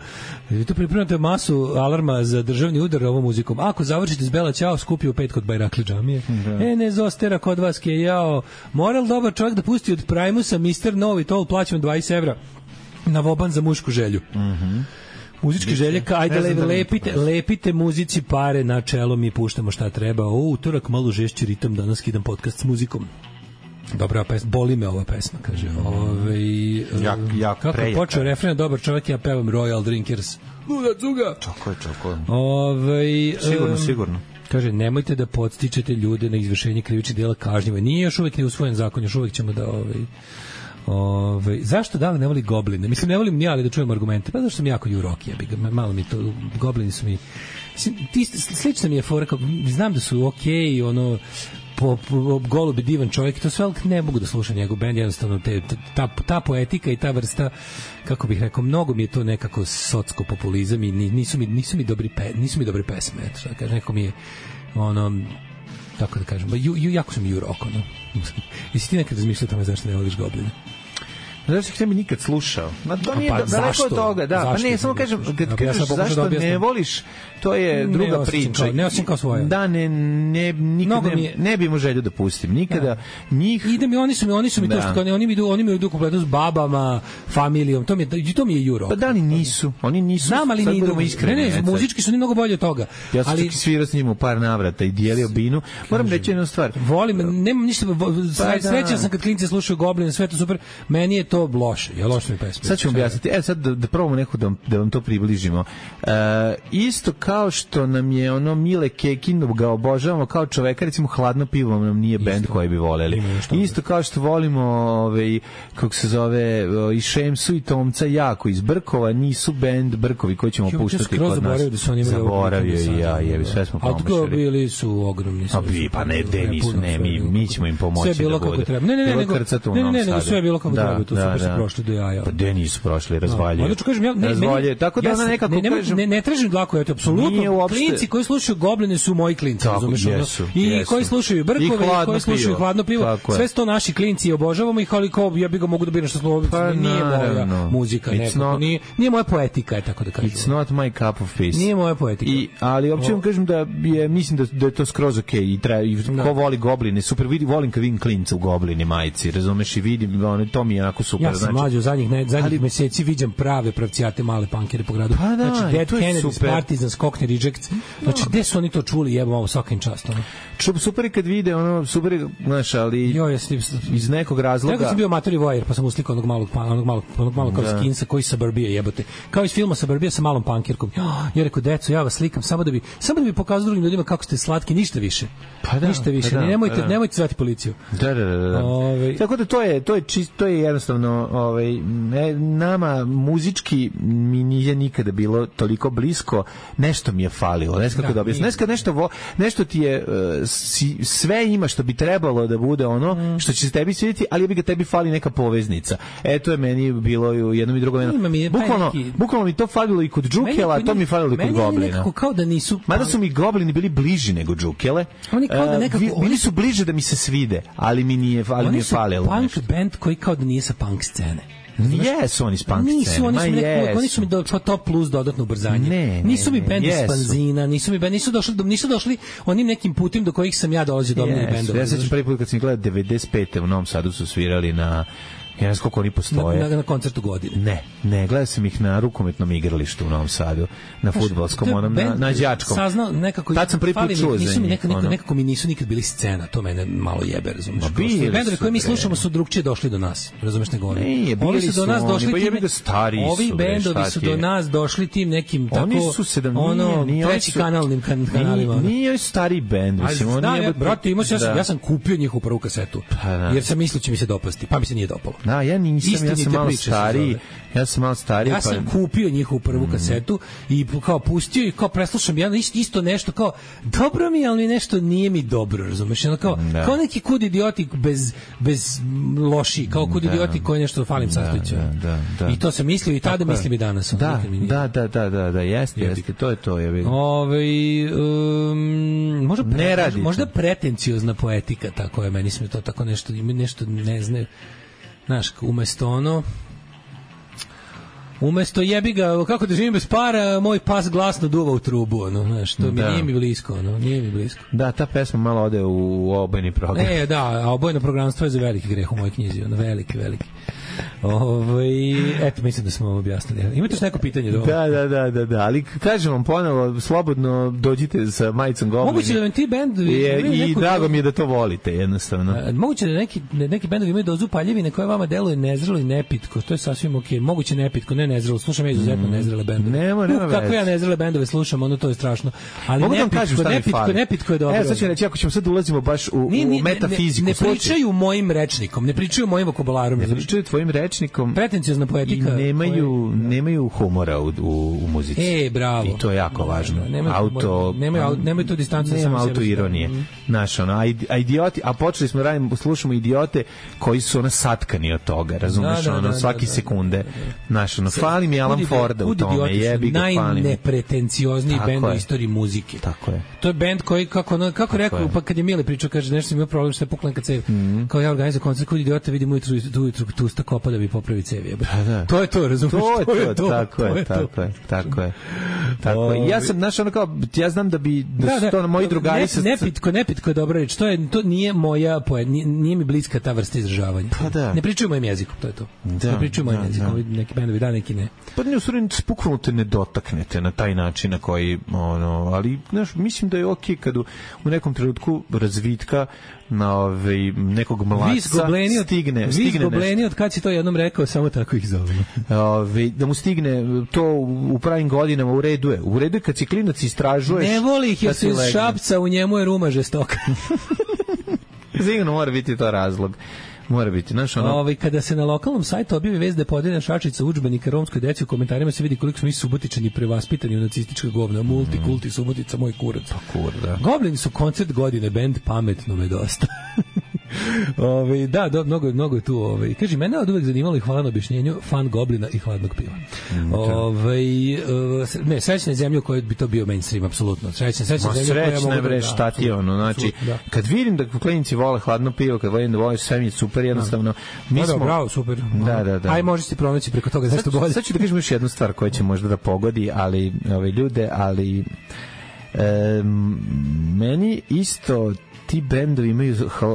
S8: Vi to pripremate masu alarma za državni udar ovom muzikom. Ako završite s Bela Ćao, skupi u pet kod Bajrakli džamije. Da. E, ne zostera kod vas ke jao. Moral dobar čovjek da pusti od Primusa mister Novi Tol, plaćam dvadeset evra na voban za mušku želju. Mhm. Muzičke želje, ajde le, da lepite, lepite muzici pare na čelo, mi puštamo šta treba. O, utorak malo žešći ritam, danas skidam podcast s muzikom. Dobra pesma, boli me ova pesma, kaže. Ove,
S7: jak, jak
S8: kako je počeo refren, dobar čovjek, ja pevam Royal Drinkers. Luda cuga!
S7: Čako je, čako je.
S8: Ove,
S7: sigurno,
S8: um,
S7: sigurno.
S8: Kaže, nemojte da podstičete ljude na izvršenje krivičnih djela kažnjivo. Nije još uvijek ne usvojen zakon, još uvijek ćemo da... Ovaj, Ove, zašto da li ne voli Gobline? Mislim, ne volim ni ali da čujem argumente. Pa zašto sam jako juroki, ja bih malo mi to, Goblini su mi... Ti, slično mi je fora, kao, znam da su okej, okay, ono... Po, po Golubi divan čovjek, to sve, ali ne mogu da slušam njegov bend, jednostavno te, ta, ta poetika i ta vrsta, kako bih rekao, mnogo mi je to nekako socko populizam i nisu mi, nisu mi dobri pe, nisu mi dobre pesme, eto, šta kažem, neko mi je ono, tako da kažem, ju, ju, jako sam jurok, ono. Jesi ti nekad razmišljao tome zašto ne voliš Gobline?
S7: Zašto ih ne bi nikad slušao? Ma to nije
S8: pa,
S7: daleko od toga, da. Pa ne, samo kažem, kad kažeš zašto ne voliš, to je druga
S8: ne
S7: priča.
S8: Kao, ne osim kao svoje.
S7: Da, ne, ne, nikad ne, je... ne bi imao želju da pustim. Nikada da. njih...
S8: Ide mi, oni su mi, oni su mi da. to što, oni mi idu, oni mi idu kompletno s babama, familijom, to mi je, to mi je juro.
S7: Pa da li nisu? Oni nisu.
S8: Znam, ali ni idu. Ne, ne, muzički su ni mnogo bolje od toga.
S7: Ja sam ali... čak i svirao s njim u par navrata i dijelio binu. Moram reći jednu stvar.
S8: Volim, nemam ništa, srećan sam kad klinci slušaju Gobline, sve to super. Meni je to loše. Ja loše mi pesme.
S7: Sad ću vam objasniti. E, sad da, da probamo neko da, da vam to približimo. E, isto kao što nam je ono Mile Kekin ga obožavamo kao čoveka, recimo Hladno pivo nam nije bend koji bi voleli. Isto kao što volimo ovaj, kako se zove, i Šemsu i Tomca jako iz Brkova, nisu bend Brkovi koji ćemo puštati kod nas.
S8: Da
S7: zaboravio i ja, jebi, sve smo promašili.
S8: A bili su ogromni.
S7: A bi, pa ne, de nisu, ne, mi, mi ćemo im pomoći
S8: sve bilo
S7: da
S8: kako treba. Ne, ne, ne, nego, ne, ne, nego sve je bilo kako treba, to su prošli do jaja.
S7: Pa de nisu prošli, razvaljuju.
S8: Onda ću kažem, ja, ne,
S7: razvaljuju. Tako da ona nekako
S8: ne,
S7: kažem...
S8: Ne, ne tražim dlaku, eto, apsolutno. Klinci koji slušaju Gobline su moji klinci, razumeš? I koji slušaju Brkove, i koji slušaju Hladno pivo. Sve su to naši klinci i obožavamo ih, ali kao ja bih ga mogu da biram što smo nije moja muzika, nekako. Nije, nije moja poetika, je tako da kažem.
S7: It's not my cup of peace.
S8: Nije moja poetika.
S7: I, ali uopće vam kažem da je, mislim da, da je to skroz okej okay. I, tra, i ko voli Gobline, super, vidi, volim kad vidim klinca u Gobline majici, razumeš, i vidim, ono, to mi je onako super.
S8: Ja sam
S7: znači,
S8: mlađi u zadnjih, ne, zadnjih
S7: ali-
S8: meseci viđam prave pravcijate male punkere po gradu.
S7: Pa da,
S8: znači, Dead
S7: to je
S8: Kennedys,
S7: super.
S8: Partisans, Cockney Rejects. Znači, gde su oni to čuli, jebam ovo svaka im čast. Ono.
S7: Čup, super je kad vide, ono, super je, znaš, ali
S8: Jo, ja sam,
S7: iz nekog razloga...
S8: Nekad sam bio amatori vojer, pa sam uslikao onog malog, pa- onog malog, onog malog kao
S7: Da.
S8: skinsa koji Suburbia jebote. Kao iz filma Suburbia sa malom punkirkom. Ja rekao, deco, ja vas slikam samo da bi, samo da bi pokazao drugim ljudima kako ste slatki, ništa više.
S7: Pa da,
S8: ništa više.
S7: pa da,
S8: nemojte,
S7: pa da.
S8: nemojte zvati policiju.
S7: Da, da, da, da.
S8: Ovaj-
S7: Tako da to je to je čisto, to je jednostavno, ovaj ne, nama muzički mi nije nikada bilo toliko blisko, nešto mi je falilo, ne znam kako
S8: Da,
S7: da objasnim.
S8: nije.
S7: Nešto nešto vo, nešto ti je uh, si, sve ima što bi trebalo da bude ono
S8: Mm.
S7: što će se tebi svidjeti, ali bi ga tebi fali neka poveznica. E to je meni bilo i u jednom i drugom.
S8: Ima mi je taj
S7: Bukvalno,
S8: neki-
S7: bukvalno mi to falilo i kod Džukela,
S8: Meni-
S7: to mi falilo i kod
S8: meni oni
S7: Goblina.
S8: nekako kao da nisu...
S7: Mada su mi Goblini bili bliži nego Džukele.
S8: Oni kao da
S7: e,
S8: nekako-
S7: vi- bili
S8: oni
S7: su bliže da mi se svide, ali mi nije, ali mi
S8: Oni
S7: je
S8: su
S7: falilo.
S8: punk
S7: nešto.
S8: band koji kao da nije sa punk scene.
S7: Jesu oni s punk
S8: Nisu,
S7: scene,
S8: oni
S7: ma
S8: su mi nekako,
S7: jesu.
S8: oni su mi do pa top plus dodatno ubrzanje.
S7: Ne, ne,
S8: nisu mi
S7: ne,
S8: bend iz
S7: jesu.
S8: fanzina, nisu mi bend, nisu došli, do, nisu došli onim nekim putem do kojih sam ja dolazio do omiljenih
S7: Jesu.
S8: bendova.
S7: Ja se sećam prvi put kad sam ih gledao devedeset pete u Novom Sadu su svirali na, ja ne znam koliko oni
S8: na,
S7: postoje.
S8: na, na koncertu godine.
S7: Ne, ne, gledao sam ih na rukometnom igralištu u Novom Sadu, na fudbalskom,
S8: To je
S7: onom, na,
S8: bend
S7: na đačkom.
S8: Saznao nekako.
S7: Tad sam prvi put
S8: fali mi-
S7: čuo za
S8: nisu mi
S7: njih,
S8: nekako,
S7: ono.
S8: nekako mi nisu nikad bili scena, to mene malo jebe, razumeš?
S7: Ma
S8: Kao
S7: bili
S8: što bendovi
S7: su,
S8: koje mi
S7: bre.
S8: slušamo su drugčije došli do nas, razumeš nego oni.
S7: Nije, bili
S8: Ovi su do
S7: su
S8: nas
S7: oni,
S8: došli
S7: pa
S8: tim-
S7: jebi ga, stariji
S8: Ovi
S7: su, bre,
S8: bendovi
S7: šta
S8: su
S7: ti
S8: do
S7: je?
S8: nas došli tim nekim tako
S7: Oni su sedam,
S8: ono
S7: nije, nije, oni
S8: treći
S7: su-
S8: kanalnim kan, kanalima.
S7: Nije, nije stari bend,
S8: Ali
S7: mislim, oni
S8: da, ja,
S7: jebote-
S8: brate, imao sam, ja, sam,
S7: da.
S8: ja sam kupio njihovu prvu kasetu,
S7: Pa da.
S8: jer sam mislio će mi se dopasti, pa mi se nije dopalo.
S7: Da, ja nisam, ja
S8: Istinite
S7: sam malo
S8: priče se
S7: stariji,
S8: zove.
S7: ja sam malo stariji,
S8: Ja
S7: pa...
S8: sam kupio njihovu prvu kasetu i kao pustio i kao preslušam ja isto, isto nešto kao dobro mi je, ali nešto nije mi dobro, razumeš? Ono kao,
S7: Da.
S8: kao neki kud idioti bez, bez loši, kao kud idioti koji nešto falim sastojića.
S7: da, da, da.
S8: I to sam mislio i tada
S7: Tako je.
S8: mislim i danas. ono,
S7: Da,
S8: nikad mi nije.
S7: da, da, da, da, da, jeste,
S8: Jebi
S7: jeste, to je to, je vidim.
S8: Ove, um, možda, pre,
S7: Ne radite.
S8: možda pretenciozna poetika, tako je, meni smo to tako nešto, ima nešto ne zna, znaš, umesto ono, umesto jebi ga, kako da živim bez para, moj pas glasno duva u trubu, ono, znaš, to mi
S7: Da.
S8: nije mi blisko, ono, nije mi blisko.
S7: Da, ta pesma malo ode u obojni program.
S8: E, da, a obojno programstvo je za veliki greh u mojoj knjizi, ono, veliki, veliki. Ove, eto, mislim da smo ovo objasnili. Imate još neko pitanje do
S7: Da, da, da, da, da, ali kažem vam ponovo, slobodno dođite sa majicom Goblini.
S8: Moguće da vam ti bendovi
S7: I,
S8: imaju
S7: i
S8: neku-
S7: drago mi je da to volite, jednostavno.
S8: A, moguće da neki, da neki bendovi imaju dozu paljevine koja vama deluje nezrelo i nepitko, to je sasvim okej. Moguće nepitko, ne nezrelo, slušam ja izuzetno nezrele bendove.
S7: Nema, nema
S8: Uh, kako
S7: veze.
S8: ja nezrele bendove slušam, ono to je strašno. Ali
S7: Mogu da vam
S8: nepitko,
S7: kažem šta mi
S8: nepitko,
S7: fali.
S8: nepitko je dobro.
S7: Evo, sad ću reći, ako ćemo sad ulazimo baš u,
S8: Nije-
S7: u
S8: nije-
S7: metafiziku.
S8: Ne, ne
S7: slušaj.
S8: pričaju mojim rečnikom, ne pričaju mojim vokabularom.
S7: Ne
S8: razumeš?
S7: pričaju tvojim rečnikom
S8: Pretenciozna
S7: i
S8: poetika.
S7: nemaju,
S8: koja-
S7: nemaju humora u, u, u muzici.
S8: E, bravo.
S7: I to je jako važno.
S8: Nemaju
S7: auto,
S8: humora, nemaju au- nemaju tu distancu sa
S7: Nema
S8: samim
S7: auto
S8: sebi.
S7: ironije.
S8: Mhm.
S7: Znaš, ono, a, idi- a idioti, a počeli smo radimo, slušamo idiote koji su ono satkani od toga, razumeš,
S8: Da, da,
S7: ono,
S8: da,
S7: svaki
S8: da, da.
S7: sekunde. Znaš, ono, fali mi Alan
S8: Kud idi-
S7: Forda u
S8: kud
S7: tome,
S8: idioti su
S7: jebi ga, fali mi.
S8: najnepretenciozniji
S7: Tako
S8: bend u
S7: je.
S8: istoriji muzike.
S7: Tako je.
S8: To je bend koji, kako, ono, kako rekao,
S7: je.
S8: pa kad je Mile pričao, kaže, nešto sam imao problem što je pukla neka cev. Kao ja organizujem koncert, kod idiota vidim ujutru, ujutru tusta kopa da bi popravi cev. jebote.
S7: Pa da.
S8: To je to, razumiješ?
S7: To je to, tako
S8: to
S7: je,
S8: to.
S7: tako je, tako je. Tako je. Ja sam, znaš, ono kao, ja znam da bi, da su to moji drugari
S8: ne,
S7: sa...
S8: nepitko, nepitko je dobra reč. To je to nije moja poe, nije, nije mi bliska ta vrsta izražavanja.
S7: Pa da.
S8: Ne pričaju mojim jezikom, to je to.
S7: Da,
S8: ne pričaju mojim
S7: da,
S8: jezikom,
S7: da.
S8: ovi neki bendovi da, neki ne.
S7: Pa ne, u stvari, bukvalno te ne dotaknete na taj način na koji, ono, ali, znaš, mislim da je okej kad u, u nekom trenutku razvitka na ovaj, nekog
S8: Vi
S7: mladca
S8: zgobleni od,
S7: stigne,
S8: vi
S7: stigne
S8: zgobleni od kad si to jednom rekao, samo tako ih zovemo.
S7: Ove, da mu stigne to u u pravim godinama, u redu je. U redu je kad si klinac istražuješ.
S8: Ne voli ih,
S7: da
S8: jer
S7: si
S8: su iz
S7: legne.
S8: Šapca, u njemu je ruma žestoka.
S7: Sigurno mora biti to razlog. Mora biti, znaš, ono...
S8: Ovaj kada se na lokalnom sajtu objavi vest da je podeljena šačica udžbenika romskoj deci, u komentarima se vidi koliko smo mi Subotičani prevaspitani u nacistička govna, multikulti Subotica moj kurac.
S7: Kur, da.
S8: Goblini su koncert godine, bend pametno me dosta. Ove, da, do, mnogo, mnogo je tu. Ove. Kaži, mene od uvek zanimalo i hvala na objašnjenju fan Goblina i hladnog piva.
S7: Mm,
S8: Ove, uh, ne, srećna zemlja u kojoj bi to bio mainstream, apsolutno. Srećna, srećna
S7: Ma
S8: zemlja u kojoj ja
S7: srećna
S8: mogu
S7: je,
S8: da-
S7: bre,
S8: da,
S7: šta ti je ono, znači,
S8: apsolutno, da.
S7: kad vidim da klinici vole hladno pivo, kad vidim da vole sve mi je super, jednostavno, mi
S8: Da, da,
S7: smo...
S8: bravo, super.
S7: Da, da, da.
S8: Aj, možeš ti pronaći preko toga
S7: Sad
S8: nešto
S7: ću,
S8: bolje.
S7: sad ću da kažem još jednu stvar koja će možda da pogodi, ali ove ljude, ali em, meni isto ti bendovi imaju ha,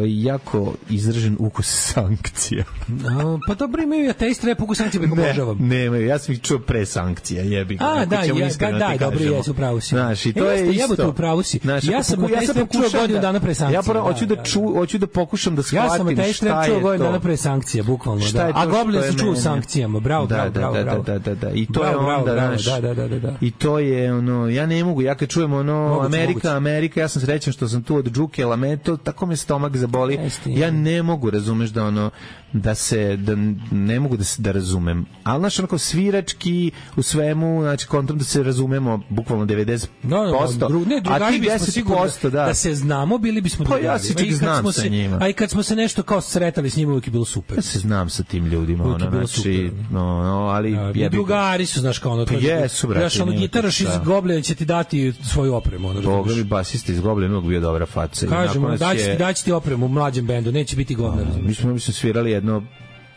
S7: jako izražen ukus sankcija.
S8: A, pa dobro, imaju ateist rap ukus sankcija, pa obožavam.
S7: Ne, nemaju, ja sam ih čuo pre sankcija, jebi ga.
S8: A, da,
S7: ćemo
S8: ja,
S7: iskreno
S8: da,
S7: ti
S8: da, dobro,
S7: kažemo.
S8: jesu, upravo si.
S7: Znaš, i to
S8: e,
S7: je
S8: jeste,
S7: isto.
S8: Jebote, upravo si.
S7: Znaš,
S8: ja sam
S7: poku-
S8: ateist rap čuo
S7: pokušam
S8: godinu dana pre sankcija.
S7: Ja prvo hoću da,
S8: da,
S7: ču, hoću da pokušam da
S8: Ja sam
S7: shvatim
S8: ateist
S7: šta
S8: rap
S7: je
S8: čuo godinu
S7: to.
S8: dana pre sankcija, bukvalno,
S7: Šta
S8: da.
S7: je to
S8: A
S7: što
S8: Goblin
S7: je
S8: se čuo u
S7: meni?
S8: sankcijama, bravo,
S7: Da,
S8: bravo,
S7: da,
S8: bravo,
S7: da,
S8: bravo.
S7: da, da, da. I to
S8: Bravo,
S7: je
S8: bravo,
S7: onda,
S8: bravo,
S7: znaš,
S8: da, da, da, da, da.
S7: i to je ono, ja ne mogu, ja kad čujem ono,
S8: Moguće,
S7: Amerika,
S8: moguće.
S7: Amerika, ja sam srećan što sam tu od Džuke, Lameto, tako me stomak zaboli.
S8: Jeste,
S7: Ja ne mogu, razumeš da ono, da se, da ne mogu da se, da razumem. Ali, znaš, onako, svirački u svemu, znači, kontom da se razumemo, bukvalno devedeset posto.
S8: No, no, dru, ne,
S7: a
S8: drugari
S7: ti
S8: bismo
S7: deset
S8: sigurno
S7: posto, da.
S8: da se znamo, bili bismo
S7: Pa
S8: drugari.
S7: ja se
S8: A i
S7: čak
S8: kad
S7: znam
S8: smo
S7: sa
S8: se-
S7: njima.
S8: A i kad smo se nešto kao sretali s njima, uvijek je bilo super.
S7: Ja se znam sa tim ljudima,
S8: Uvijek je
S7: ono,
S8: bilo
S7: znači,
S8: super.
S7: no, no, ali
S8: Ja,
S7: jebi ga.
S8: drugari su, znaš, kao ono,
S7: Pa
S8: to je-
S7: jesu, brate,
S8: znaš, ono,
S7: nema tu
S8: gitaraš iz
S7: šta.
S8: Goblina će ti dati svoju opremu, ono,
S7: Boga
S8: razumiješ.
S7: mi basista iz Goblina uvijek bio dobra faca. I
S8: Kažemo,
S7: nakon nas
S8: daći
S7: je-
S8: ti, daći ti opremu u mlađem bendu, neće biti govna, razumiješ.
S7: Mi smo, mi smo svirali jedno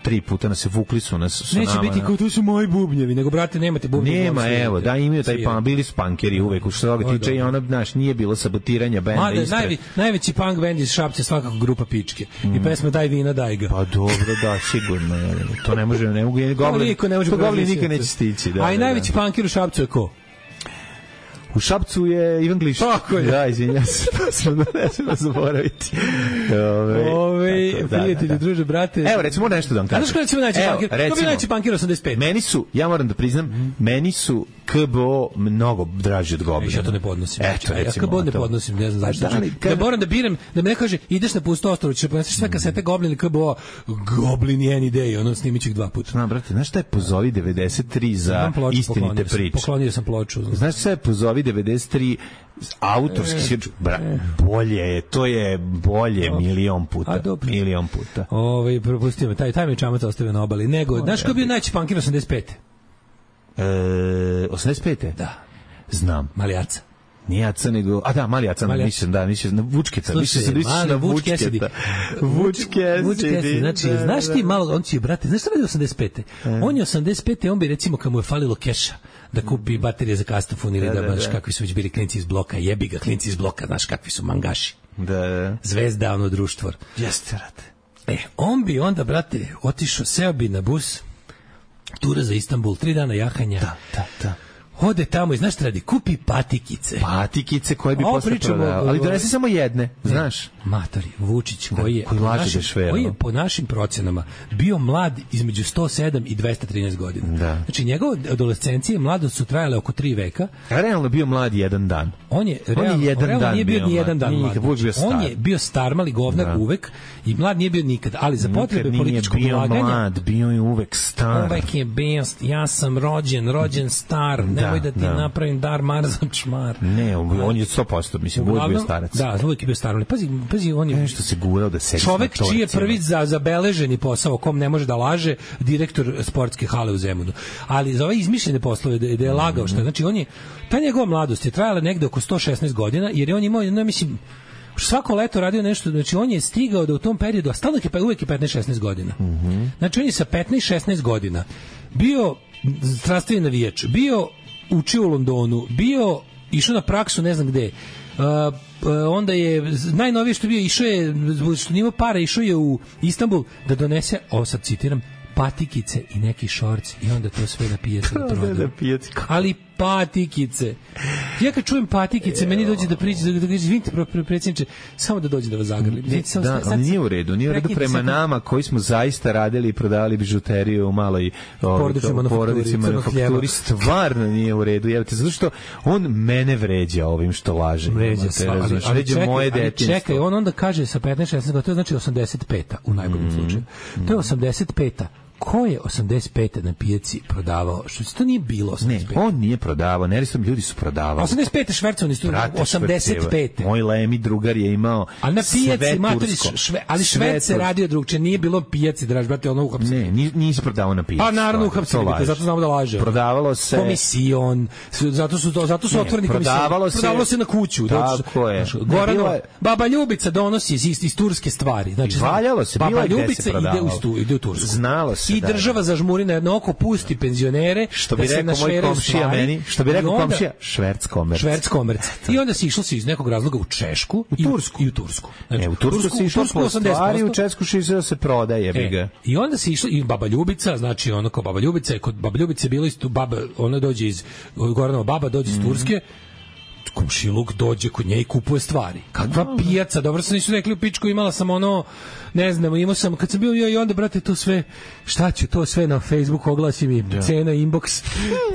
S7: tri puta, nas se vukli su nas su
S8: Neće
S7: nama,
S8: biti
S7: na-
S8: kao to su moji bubnjevi, nego brate nemate bubnjevi.
S7: Nema,
S8: svirate.
S7: evo, da imaju taj
S8: Svirate.
S7: pan, bili su punkeri uvek, u što se
S8: O,
S7: toga tiče i
S8: dobro.
S7: ono, znaš, nije bilo sabotiranja benda
S8: Mada,
S7: ispred.
S8: najve, najveći punk bend iz Šapca je svakako grupa Pičke. I pesma Daj vina, daj ga.
S7: Pa dobro, da, sigurno. Je. To ne može, ne mogu,
S8: To
S7: Goblin,
S8: niko ne može
S7: to Goblin
S8: prevazići.
S7: nikad neće stići. Da,
S8: A i
S7: da,
S8: najveći
S7: da.
S8: punker u Šapcu je ko?
S7: U Šapcu je Ivan Glišić.
S8: Tako je.
S7: Da, izvinjam se, to sam da ne smemo zaboraviti. Ove,
S8: Ove,
S7: tako, da,
S8: prijatelji,
S7: da, da.
S8: druže, brate.
S7: Evo, recimo nešto da vam
S8: A
S7: kažem.
S8: znaš ko je recimo najveći
S7: Evo,
S8: punker? Ko bi
S7: recimo,
S8: najveći punker osamdeset pet?
S7: Meni su, ja moram da priznam, meni su K B O mnogo draži od Goblina.
S8: Ja to ne podnosim.
S7: Eto,
S8: ja
S7: recimo.
S8: K B O ne
S7: to.
S8: podnosim, ne znam
S7: Pa
S8: zašto.
S7: da li,
S8: Da,
S7: kad-
S8: moram da biram, da me ne kaže, ideš na pusto ostrvo, ćeš poneseš sve kasete Goblin ili K B O, Goblin je any day, ono snimit ću ih dva puta.
S7: Znam, brate, znaš šta je Pozovi devedeset tri za
S8: Imam ploču,
S7: istinite
S8: poklonio sam-
S7: priče?
S8: Poklonio sam ploču.
S7: Znaš šta je Pozovi devedeset tri autorski svirč? Bra, bolje je, to je bolje milion puta.
S8: A, dobro.
S7: Milion puta.
S8: Ovaj propustio me, taj taj mi je čamac ostavio na obali. Nego, znaš ko je bio najveći punker osamdeset pet?
S7: E, osamdeset pete?
S8: Da.
S7: Znam.
S8: Malijaca.
S7: Nije Aca, nego... A da, Mali Aca,
S8: Mali Aca.
S7: mislim, da, mislim, na Vučkeca.
S8: Slušaj,
S7: Mislim, da misliš
S8: mali
S7: na
S8: Vuč Cassidy.
S7: Vučketa. Vuč Cassidy.
S8: Vuč Cassidy, znači,
S7: da,
S8: znaš
S7: da,
S8: ti
S7: da.
S8: malo, on će, brate, znaš šta radi osamdeset pete? On je osamdeset pete, on bi, recimo, kad mu je falilo keša, da kupi baterije za kastofon ili
S7: Da,
S8: da,
S7: da,
S8: znaš,
S7: da.
S8: kakvi su već bili klinci iz bloka, jebi ga, klinci iz bloka, znaš, kakvi su mangaši.
S7: Da, da.
S8: Zvezda, ono društvo.
S7: Jeste, brate.
S8: E, on bi onda, brate, otišao, seo bi na bus, tura za Istanbul, tri dana jahanja.
S7: Da, da, da.
S8: Ode tamo i znaš šta radi, kupi patikice.
S7: Patikice koje bi
S8: Ovo
S7: posle
S8: pričamo
S7: prodao.
S8: o-
S7: Ali donesi samo jedne, znaš.
S8: Matori, Vučić, koji je,
S7: koji
S8: po
S7: laže
S8: našim-
S7: da je šver,
S8: koji je
S7: no.
S8: po našim procenama bio mlad između sto sedam i dvesta trinaest godina.
S7: Da.
S8: Znači, njegova adolescencija i mladost su trajale oko tri veka.
S7: A realno bio mlad jedan dan.
S8: On je,
S7: On je
S8: realno,
S7: jedan
S8: realno
S7: dan
S8: nije bio
S7: bio
S8: ni
S7: mlad.
S8: jedan dan
S7: Nije
S8: mlad.
S7: nikad, uvijek bio
S8: On
S7: star.
S8: je bio star, mali govnar
S7: Da.
S8: uvek i mlad nije bio nikad, ali za potrebe
S7: Nikad nije
S8: političkog
S7: bio
S8: ulaganja
S7: mlad, bio je uvek star.
S8: uvek je bio, ja sam rođen, rođen star, nemoj da ti
S7: da.
S8: napravim dar marzan čmar.
S7: Ne, on, on je sto posto, mislim, uvijek bio
S8: Uglavnom,
S7: starac.
S8: Da, uvijek je bio star, ali pazi, pazi, on je
S7: Nešto se gurao da sedi
S8: čovek
S7: na
S8: čiji je
S7: torcima.
S8: prvi za zabeleženi posao o kom ne može da laže, direktor sportske hale u Zemunu. Ali za ove izmišljene poslove da, da je lagao što je, znači on je, ta njegova mladost je trajala negde oko sto šesnaest godina, jer je on imao, no, mislim, svako leto radio nešto, znači on je stigao da u tom periodu, a stalno je, uvijek je petnaest šesnaest godina. Znači on je sa petnaest šesnaest godina bio strastveni navijač, bio učio u Londonu, bio išao na praksu ne znam gde. Uh, uh, onda je najnovije što je bio išao je, što nije imao para, išao je u Istanbul da donese, ovo sad citiram, patikice i neki šorc i onda to sve na pijacu da prodaju. Ali patikice. Ja kad čujem patikice, meni dođe da priđe, da, da, da izvinite, pre- pre- predsjedniče, samo da dođe da vas zagrlim.
S7: Ne,
S8: Izvinite, samo
S7: da,
S8: sta- sad-
S7: ali nije u redu, nije u redu
S8: prekinite
S7: prema
S8: sad-
S7: nama koji smo zaista radili i prodavali bižuteriju u maloj ovaj,
S8: Porodičnoj manufakturi,
S7: porodici,
S8: crnog
S7: manufakturi,
S8: hljeba.
S7: stvarno nije u redu, jevite, zato što on mene vređa ovim što laže.
S8: Vređa
S7: Imate,
S8: sva, ali,
S7: razumeš,
S8: ali
S7: vređa
S8: čekaj,
S7: moje
S8: ali
S7: detinjstvo.
S8: čekaj, on onda kaže sa petnaest šesnaest godina, to je znači osamdeset peta u najboljem slučaju. To je osamdeset peta. Ko je osamdeset pete na pijaci prodavao? Što se to nije bilo
S7: Ne,
S8: osamdeset pete?
S7: on nije prodavao, neristom ljudi su prodavali.
S8: osamdeset pete švercovani su,
S7: Brate,
S8: osamdeset pete.
S7: šverceva. Moj lemi drugar je imao
S8: A na pijaci,
S7: sve
S8: matori,
S7: tursko.
S8: šve, ali
S7: Sve
S8: šved se
S7: tursko.
S8: radio drugče, nije bilo pijaci, draž, brate, ono uhapsili.
S7: Ne, ni- nisi prodavao na pijaci.
S8: Pa naravno
S7: stvarno,
S8: uhapsili
S7: to
S8: bi,
S7: laže.
S8: zato znamo da laže.
S7: Prodavalo se...
S8: Komision, su- zato su to, zato su
S7: Ne,
S8: otvoreni
S7: prodavalo
S8: komision.
S7: se-
S8: Prodavalo se na kuću. zato što-
S7: Tako je.
S8: znaš,
S7: Ne,
S8: Goranova,
S7: bilo je-
S8: baba Ljubica donosi iz, iz, iz turske stvari. Znači,
S7: I valjalo se, bilo
S8: baba
S7: je gde se
S8: Ljubica ide
S7: prodavalo.
S8: u, stu, ide u Tursku.
S7: Znalo se, se,
S8: i
S7: da,
S8: država zažmuri na jedno oko, pusti penzionere,
S7: što bi
S8: da se
S7: rekao moj
S8: našveraju
S7: komšija
S8: stvari,
S7: meni, što bi rekao
S8: i onda-
S7: komšija, šverc komerc.
S8: Šverc komerc. I onda se išlo se iz nekog razloga u Češku,
S7: U Tursku.
S8: i u Tursku. Znači,
S7: E, u Tursku se išlo po
S8: osamdeset
S7: stvari, u
S8: posto.
S7: Česku se išlo da se prodaje, bi ga.
S8: E, I onda se išlo i Baba Ljubica, znači ono kao Baba Ljubica, je kod Baba Ljubice je bilo isto baba, ona dođe iz Goranova baba dođe iz Turske. Komšiluk dođe kod nje i kupuje stvari. Kakva pijaca, dobro sam nisu rekli u pičku, imala sam ono, ne znam, imao sam, kad sam bio ja i onda, brate, to sve, šta ću, to sve na Facebook oglasi mi, cena inbox,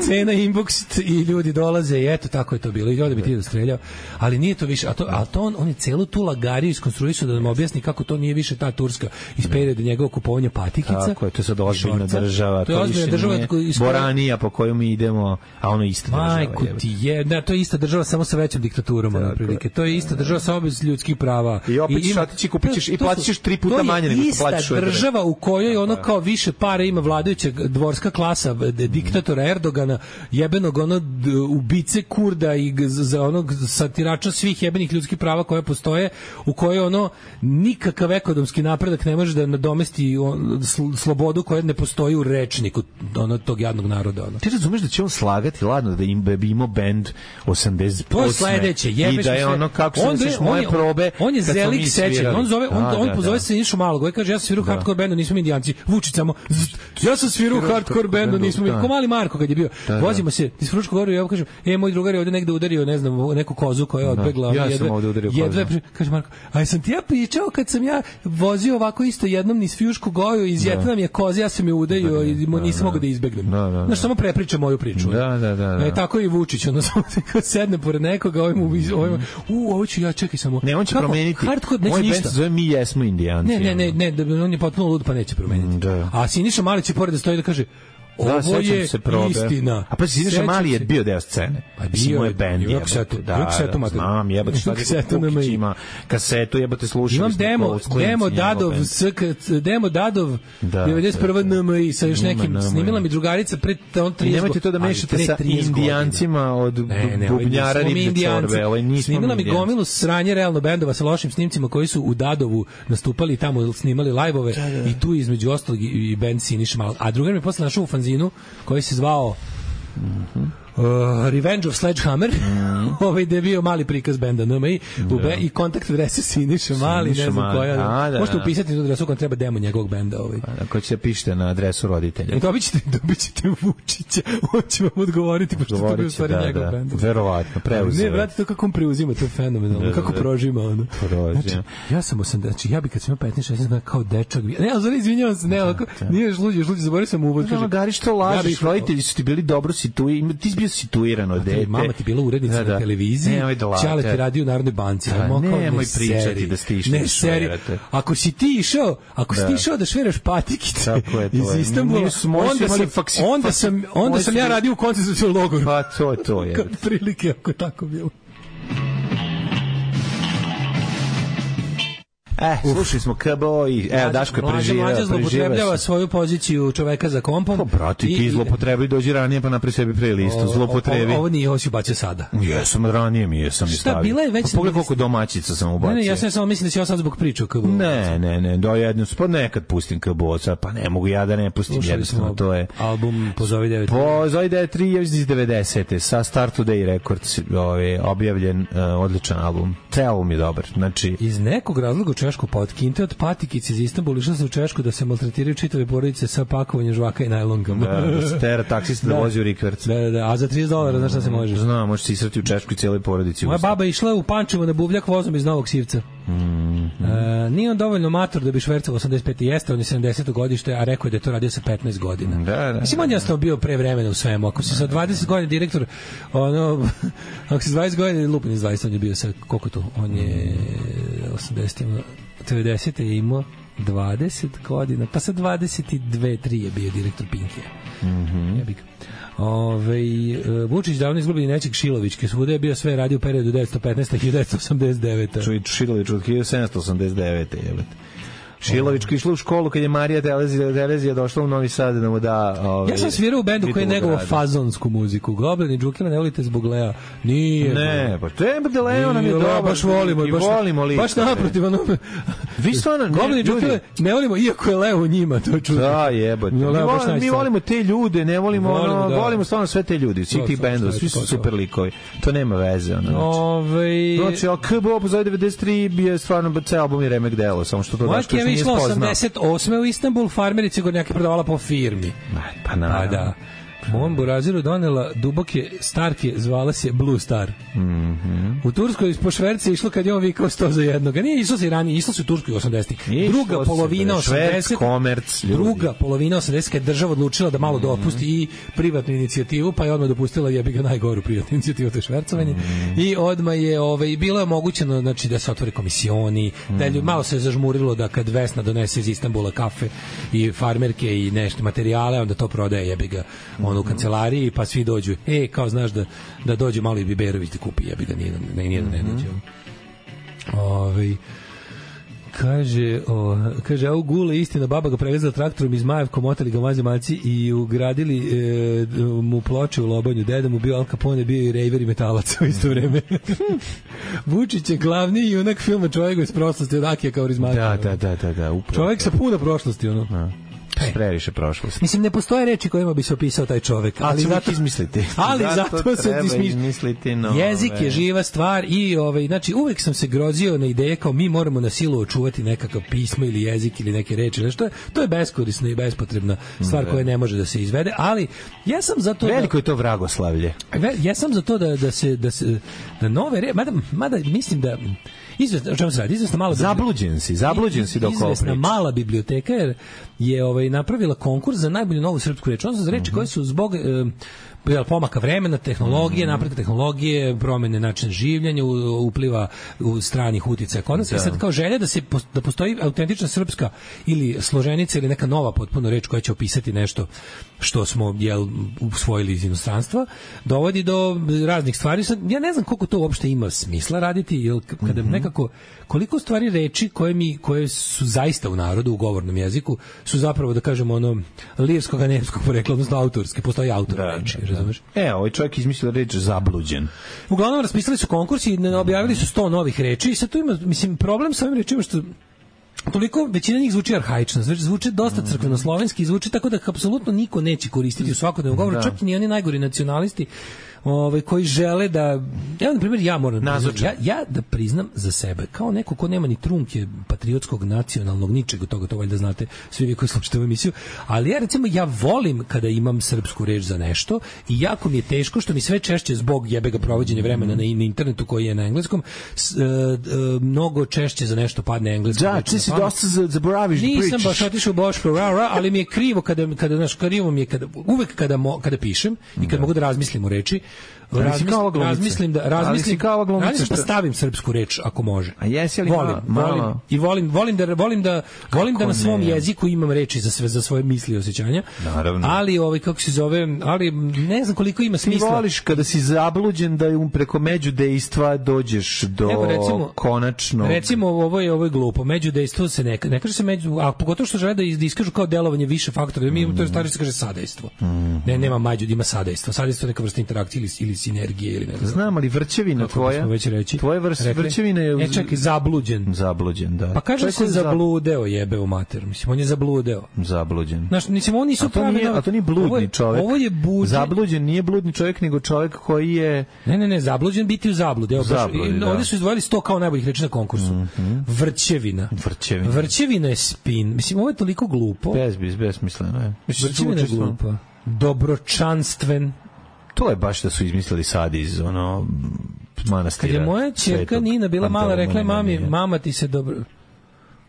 S8: cena inbox i ljudi dolaze i eto, tako je to bilo. I onda bi ti dostreljao. Ali nije to više, a to, a to on, on je celu tu lagariju iskonstruisao da nam objasni kako to nije više ta Turska iz perioda njegovog kupovanja patikica.
S7: Tako je, to je sad ozbiljna
S8: šorca.
S7: država,
S8: To je ozbiljna
S7: više
S8: država
S7: nije
S8: iz koje-
S7: Boranija po kojoj mi idemo, a ono ista država.
S8: Majku
S7: jebote.
S8: ti je, da, to je ista država samo sa većom diktaturom, na prilike. To je ista država samo bez ljudskih prava.
S7: I opet ćeš
S8: ima-
S7: otići i kupit ćeš i
S8: to su-
S7: platit ćeš tri puta manje nego što plaćaš u
S8: To je ista
S7: državi.
S8: država u kojoj ono kao više para ima vladajuća dvorska klasa d- diktatora Erdogana, jebenog ono d- ubice Kurda i g- za onog satirača svih jebenih ljudskih prava koje postoje, u kojoj ono nikakav ekonomski napredak ne može da nadomesti on, sl- slobodu koja ne postoji u rečniku ono tog jadnog naroda. Ono.
S7: Ti razumeš da će on slagati, ladno, da im da bi imao bend osamdeset osam.
S8: To je sledeće, jebeš
S7: I da
S8: mi
S7: je
S8: sve.
S7: ono kako
S8: On
S7: se
S8: bre-
S7: seš
S8: on
S7: moje
S8: je-
S7: probe.
S8: On je
S7: kad smo mi
S8: zelik sećanja.
S7: svirali.
S8: On zove on
S7: Da,
S8: on
S7: da,
S8: pozove
S7: da.
S8: se Sinišu Malog. On kaže ja sam svirao u hardcore bendu, nismo mi indijanci. Vučić samo zzz, ja sam svirao u hardcore bendu, nismo mi.
S7: da.
S8: Ko mali Marko kad je bio.
S7: Da, da.
S8: Vozimo se iz Fruškog goru i ja kažem: "E, moj drugar je ovde negde udario, ne znam, neku kozu koja je odbegla."
S7: Ja
S8: ono,
S7: sam ovde udario kozu.
S8: jedva pri- kaže Marko: "A jesam ti ja pričao kad sam ja vozio ovako isto jednom niz Fjušku goju iz Jetna mi je koza, ja sam je udario i mo- nisam mogao da izbegnem."
S7: Da, da, da.
S8: Znaš, samo prepriča moju priču.
S7: Da, da, da, da.
S8: E, tako i Vučić, ono samo kad sedne pored nekoga, ovaj mu, ovaj, mu- u, ovo ću ja, čekaj samo.
S7: Ne, on će
S8: Kako?
S7: promeniti.
S8: Hardcore neće
S7: Moj bend
S8: ništa.
S7: se zove Mi jesmo indijanci.
S8: Ne, ne, ne, ne, da on je potpuno lud pa neće promeniti.
S7: Da.
S8: A Siniša Mali će pored da stoji da kaže:
S7: Da,
S8: "Ovo
S7: sećam
S8: je
S7: se probe.
S8: istina."
S7: A pa Siniša
S8: Sećam
S7: Mali je
S8: se.
S7: bio deo scene.
S8: Pa
S7: Mislim,
S8: bio
S7: moj
S8: je,
S7: bend
S8: bio
S7: je.
S8: je kasetu,
S7: Da,
S8: bio kasetu,
S7: da,
S8: mater.
S7: znam, jebote, šta
S8: Kasetu
S7: je
S8: na
S7: Kukić
S8: mi.
S7: ima kasetu, jebote, slušali
S8: Imam
S7: smo
S8: demo,
S7: to s klincima,
S8: demo
S7: njegov
S8: Dadov,
S7: bend.
S8: sk, demo Dadov,
S7: Da,
S8: devedeset prva
S7: da, da.
S8: N M I sa još
S7: Ima
S8: nekim,
S7: N M I.
S8: snimila mi drugarica pred on
S7: I
S8: trideset
S7: nemojte to da
S8: ali
S7: mešate
S8: pre
S7: sa
S8: trideset godina.
S7: indijancima od
S8: Ne, ne, ovaj
S7: bubnjara
S8: nismo mi
S7: riblje
S8: indijanci.
S7: čorbe. Ovaj nismo
S8: Snimila mi
S7: indijanci.
S8: gomilu sranje realno bendova sa lošim snimcima koji su u Dadovu nastupali i tamo snimali lajvove i tu između ostalog i, i bend Siniša Malog. A drugar mi je posle našao u fanzinu koji se zvao Uh, Revenge of Sledgehammer,
S7: Mm.
S8: ovaj da je bio mali prikaz benda N M I u be, i kontakt adrese Siniša Mali, ne
S7: Siniša
S8: znam
S7: Mali,
S8: koja.
S7: a, da,
S8: Možete
S7: da.
S8: upisati tu adresu kad treba demo njegovog benda. Ovaj.
S7: Ako ćete pišete na adresu roditelja.
S8: I dobit ćete, dobit ćete Vučića, on će vam odgovoriti, pošto to bio u
S7: Govorit će,
S8: stvari
S7: da,
S8: njegov
S7: da.
S8: bend.
S7: Verovatno, preuzeo.
S8: Ne, brate, to kako on preuzima, to je fenomenalno.
S7: Da,
S8: Kako
S7: da.
S8: prožima ono.
S7: Prožima.
S8: Znači, ja sam osam, znači ja bi kad sam imao petnaest šesnaest godina kao dečak, bi- ne, ali zove, izvinjavam se, ne, ovako, nije još luđe, još luđe, zaboravio sam uvod.
S7: Kaže, Gari, što lažeš,
S8: bih-
S7: roditelji su ti bili dobro situirani, ti si bio situiran od dete.
S8: Mama ti bila urednica
S7: Da, da.
S8: na televiziji,
S7: Nemoj da lažete.
S8: Ćale ti radio u Narodnoj banci.
S7: Da,
S8: ajmo, kao,
S7: nemoj
S8: ne
S7: pričati
S8: seri,
S7: da ste išli
S8: ne
S7: da
S8: seri.
S7: šverate.
S8: Ako si ti išao, ako si
S7: Da.
S8: ti išao da šveraš patikice
S7: Tako je, to
S8: iz
S7: je.
S8: Istanbula,
S7: Mi smo- moji su
S8: onda
S7: imali
S8: sam,
S7: faksi-
S8: onda
S7: faksi-
S8: sam, onda
S7: moji
S8: sam
S7: su
S8: ja
S7: bili-
S8: radio u koncentracionom logoru.
S7: Pa to, to je.
S8: Kad prilike, ako tako bilo.
S7: E, slušali smo K B O i evo, Daško je
S8: Mlađa-
S7: preživeo.
S8: Mlađa
S7: preživeo
S8: zloupotrebljava
S7: se.
S8: svoju poziciju čoveka za kompom.
S7: Pa, brate, ti zlopotrebi, dođi ranije pa napravi sebi playlistu, zlopotrebi.
S8: Ovo, ovo nije, ovo si bacio sada.
S7: Jesam, ranije mi jesam i
S8: Šta,
S7: stavio.
S8: bila je već-
S7: Pa pogledaj koliko domaćica sam ubacio.
S8: Ne, ne, ja sam samo mislim da si ja sad zbog priče o K B O.
S7: Ne, ne, ne, do jednu, pa nekad pustim K B O, sad, pa ne mogu ja da ne pustim,
S8: Slušali
S7: jednostavno
S8: smo
S7: to je.
S8: album Pozovi devet.
S7: Po Zoe D tri je iz devedesete sa Start Today Records, ovaj objavljen uh, odličan album. Taj album je dobar. Znači,
S8: Iz nekog razloga u Češku pa od kinte od patikice iz Istanbula išla se u Češku da se maltretiraju čitave porodice sa pakovanjem žvaka i najlonkama.
S7: da, da se tera taksista da,
S8: Da.
S7: vozi u rikverc.
S8: Da, da, da, a za trideset dolara, znaš šta se može?
S7: Znam, možeš se israti u Češku i cijeloj porodici.
S8: Moja
S7: usta.
S8: baba je išla u Pančevo na buvljak vozom iz Novog Sivca.
S7: Mm,
S8: E, nije on dovoljno mator da bi švercao osamdeset pete jeste, on je sedamdeseto godište, a rekao je da je to radio sa petnaest godina.
S7: Da, da.
S8: Mislim, on je jednostavno bio pre vremena u svemu. Ako si sa dvadeset godina direktor, ono, ako si dvadeset godina, lupin iz dvadeset, on je bio sa, koliko to? On je osamdeset, devedesete je imao dvadeset godina, pa sa dvadeset dve tri je bio direktor Pinkija.
S7: Mhm.
S8: Jebik. Ove, Vučić davno izgubili nečeg Šilovićke, svuda je bio sve radio u periodu devetsto petnaeste do hiljadu devetsto osamdeset devete.
S7: Čuj, Šilović od hiljadu sedamsto osamdeset devete jebate. Šilovićka išla u školu kad je Marija Telezija, Telezija došla u Novi Sad da mu da... Ovaj,
S8: Ja sam svirao u bendu koji je
S7: titulu
S8: negovao
S7: grada.
S8: fazonsku muziku. Goblin i Džukila ne volite zbog Lea. Nije.
S7: Ne, pa to je da Leo nam je
S8: Nije,
S7: dobar.
S8: baš volimo,
S7: i
S8: baš,
S7: volimo lično.
S8: baš naprotiv, ono,
S7: Vi stvarno, ne,
S8: Goblini
S7: ljudi-
S8: džuskale ne volimo, iako je Leo u njima, to je čudno.
S7: Da, jebote. Mi,
S8: No, Leo baš
S7: volimo, mi
S8: najstar.
S7: volimo te ljude, ne volimo,
S8: Volimo,
S7: ono,
S8: da.
S7: volimo stvarno sve te ljudi, svih
S8: Da,
S7: tih
S8: to,
S7: bendova,
S8: to,
S7: svi
S8: to,
S7: su
S8: to.
S7: super likovi. To nema veze, ono. Znači,
S8: Ovaj
S7: znači a K B O pozove devedeset tri je stvarno ceo album i remek delo, samo što to
S8: Moja
S7: Daško još
S8: Keva
S7: nije
S8: išla
S7: spoznao.
S8: osamdeset osme u Istanbul, farmerice Gornjake prodavala po firmi.
S7: Pa
S8: Pa
S7: naravno.
S8: da. Mom buraziru donela duboke starke, zvala se Blue Star.
S7: Mhm.
S8: U Turskoj po šverci išlo kad je on vikao sto za jednog. A nije išlo se i ranije, išlo se u Turskoj u osamdesetih.
S7: Išlo
S8: Druga
S7: se,
S8: polovina
S7: bre, šverc,
S8: osamdesetih.
S7: komerc, ljudi.
S8: Druga polovina osamdesetih kad je država odlučila da malo dopusti i privatnu inicijativu, pa je odmah dopustila jebi ga najgoru privatnu inicijativu, to je švercovanje. I odmah je ovaj bilo je omogućeno znači da se otvore komisioni, da je ljudi- malo se zažmurilo da kad Vesna donese iz Istanbula kafe i farmerke i nešto materijale, onda to prodaje jebi ga ono u kancelariji, pa svi dođu. E, kao znaš da da dođe malo i Biberović da kupi, jebi ga nije ne nije ne dođe. Ovaj kaže, o, kaže, a u Gule istina, baba ga prevezla traktorom iz Majevko, motali ga mazimalci i ugradili e, mu ploče u lobanju. Deda mu bio Al Capone, bio i rejver i metalac u isto vreme. Vučić je glavni junak filma Čovjek iz prošlosti od Akija Kaurismäkija.
S7: Da, da, da, da, da, upravo.
S8: Čovjek sa puno prošlosti, ono.
S7: Da. Previše prošlosti.
S8: Mislim, ne postoje reči kojima bi se opisao taj čovjek, ali
S7: Ali
S8: zato
S7: izmisliti.
S8: Ali zato, se
S7: treba
S8: izmišlja.
S7: izmisliti nove.
S8: Jezik je živa stvar i ovaj znači uvek sam se grozio na ideje kao mi moramo na silu očuvati nekakav pismo ili jezik ili neke reči, nešto je to je beskorisna i bespotrebna stvar koja ne može da se izvede, ali ja sam za to da-
S7: Veliko je to vragoslavlje.
S8: Ve- ja sam za to da da se da se da nove re, mada, mada mislim da izvesno o čemu se radi, izvesno malo
S7: Zabluđen si, zabluđen si dok ovo
S8: izvesna
S7: pričaš.
S8: mala biblioteka jer je ovaj napravila konkurs za najbolju novu srpsku reč, odnosno za reči koje su zbog e, jel, pomaka vremena, tehnologije, napretka tehnologije, promene načina življenja, u- upliva u stranih uticaja kod nas. I sad kao želja da se pos- da postoji autentična srpska ili složenica ili neka nova potpuno reč koja će opisati nešto što smo jel usvojili iz inostranstva, dovodi do raznih stvari. Sad ja ne znam koliko to uopšte ima smisla raditi, jel k- kada nekako koliko stvari reči koje mi koje su zaista u narodu u govornom jeziku su zapravo da kažemo ono lirskog a nemskog porekla, odnosno autorske, postoji autor reči, razumeš?
S7: E, ovaj čovjek izmislio reč zabluđen.
S8: Uglavnom raspisali su konkurs i ne- objavili su sto novih reči i sad tu ima, mislim, problem sa ovim rečima što toliko većina njih zvuči arhaično, znači zvuči dosta crkveno-slovenski, zvuči tako da ih apsolutno niko neće koristiti u svakodnevnom govoru,
S7: Da.
S8: čak i ni oni najgori nacionalisti ovaj koji žele da ja na primjer ja moram da priznam,
S7: Nazočan.
S8: ja, ja da priznam za sebe kao neko ko nema ni trunke patriotskog nacionalnog ničeg od toga, to valjda znate svi vi koji slušate ovu emisiju, ali ja recimo ja volim kada imam srpsku reč za nešto i jako mi je teško što mi sve češće zbog jebega provođenja vremena na, na internetu koji je na engleskom s, e, e, mnogo češće za nešto padne engleski.
S7: Da, ti si dosta za- zaboraviš da
S8: Nisam
S7: pričaš.
S8: baš otišao u Boško, ra, ra, ali mi je krivo kada, kada, znaš, krivo mi je kada, uvek kada, mo, kada pišem i kad mogu da razmislim o reči,
S7: Ali si
S8: razmislim,
S7: kao ova glumica.
S8: razmislim da
S7: Ali
S8: razmislim,
S7: si kao ova glumica
S8: razmislim pa
S7: što-
S8: stavim srpsku reč ako može.
S7: A jesi ali
S8: volim,
S7: malo- malo-
S8: volim i volim volim da volim da volim da na svom
S7: ne?
S8: jeziku imam reči za sve za svoje misli i osjećanja.
S7: Naravno.
S8: Ali ovaj kako se zove, ali ne znam koliko ima
S7: Ti
S8: smisla.
S7: voliš kada si zabluđen da um preko međudejstva dođeš do
S8: Evo, recimo-
S7: konačnog...
S8: Recimo ovo je ovo je glupo. Međudejstvo se ne ne kaže se među, a pogotovo što žele da iz- da iskažu kao delovanje više faktora. Mi
S7: Mm.
S8: to je stari se kaže sadejstvo. Ne, nema među, ima sadejstvo. Sadejstvo je neka vrsta interakcije ili, ili sinergije ili ne znam.
S7: Znam, ali vrćevina
S8: Kako
S7: tvoja...
S8: bismo već reći.
S7: Tvoja vrst,
S8: Rekli?
S7: vrćevina je...
S8: E, čekaj, zabluđen.
S7: Zabluđen, da.
S8: Pa kaže
S7: Čovjek
S8: se
S7: koji je zab-
S8: zabludeo, jebe u mater. Mislim, on je zabludeo.
S7: Zabluđen.
S8: Znaš, mislim, oni nisu
S7: A to, nije,
S8: pravi-
S7: a to nije bludni
S8: ovo je-
S7: čovjek.
S8: Ovo je buđen.
S7: Zabluđen nije bludni čovjek, nego čovjek koji je...
S8: Ne, ne, ne, zabluđen biti u zabludi. Evo, baš,
S7: Zabludi,
S8: i
S7: da.
S8: ovdje su izdvojili sto kao najboljih reči na konkursu. Vrćevina.
S7: Vrćevina.
S8: Vrćevina je spin. Mislim, ovo je toliko glupo.
S7: Bez, bez, besmisleno je. Mislim,
S8: Vrćevina je
S7: zvuči stvarno-
S8: glupa. Dobročanstven.
S7: To je baš da su izmislili sad iz ono
S8: Kad
S7: manastira.
S8: je moja ćerka
S7: Svetog
S8: Nina bila mala, rekla je mami,
S7: Pantelemonija.
S8: mama ti se dobro...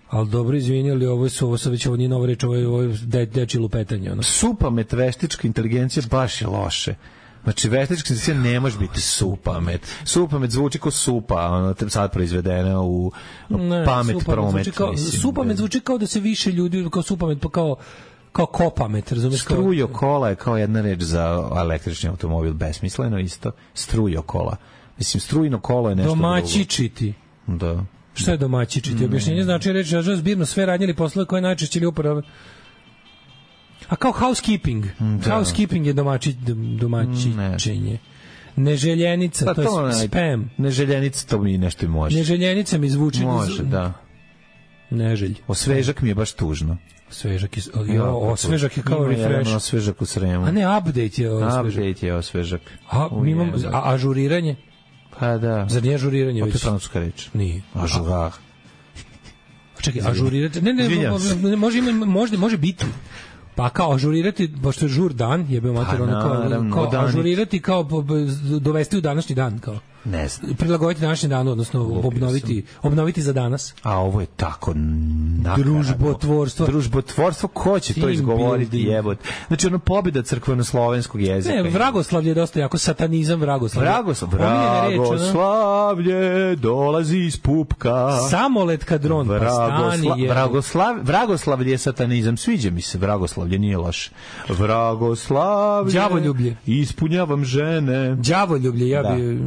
S8: Ali dobro, izvini, ali ovo su, ovo sad već ovo nije nova reč, ovo je, ovo je de, deči lupetanje. Ono.
S7: Supamet veštička inteligencija baš je loše. Znači, veštička inteligencija ne može biti supamet. Supamet zvuči kao supa, ono, te- sad proizvedena u
S8: Ne,
S7: pamet
S8: supamet
S7: promet.
S8: zvuči kao,
S7: mislim.
S8: supamet zvuči kao da se više ljudi, kao supamet, pa kao, kao kopamet, razumiješ? Kao,
S7: Strujo kola je kao jedna reč za električni automobil, besmisleno isto. Strujo kola. Mislim, strujno kolo je nešto
S8: domaćičiti.
S7: drugo. Da.
S8: Šta je domaćičiti? Objašnjenje znači reći da zbirno sve radnje ili poslove koje najčešće ili upravo. A kao housekeeping.
S7: Da.
S8: Housekeeping je domaći, domaćičenje. Neželjenica,
S7: Pa
S8: to je
S7: to ne-
S8: spam.
S7: Neželjenica, to mi nešto i može.
S8: Neželjenica mi zvuči...
S7: Može, da.
S8: Neželj.
S7: Osvežak mi je baš tužno.
S8: Osvežak je, jo, osvežak je kao
S7: Ima jedan
S8: refresh.
S7: osvežak u Sremu.
S8: A ne, update je osvežak.
S7: Update je osvežak.
S8: A, mi imamo, a ažuriranje?
S7: Pa da.
S8: Zar nije ažuriranje već?
S7: Opet francuska reč.
S8: Nije.
S7: Ažurar.
S8: Čekaj, ažurirati. Ne, ne, ne, može, ima, može, može biti. Pa kao ažurirati, pošto je žur dan, jebe mater,
S7: Pa,
S8: ono kao,
S7: naravno,
S8: kao
S7: danit.
S8: ažurirati, kao po- po- dovesti u današnji dan, kao.
S7: Ne znam.
S8: Prilagoditi današnji dan, odnosno obnoviti, obnoviti za danas.
S7: A ovo je tako nakarano.
S8: Družbotvorstvo.
S7: Družbotvorstvo, ko će to
S8: Team
S7: izgovoriti,
S8: building.
S7: jebot? Znači, ono pobjeda crkveno-slovenskog jezika.
S8: Ne, vragoslavlje je dosta jako, satanizam vragoslavlje.
S7: Vragoslavlje,
S8: Omiljena reč, ono.
S7: vragoslavlje dolazi iz pupka.
S8: Samolet kad dron pa stani
S7: Vragosla,
S8: je.
S7: vragoslav, vragoslavlje je satanizam. Sviđa mi se vragoslavlje, nije loše. Vragoslavlje.
S8: Đavoljublje.
S7: Ispunjavam žene.
S8: Đavoljublje, ja
S7: Da.
S8: bi,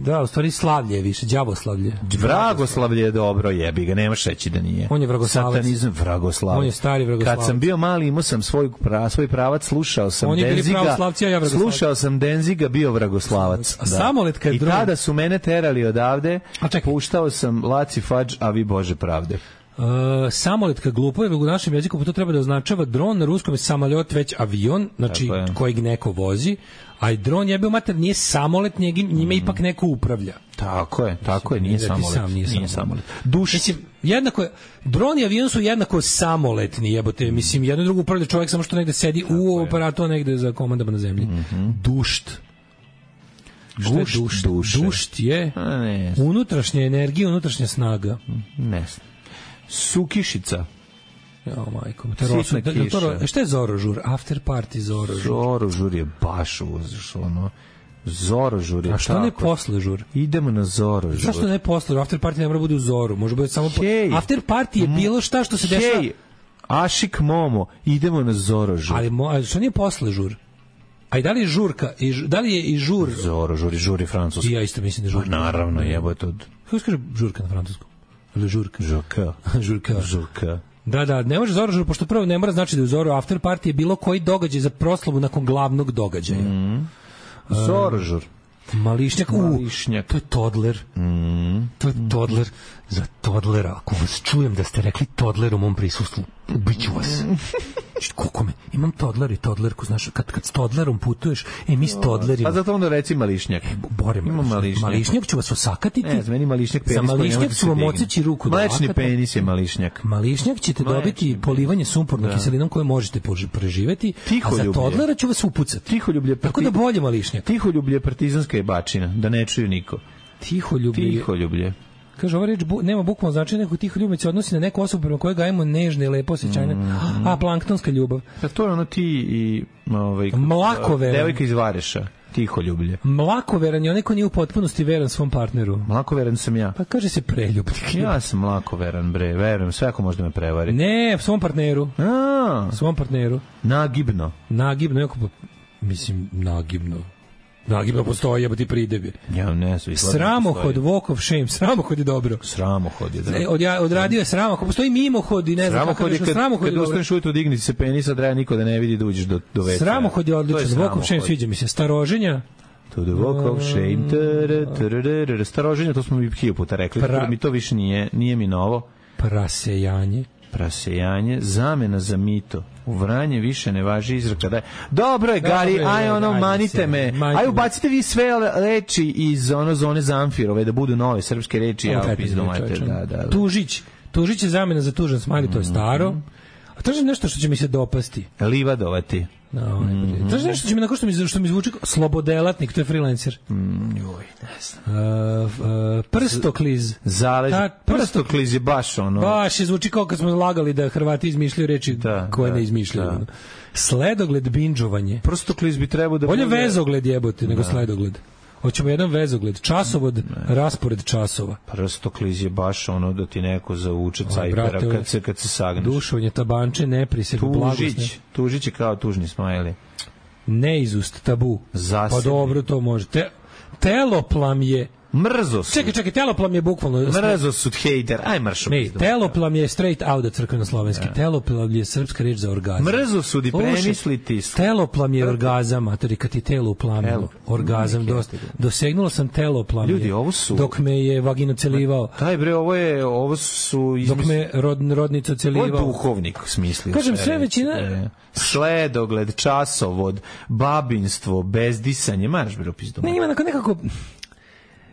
S8: da, u stvari slavlje je više, đavoslavlje.
S7: Vragoslavlje je dobro, jebi ga, nemaš reći da nije.
S8: On je vragoslavac.
S7: Satanizam, vragoslavac.
S8: On je stari vragoslavac.
S7: Kad sam bio mali, imao sam svoj, pra, svoj pravac, slušao sam
S8: Oni bili
S7: Denziga.
S8: pravoslavci, a ja vragoslavac.
S7: Slušao sam Denziga, bio vragoslavac.
S8: A Samolet kad
S7: I
S8: dron-
S7: kada su mene terali odavde,
S8: A čekaj.
S7: puštao sam Laci Fadž, a vi Bože pravde.
S8: Uh, samoletka glupo je u našem jeziku, pa to treba da označava dron, na ruskom je samoljot već avion, znači
S7: Tako je.
S8: kojeg neko vozi, a i dron jebeo mater nije samolet, njegi, njime ipak neko upravlja.
S7: Tako je, tako je, nije
S8: Da ti
S7: samolet.
S8: sam nije
S7: Nije
S8: samolet.
S7: samolet. Duš,
S8: Mislim, jednako je, dron i avion su jednako samoletni, jebote, mislim, jedno i drugo upravlja čovjek samo što negde sedi u aparatu, a negde za komandama na zemlji. Dušt. Šta je
S7: Gušt
S8: dušt?
S7: duše.
S8: Dušt je
S7: A, ne znam.
S8: unutrašnja energija, unutrašnja snaga.
S7: ne znam. Sukišica.
S8: Jo, majko, te
S7: Sitna
S8: rosu, da, da, to,
S7: kiša.
S8: ro- šta je Zorožur? After party Zorožur.
S7: Zorožur je baš uz, ono, Zorožur je
S8: A što ne
S7: tako.
S8: posle žur?
S7: Idemo na Zorožur.
S8: Zašto ne posle? After party ne mora bude u Zoru, može bude samo po...
S7: Hej.
S8: After party je bilo šta što se dešava.
S7: Hej, Ašik Momo, idemo na Zorožur.
S8: Ali mo, a što nije posle žur? A i da li je žurka? I, ž- da li je i žur?
S7: Zorožur i žuri francuski.
S8: I ja isto mislim da je
S7: Pa
S8: žurka.
S7: naravno, jebote od
S8: Kako se kaže žurka na francuskom? Ili žurka?
S7: Žurka.
S8: Žurka.
S7: Žurka.
S8: Da, da, ne može Zorožur, pošto prvo ne mora znači da je u Zoru after party je bilo koji događaj za proslavu nakon glavnog događaja.
S7: Zorožur.
S8: Mališnjak, u,
S7: Mališnjak.
S8: to je Todler. To je Todler. Za Todlera, ako vas čujem da ste rekli Todler u mom prisustvu, ubiću vas. Znači, koliko me, imam Todler i Todlerku, znaš, kad, kad s Todlerom putuješ, e, mi s Todlerima,
S7: Pa zato onda reci Mališnjak.
S8: bore me,
S7: Ima Mališnjak.
S8: Mališnjak ću vas osakatiti,
S7: Ne, za meni Mališnjak penis.
S8: za
S7: koji ne
S8: Mališnjak
S7: može da
S8: ću
S7: se
S8: vam
S7: digne.
S8: odseći ruku do
S7: Mlečni
S8: lakata.
S7: penis je Mališnjak.
S8: Mališnjak ćete
S7: Mlečni
S8: dobiti
S7: penis.
S8: polivanje sumpornom
S7: Da.
S8: kiselinom koje možete pož- preživeti, a za
S7: Tiholjublje.
S8: Todlera ću vas upucati.
S7: Tiholjublje.
S8: Tako da bolje Mališnjak.
S7: Tiholjublje je partizanska jebačina, da ne čuju niko.
S8: Tiholjublje.
S7: Tiholjublje.
S8: Kaže, ova reč bu, nema bukvalno značenje, neko tiho ljubav se odnosi na neku osobu prema kojoj gajimo nežne i lepo osjećanje.
S7: Mm.
S8: A, planktonska ljubav.
S7: Pa to je ono ti i ovaj,
S8: Mlakoveran.
S7: devojka iz Vareša. Tiholjublje.
S8: Mlakoveran je onaj ko nije u potpunosti veran svom partneru.
S7: Mlakoveran sam ja.
S8: Pa kaže se preljubnik.
S7: Ja sam mlakoveran, bre, verujem, sve ako možda me prevari.
S8: Ne, svom partneru.
S7: A,
S8: Svom partneru.
S7: nagibno.
S8: Nagibno, jako, pa- mislim, nagibno. Nagibno postoji, jebo ti pridebi.
S7: Ja ne znam. izgleda da
S8: Sramohod,
S7: postoji.
S8: walk of shame. Sramohod je dobro.
S7: Sramohod je, da.
S8: E, od, ja, odradio je sramohod. Postoji mimohod i ne znam
S7: Sramohod
S8: kakav
S7: je
S8: je
S7: kad,
S8: sramohod
S7: kad
S8: je dobro.
S7: ustaneš ujutro digniti se penisa, treba niko da ne vidi da uđeš do, do veća.
S8: Sramohod je
S7: To
S8: odličan. Walk of shame
S7: sramohod.
S8: sviđa mi se. Staroženja.
S7: To the walk of shame. Tere, tere, tere. Staroženje, to smo mi hiljadu puta rekli.
S8: Pra-
S7: Tako da mi to više nije, nije mi novo.
S8: Prasejanje.
S7: Prasejanje, zamena za mito. U Vranje više ne važi izreka da je. Dobro je, Gari,
S8: Dobro je,
S7: aj ono,
S8: ajde
S7: manite
S8: se,
S7: me.
S8: manite
S7: Aj
S8: me.
S7: ubacite vi sve reči iz ono zone Zamfirove, da budu nove srpske reči. Ja
S8: Ovo
S7: pizdu,
S8: je
S7: majte,
S8: čovječe.
S7: da, da, da.
S8: Tužić. Tužić je zamena za tužan smajli, to je staro. A tražim nešto što će mi se dopasti.
S7: Livadovati.
S8: No, mm tražim nešto što će mi, nakon što mi, što mi zvuči kao slobodelatnik, to je freelancer.
S7: Mm, joj, ne znam.
S8: Uh, uh, prstokliz.
S7: Zalež,
S8: Ta-
S7: prstokliz je baš ono.
S8: Baš je zvuči kao kad smo lagali da Hrvati izmišljaju reči
S7: Da,
S8: koje
S7: da,
S8: ne izmišljaju.
S7: da.
S8: Sledogled, binđovanje.
S7: Prstokliz bi trebao da
S8: Bolje
S7: bude...
S8: vezogled jebote nego sledogled. Hoćemo jedan vezogled. Časovod, raspored časova.
S7: Prstokliz je baš ono da ti neko zauče
S8: Aj,
S7: cajpera
S8: brate,
S7: kad se, kad se sagneš.
S8: Dušovanje, tabanče, nepriseg, blagosne.
S7: Tužić. Tužić je kao tužni smajli.
S8: Neizust, tabu.
S7: Zasebni.
S8: Pa dobro, to može. Te, teloplam je
S7: Mrzo su.
S8: Čekaj, čekaj, teloplam je bukvalno...
S7: Mrzo su hejter. Aj mršo.
S8: Ne, teloplam je straight out crkveno slovenski. Teloplam je srpska reč za orgazam.
S7: Mrzo su di premisliti.
S8: Teloplam je orgazam, matori, kad ti telo uplamilo. Orgazam, dosta. Dosegnulo sam teloplam.
S7: Ljudi, ovo su...
S8: Dok me je vagino celivao.
S7: Taj bre, ovo je, ovo su...
S8: Izmis... Dok me rod, rodnica celivao.
S7: Ovo je duhovnik smislio.
S8: Kažem, sve većina...
S7: E, sledogled, časovod, babinstvo, bezdisanje, maraš bre opis doma.
S8: Ne, ima nekako...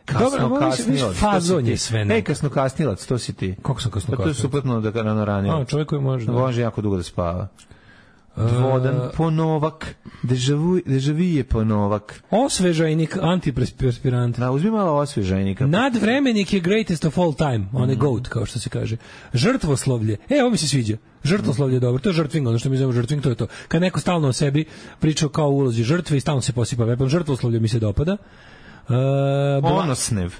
S7: Kasno
S8: Dobro,
S7: kasnilac.
S8: Fazon je sve.
S7: Ne, kasno kasnilac, to si ti.
S8: Kako sam kasno kasnilac?
S7: Pa to je suprotno da rano ranije.
S8: A, čovjek koji može. Da.
S7: Može jako dugo da spava. Dvodan ponovak, dežavije ponovak.
S8: Osvežajnik, antiperspirant.
S7: Da, uzmi malo osvežajnika.
S8: Nadvremenik je greatest of all time, on je goat, kao što se kaže. Žrtvoslovlje, e, ovo mi se sviđa. Žrtvoslovlje je dobro, to je žrtving, ono što mi zovemo žrtving, to je to. Kad neko stalno o sebi priča kao u ulozi žrtve i stalno se posipa vepom, žrtvoslovlje mi se dopada. Uh,
S7: Ponosnev.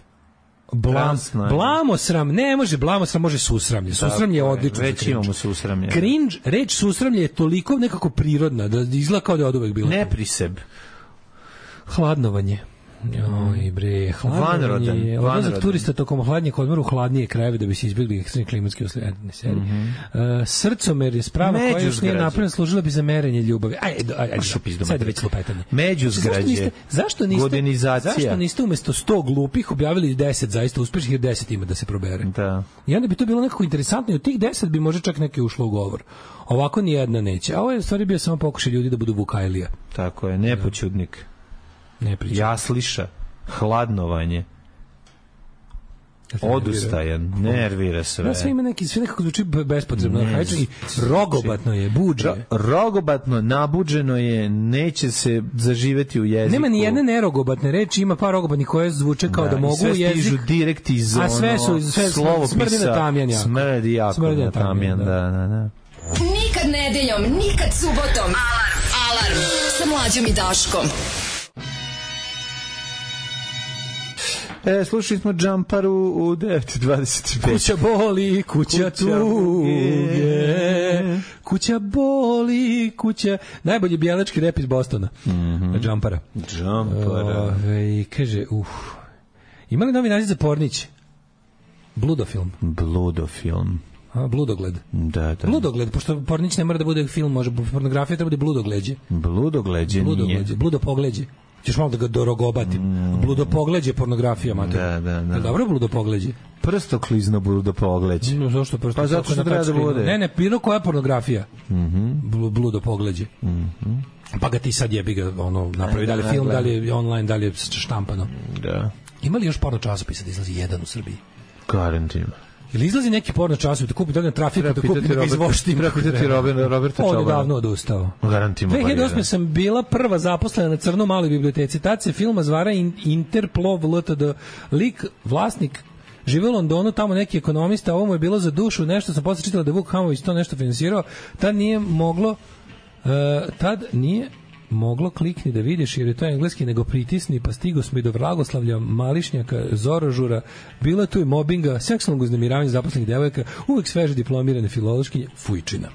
S8: Blam, blamosram, ne može blamosram, može susramlje. Susramlje je odlično.
S7: Već imamo susramlje.
S8: Cringe, reč susramlje je toliko nekako prirodna, da izgleda kao da je od uvek bila.
S7: Nepriseb.
S8: Hladnovanje. Oj bre, hladnovanje je odlazak turista tokom hladnjeg odmora u hladnije krajeve da bi se izbjegli ekstremni klimatski uslovi. Mm -hmm. uh, srcomer je sprava koja još nije napravljena, služila bi za merenje ljubavi. Aj, aj, aj, aj sad već lupetanje.
S7: Međuzgrađe,
S8: zašto niste, godinizacija. Zašto niste umesto sto glupih objavili deset zaista uspešnih, jer deset ima da se probere?
S7: Da.
S8: I onda bi to bilo nekako interesantno i od tih deset bi možda čak neke ušlo u govor. Ovako ni jedna neće. A ovo je u stvari bio samo pokušaj ljudi da budu Vukajlija.
S7: Tako je, nepoćudnik.
S8: Ne pričam.
S7: Jasliša, hladnovanje, odustajan, nervira sve.
S8: Da, sve ima neki, sve nekako zvuči bespotrebno. Ne, i rogobatno je, buđe. Ro,
S7: rogobatno, nabuđeno je, neće se zaživeti u jeziku.
S8: Nema ni jedne nerogobatne reči, ima par rogobatnih koje zvuče kao da, da mogu u jezik.
S7: I sve stižu direkt iz ono,
S8: a sve su, sve
S7: slovopisa.
S8: Smrdi na tamjan jako.
S7: Smrdi jako
S8: smrdi
S7: na tamjan, da, da, da.
S5: Nikad nedeljom, nikad subotom. Alarm, alarm, sa Mlađom i Daškom.
S7: E, slušali smo Džamparu u devet dvadeset pet.
S8: Kuća boli, kuća, kuća tuge, kuća boli, kuća... Najbolji bijelački rep iz Bostona. Mm -hmm. Džampara.
S7: Džampara.
S8: Ove, kaže, uh, ima li novi naziv za Pornić? Bludofilm.
S7: Bludofilm.
S8: A, bludogled.
S7: Da, da.
S8: Bludogled, pošto Pornić ne mora da bude film, može pornografija, treba da bude bludogleđe.
S7: Bludogleđe nije.
S8: Bludopogleđe. Ćeš malo da ga dorogobatim. Mm. Bludopogleđe pornografija, mater.
S7: Da, da, da.
S8: Dobro bludopogleđe.
S7: Prstoklizno bludopogleđe.
S8: No, zašto prstoklizno?
S7: Pa zato što treba da bude.
S8: Ne, ne, bilo koja pornografija.
S7: Mhm.
S8: Bludopogleđe.
S7: Mhm.
S8: Pa ga ti sad jebi ga, ono, napravi, da li je film, da li je online, da li je štampano.
S7: Da.
S8: Ima li još porno časopisa da izlazi jedan u Srbiji?
S7: Garantima.
S8: Ili izlazi neki porno časopis da kupi, da ga na trafiku, da kupi, da ga izvoštim.
S7: Treba pitati Roberta Čobana.
S8: On je davno odustao.
S7: Garantimo.
S8: dve hiljade osme sam bila prva zaposlena na crno maloj biblioteci. Tad se filma zvara Interplov L T D. Lik, vlasnik, žive u Londonu, tamo neki ekonomista, ovo mu je bilo za dušu, nešto sam posle čitala da je Vuk Hamović to nešto finansirao. Tad nije moglo, uh, tad nije moglo klikni da vidiš jer je to engleski, nego pritisni, pa stigo smo i do Vragoslavlja, Mališnjaka, Zorožura, bilo je tu i mobinga, seksualnog uznemiravanja zaposlenih devojaka, uvek sveže diplomirane filološkinje, fujčina.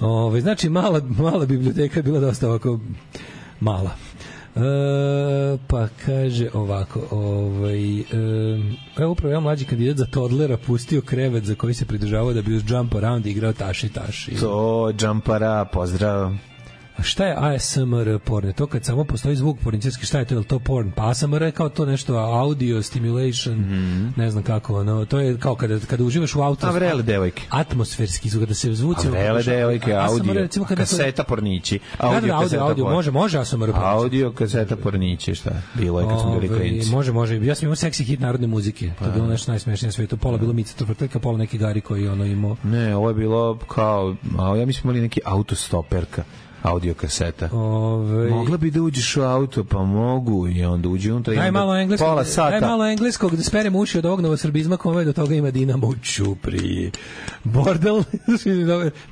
S8: Ove, znači, mala, mala biblioteka je bila dosta ovako mala. E, pa kaže ovako, ovaj, e, evo upravo ja mlađi kandidat za toddlera pustio krevet za koji se pridržavao da bi uz jump around igrao taši taši.
S7: To, jumpara, pozdrav.
S8: A šta je A S M R porn? To kad samo postoji zvuk porničarski, šta je to? Je li to porn? Pa A S M R je kao to nešto audio stimulation, mm-hmm. ne znam kako, no, to je kao kada, kada uživaš u auto.
S7: A vrele devojke.
S8: Atmosferski zvuk, kada se zvuci...
S7: A vrele devojke, audio,
S8: recimo,
S7: kaseta to... pornići.
S8: Audio, da, da, audio, audio, može, može A S M R pornići.
S7: Audio, kaseta pornići, šta? Bilo je kad smo bili klinci.
S8: Može, može. Ja sam imao seksi hit narodne muzike. To je bilo nešto najsmešnije na svijetu. Pola bilo Mica Tvrteljka, pola neki Gari koji ono imao.
S7: Ne, ovo je bilo kao, a ja mislim imali neki autostoperka. Audio kaseta.
S8: Ove...
S7: Mogla bi da uđeš u auto, pa mogu i onda uđi unutra i
S8: daj malo engleskog,
S7: pola sata.
S8: Daj malo engleskog da sperem uši od ovog novosrbizma kome do toga ima Dinamo u Ćupriji. Bordel,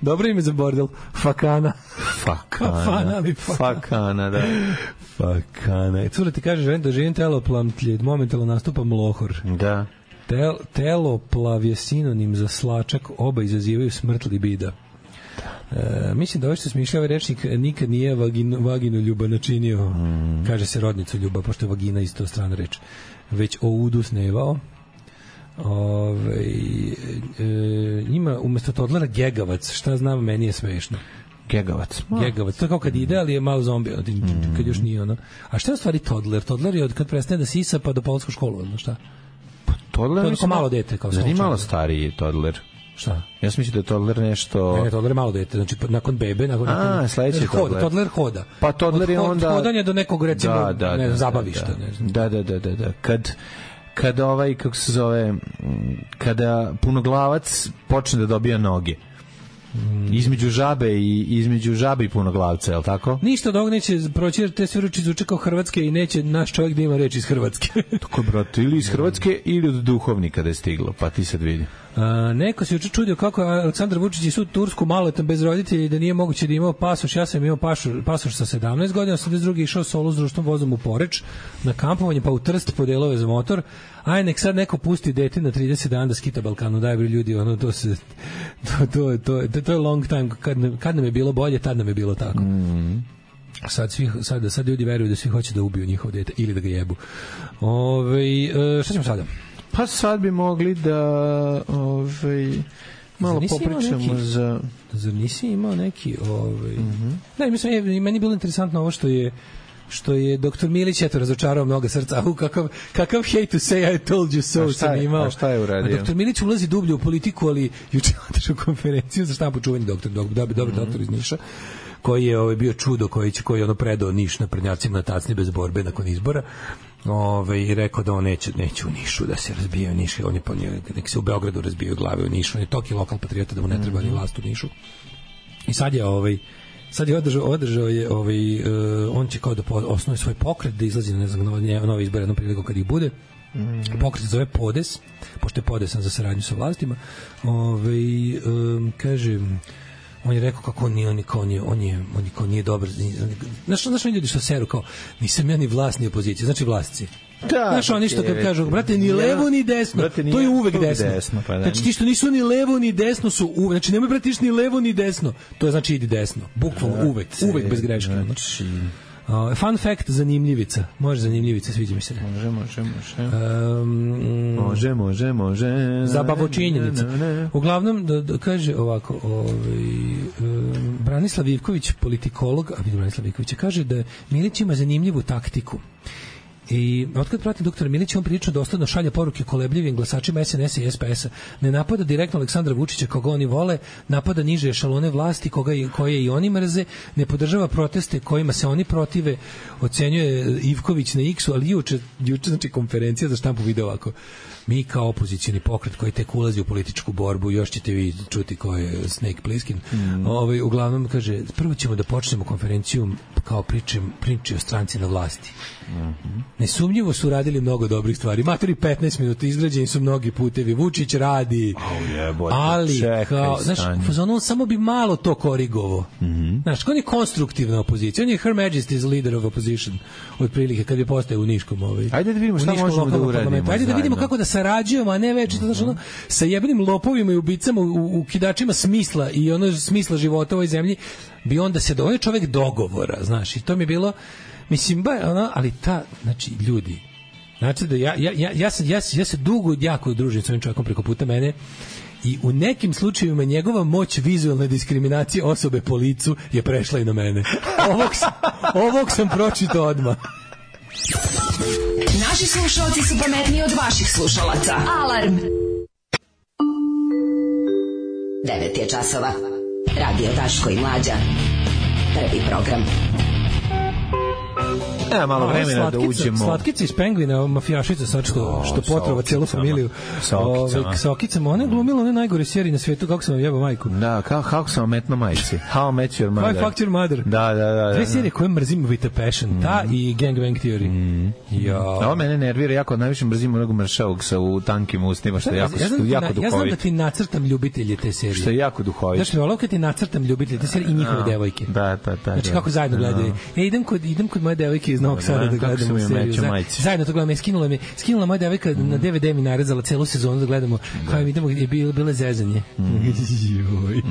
S8: dobro ime za bordel. Fakana.
S7: Fakana.
S8: Fakana, ali fakana.
S7: Fakana, da.
S8: Fakana. Cure ti kaže, želim da živim teloplamtlje, momentalno nastupa mlohor.
S7: Da.
S8: Tel, teloplav je sinonim za slačak, oba izazivaju smrt libida. E, mislim da ovo što smišlja ovaj rečnik nikad nije vaginu, vaginu ljuba načinio, mm. kaže se rodnicu ljuba, pošto je vagina isto strana reč, već o udu snevao. Ove, e, ima umjesto Todlera Gegavac, šta znam, meni je smešno.
S7: Gegavac.
S8: Gegavac, to je kao kad ide, ali je malo zombi, mm. kad još nije ono. A šta je u stvari Todler? Todler je od kad prestane da sisa pa do polsku školu, ono šta?
S7: Pa Todler
S8: je kao malo dete. Kao
S7: zar nije malo stariji Todler?
S8: Šta?
S7: Ja sam mislio da je Todler nešto...
S8: Ne, ne, Todler je malo dete, znači nakon bebe... Nakon,
S7: A,
S8: nakon,
S7: sledeći
S8: hoda,
S7: Todler.
S8: Todler hoda.
S7: Pa Todler je
S8: od,
S7: onda...
S8: Od hodanja do nekog, recimo,
S7: da, da,
S8: ne,
S7: da,
S8: zabavišta.
S7: Da,
S8: ne znam.
S7: da, da, da, da, da. Kad, kad ovaj, kako se zove, kada punoglavac počne da dobija noge, između žabe i između žabe i punoglavca, je li tako?
S8: Ništa od ovog neće proći, jer te sve reči zvuče kao hrvatske i neće naš čovjek da ima reči iz Hrvatske.
S7: Tako, brate, ili iz Hrvatske ili od duhovnika da je stiglo, pa ti sad vidi.
S8: A, neko se juče čudio kako je Aleksandar Vučić i sud Tursku maloletan bez roditelja i da nije moguće da imao pasoš. Ja sam imao pasoš, pasoš sa sedamnaest godina, sedamdeset drugi išao solo s društvom vozom u Poreč na kampovanje, pa u Trst po delove za motor. Aj, nek sad neko pusti dete na trideset dana da skita Balkanu, daj bre ljudi, ono, to se, to, to, to, to, to je long time, kad, kad nam je bilo bolje, tad nam je bilo tako.
S7: Mm.
S8: Sad, svi, sad, sad ljudi veruju da svi hoće da ubiju njihov dete ili da ga jebu. Ove, šta ćemo sada?
S7: Pa sad bi mogli da ovaj malo popričamo neki, za...
S8: Zar nisi imao neki... Ovaj...
S7: Mm-hmm.
S8: Ne, mislim, je, meni je bilo interesantno ovo što je što je doktor Milić eto razočarao mnoga srca. U kakav, kakav hate to say I told you so sam imao.
S7: A šta je uradio?
S8: A doktor Milić ulazi dublje u politiku, ali juče otišao konferenciju za štampu čuveni doktor, doktor, dobar, dobar mm-hmm. doktor iz Niša, koji je ovaj, bio čudo, koji, će, koji je ono predao Niš na prednjacima na tacni bez borbe nakon izbora. Ove, i rekao da on neće, neće u Nišu da se razbijaju Niš, on je po njoj, nek se u Beogradu razbijaju glave u Nišu, on je toki lokal patriota da mu ne treba ni vlast u Nišu. I sad je ovaj sad je održao, održao je ovaj, uh, on će kao da osnuje svoj pokret, da izlazi na ne znam, nove, nove izbore jednom priliku kad ih bude. Mm-hmm. Pokret zove Podes, pošto je podesan za saradnju sa vlastima. Ovaj um, kaže, on je rekao kako on nije, on je, on je, on je, on je, on nije dobar. Znaš, znaš ljudi što seru kao, nisam ja ni vlast ni opozicija, znači vlasci. Da, znaš, oni što kad kažu, brate, ni levo ni desno, brate, to je uvek desno. desno pa znači, ti što nisu ni levo ni desno su uvek, znači nemoj brate ni levo ni desno, to je znači idi desno, bukvalno da, uvek, uvek bez greške. Znači... Uh, fun fact, zanimljivica. Može zanimljivica, sviđa mi se.
S7: Može, može, može.
S8: Um,
S7: može, može, može.
S8: Zabavočinjenica. Uglavnom, da, da kaže ovako, ovaj, um, Branislav Ivković, politikolog, a vidim Branislav Ivković, kaže da Milić ima zanimljivu taktiku. I otkad pratim doktora Milića, on prilično dosledno šalje poruke kolebljivim glasačima es en es a i es pe es a. Ne napada direktno Aleksandra Vučića koga oni vole, napada niže ešalone vlasti koga, koje i oni mrze, ne podržava proteste kojima se oni protive, ocenjuje Ivković na X-u, ali juče, juče znači konferencija za štampu video ovako. Mi kao opozicioni pokret koji tek ulazi u političku borbu, još ćete vi čuti ko je Snake Plissken. Mm. Ovaj, uglavnom kaže, prvo ćemo da počnemo konferenciju kao pričam, priči o stranci na vlasti. Mm-hmm. Nesumnjivo su radili mnogo dobrih stvari. Matori petnaest minuta, izgrađeni su mnogi putevi. Vučić radi.
S7: Oh, yeah,
S8: ali,
S7: čekaj,
S8: kao, znaš, on samo bi malo to korigovo.
S7: Mm-hmm.
S8: Znaš, on je konstruktivna opozicija. On je Her Majesty's leader of opposition. Otprilike, kad je postao u Niškom. Ovaj,
S7: ajde da vidimo šta možemo da uradimo.
S8: Ajde da vidimo kako da sarađujemo, a ne već mm-hmm. ono, sa jebenim lopovima i ubicama, u, u kidačima smisla i ono smisla života u ovoj zemlji, bi onda se do, on je čovek dogovora, znaš, i to mi je bilo, mislim, ba, ono, ali ta, znači, ljudi, znači da ja, ja, ja, ja, sam, ja, ja se dugo jako družim s ovim čovjekom preko puta mene i u nekim slučajevima njegova moć vizualne diskriminacije osobe po licu je prešla i na mene. Ovog sam, ovog sam pročitao odmah.
S5: Naši slušalci su pametniji od vaših slušalaca. Alarm! devet je časova. Radio Daško i Mlađa. Prvi program.
S7: E, malo vremena da uđemo.
S8: Slatkica iz Pengvina, mafijašica sad što, što potrova cijelu familiju.
S7: Sa okicama.
S8: Sa okicama. Ona je glumila one najgore serije na svetu, kako sam vam jebao majku.
S7: Da, kao, kako sam vam metno majici. How I Met Your Mother.
S8: How I Fucked Your Mother.
S7: Da, da, da. da
S8: Dve serije koje mrzim with a passion. Mm. Ta i Gang Bang Theory.
S7: Mm.
S8: Ja.
S7: Ovo mene nervira jako, najviše mrzim onog mršavog sa u tankim ustima, što je jako,
S8: ja,
S7: što, jako
S8: na,
S7: duhovit.
S8: Ja znam da ti nacrtam ljubitelje te serije.
S7: Što je jako duhovit.
S8: Znaš, volao kad ti nacrtam ljubitelje te serije i njihove devojke.
S7: Da, da, da.
S8: Znači, kako zajedno gledaju. Ja idem kod, idem kod moje devojke iz Novog Sada da
S7: Kako sam
S8: gledamo
S7: je
S8: seriju.
S7: mećo
S8: Za-
S7: majice.
S8: Zajedno to gledamo. Skinula mi, skinula moja devojka na D V D mi narezala celu sezonu da gledamo. Kao je vidimo je bilo bile zezanje. Joj.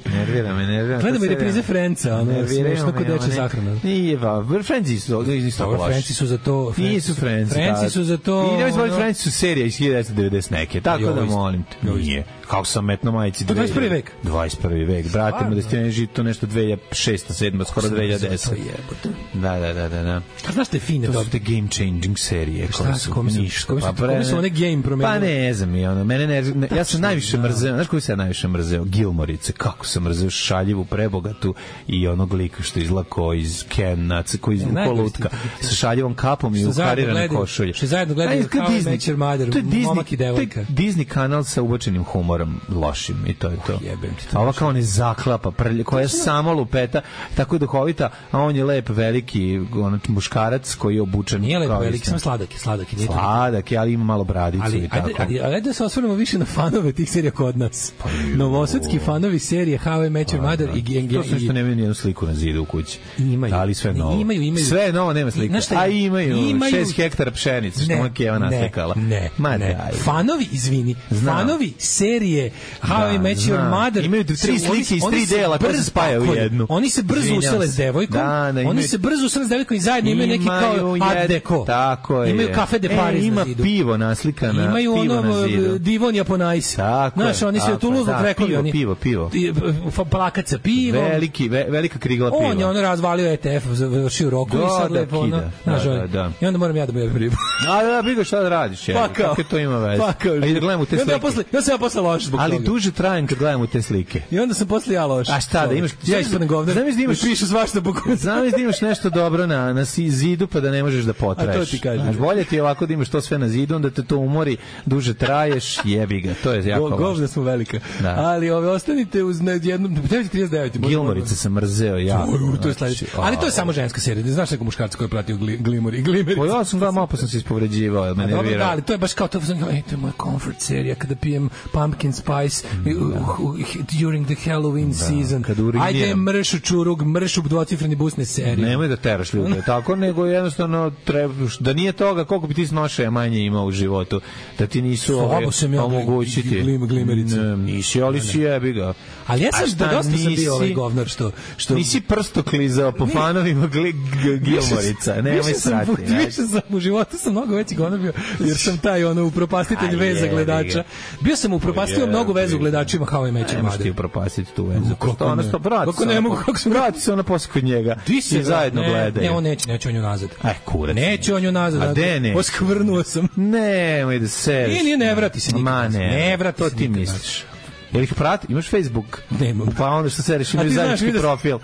S7: Nervira me, nervira me.
S8: Gledamo i
S7: To
S8: reprize
S7: serija.
S8: Frenca, ono,
S7: Nerviraju
S8: smešno kod
S7: me
S8: dečja
S7: one-
S8: sahrana.
S7: Nije, va, Frenci su isto
S8: Dobro,
S7: loši.
S8: Frenci su za to.
S7: Nisu Frenci.
S8: Frenci su za to.
S7: I nemoj zbog
S8: ono-
S7: Frenci su serija iz hiljadu devetsto devedeset neke. Tako
S8: Jo,
S7: da
S8: isto.
S7: molim te.
S8: Jo, isto.
S7: Nije. Kako sam metno majici.
S8: To dvadeset prvi vek.
S7: dvadeset prvi vek. Brate, mu da ste ne živi to nešto dve hiljade šeste, sedme, skoro dve hiljade desete.
S8: To jebote.
S7: Da, da, da, da, da.
S8: A znaš te fine
S7: To
S8: to?
S7: su te game changing serije
S8: Šta
S7: koje
S8: su,
S7: su
S8: kome su-
S7: ništa.
S8: kome su-
S7: Pa
S8: kome su one game promenile?
S7: Pa ne znam, i ono, mene ne, ne ja sam najviše
S8: da.
S7: mrzeo, znaš koji sam ja najviše mrzeo? Gilmorice, kako sam mrzeo šaljivu, prebogatu i onog lika što izlako iz Kena, koji iz
S8: najgore
S7: lutka,
S8: ste-
S7: sa šaljivom kapom i
S8: Što zajedno
S7: ukarirane
S8: gledaju-
S7: košulje.
S8: što zajedno gledaju
S7: Ajde,
S8: How I
S7: Disney-
S8: Met Your Mother,
S7: to je Disney-
S8: momak i devojka.
S7: to je Disney kanal sa ubačenim humorom lošim i to je to.
S8: Jebem ti to.
S7: A ova kao ne zaklapa, prlje, koja je samo lupeta, tako duhovita, a on je lep, veliki on, muškarac koji je obučen
S8: Nije lepo
S7: kao
S8: veliki,
S7: istina.
S8: samo sladak je, sladak je. Nije to-
S7: Sladak je, ali ima malo bradicu
S8: Ali
S7: i tako.
S8: ajde, ali, ali ajde da se osvrnemo više na fanove tih serija kod nas. Novosadski fanovi serije How I Met Your Mother i Gang
S7: To su što nemaju nijednu sliku na zidu u kući.
S8: Imaju.
S7: Ali sve novo.
S8: Imaju, imaju.
S7: Sve je novo, nema slike.
S8: Znaš šta
S7: A
S8: je?
S7: imaju,
S8: Imaju-
S7: šest hektara pšenice, što
S8: Ne,
S7: moja Keva
S8: ne,
S7: naslikala.
S8: Ne,
S7: Ma
S8: ne.
S7: daj.
S8: Fanovi, izvini,
S7: Znam.
S8: fanovi serije How
S7: Da,
S8: I Met Your
S7: znam.
S8: Mother
S7: Imaju tri
S8: se- oni-
S7: slike iz
S8: oni
S7: tri
S8: se
S7: dela koje se
S8: brzo-
S7: spajaju u
S8: tako je.
S7: jednu.
S8: Oni se brzo
S7: Izvinjam
S8: usele
S7: se.
S8: s devojkom,
S7: Da, da,
S8: oni
S7: imaju-
S8: se brzo usele s devojkom i zajedno imaju neki kao
S7: Imaju
S8: art
S7: jed-
S8: deco.
S7: Tako je.
S8: Imaju kafe de Paris
S7: e, ima
S8: na zidu.
S7: pivo naslikana,
S8: Imaju
S7: pivo
S8: ono
S7: na zidu.
S8: Divon Japonajs.
S7: Tako je,
S8: Znaš, oni se
S7: tako je,
S8: Toulouse
S7: da,
S8: krekovi.
S7: pivo,
S8: oni.
S7: pivo, pivo.
S8: I, f- Plakat sa pivom.
S7: Veliki, ve, velika krigla piva.
S8: On je ono razvalio E T F, završio roku
S7: Da,
S8: i sad
S7: da,
S8: lepo ono.
S7: kida.
S8: Znaš,
S7: Da,
S8: ono,
S7: da, da.
S8: I onda moram ja da mu jebem ribu.
S7: A da, bigo šta da radiš, je.
S8: Pa kao.
S7: Kako to ima veze?
S8: Pa kao.
S7: A i da gledamo te
S8: I onda ja
S7: slike.
S8: posle, ja sam ja posle loš zbog
S7: Ali
S8: toga.
S7: duže trajem kad gledamo te slike.
S8: I onda sam posle ja loš.
S7: A šta, da imaš...
S8: Ja ispadnem govnar.
S7: Zamisli da imaš...
S8: I pišu svašta po kuću.
S7: Zamisli da imaš nešto dobro na, na si- zidu pa da ne možeš da potreš.
S8: A to ti kažem.
S7: Znaš, bolje ti je ovako da imaš to sve na zidu, onda te to umori, duže traješ, jebi ga. To je jako
S8: Go,
S7: važno.
S8: govna smo velika.
S7: Da.
S8: Ali ove ostanite uz na jednom devet trideset devet.
S7: Gilmorice sam mrzeo jako.
S8: Uj, to je sledeće. Ali to je samo ženska serija. Ne znaš nekog muškarca koji je pratio gli, Glimmer i Glimmer.
S7: Pa ja sam gledao, malo pa sam se ispovređivao, jer me
S8: Dobro, da,
S7: nervirao.
S8: ali to je baš kao to, ej, to je moja comfort serija kada pijem pumpkin spice uh, uh, during the Halloween season.
S7: kad uriniram.
S8: Ajde mršu čurug, mršu dvocifreni busne serije.
S7: Nemoj da teraš ljude tako, nego jednostavno treba, da nije toga koliko bi ti snošaja manje imao u životu, da ti nisu
S8: Slabo
S7: ove,
S8: sam ja
S7: omogućiti.
S8: glim- glimerica.
S7: Ne, nisi, ali si jebi ga.
S8: Ali ja
S7: A
S8: sam,
S7: šta,
S8: da dosta sam
S7: nisi-
S8: bio ovaj govnar što... što
S7: Nisi prsto klizao po fanovima gli, g, Gilmorica, nemoj
S8: Više sam,
S7: srati.
S8: više sam u životu sam mnogo veći govnar bio, jer sam taj ono upropastitelj
S7: Aj,
S8: veza
S7: jebi
S8: gledača.
S7: ga.
S8: Bio sam upropastio
S7: Jebi
S8: mnogo vezu
S7: ga.
S8: gledačima How I Met Your
S7: Ne možeš ti
S8: Mother.
S7: upropastiti tu vezu.
S8: Kako
S7: Pošto ona
S8: ne?
S7: sto vrati.
S8: Kako
S7: se
S8: ne
S7: ona
S8: mogu,
S7: po-
S8: kako sam-
S7: vrati se ona posle kod njega.
S8: Ti se
S7: I zajedno
S8: ne,
S7: gledaju.
S8: Ne, on neće, neće on ju nazad.
S7: Aj, kurac.
S8: Neće on ju nazad.
S7: A
S8: dakle,
S7: de ne?
S8: Oskvrnuo sam.
S7: Nemoj da se.
S8: Nije, nije, ne vrati se nikad
S7: Ma
S8: nazad.
S7: ne.
S8: Ne vrati
S7: to
S8: se
S7: ti
S8: nikad
S7: misliš. Jel ih prati? Imaš Facebook?
S8: Nemam.
S7: Pa onda što se reši,
S8: A
S7: imaju
S8: ti znaš,
S7: zajednički
S8: vidio sam-
S7: profil.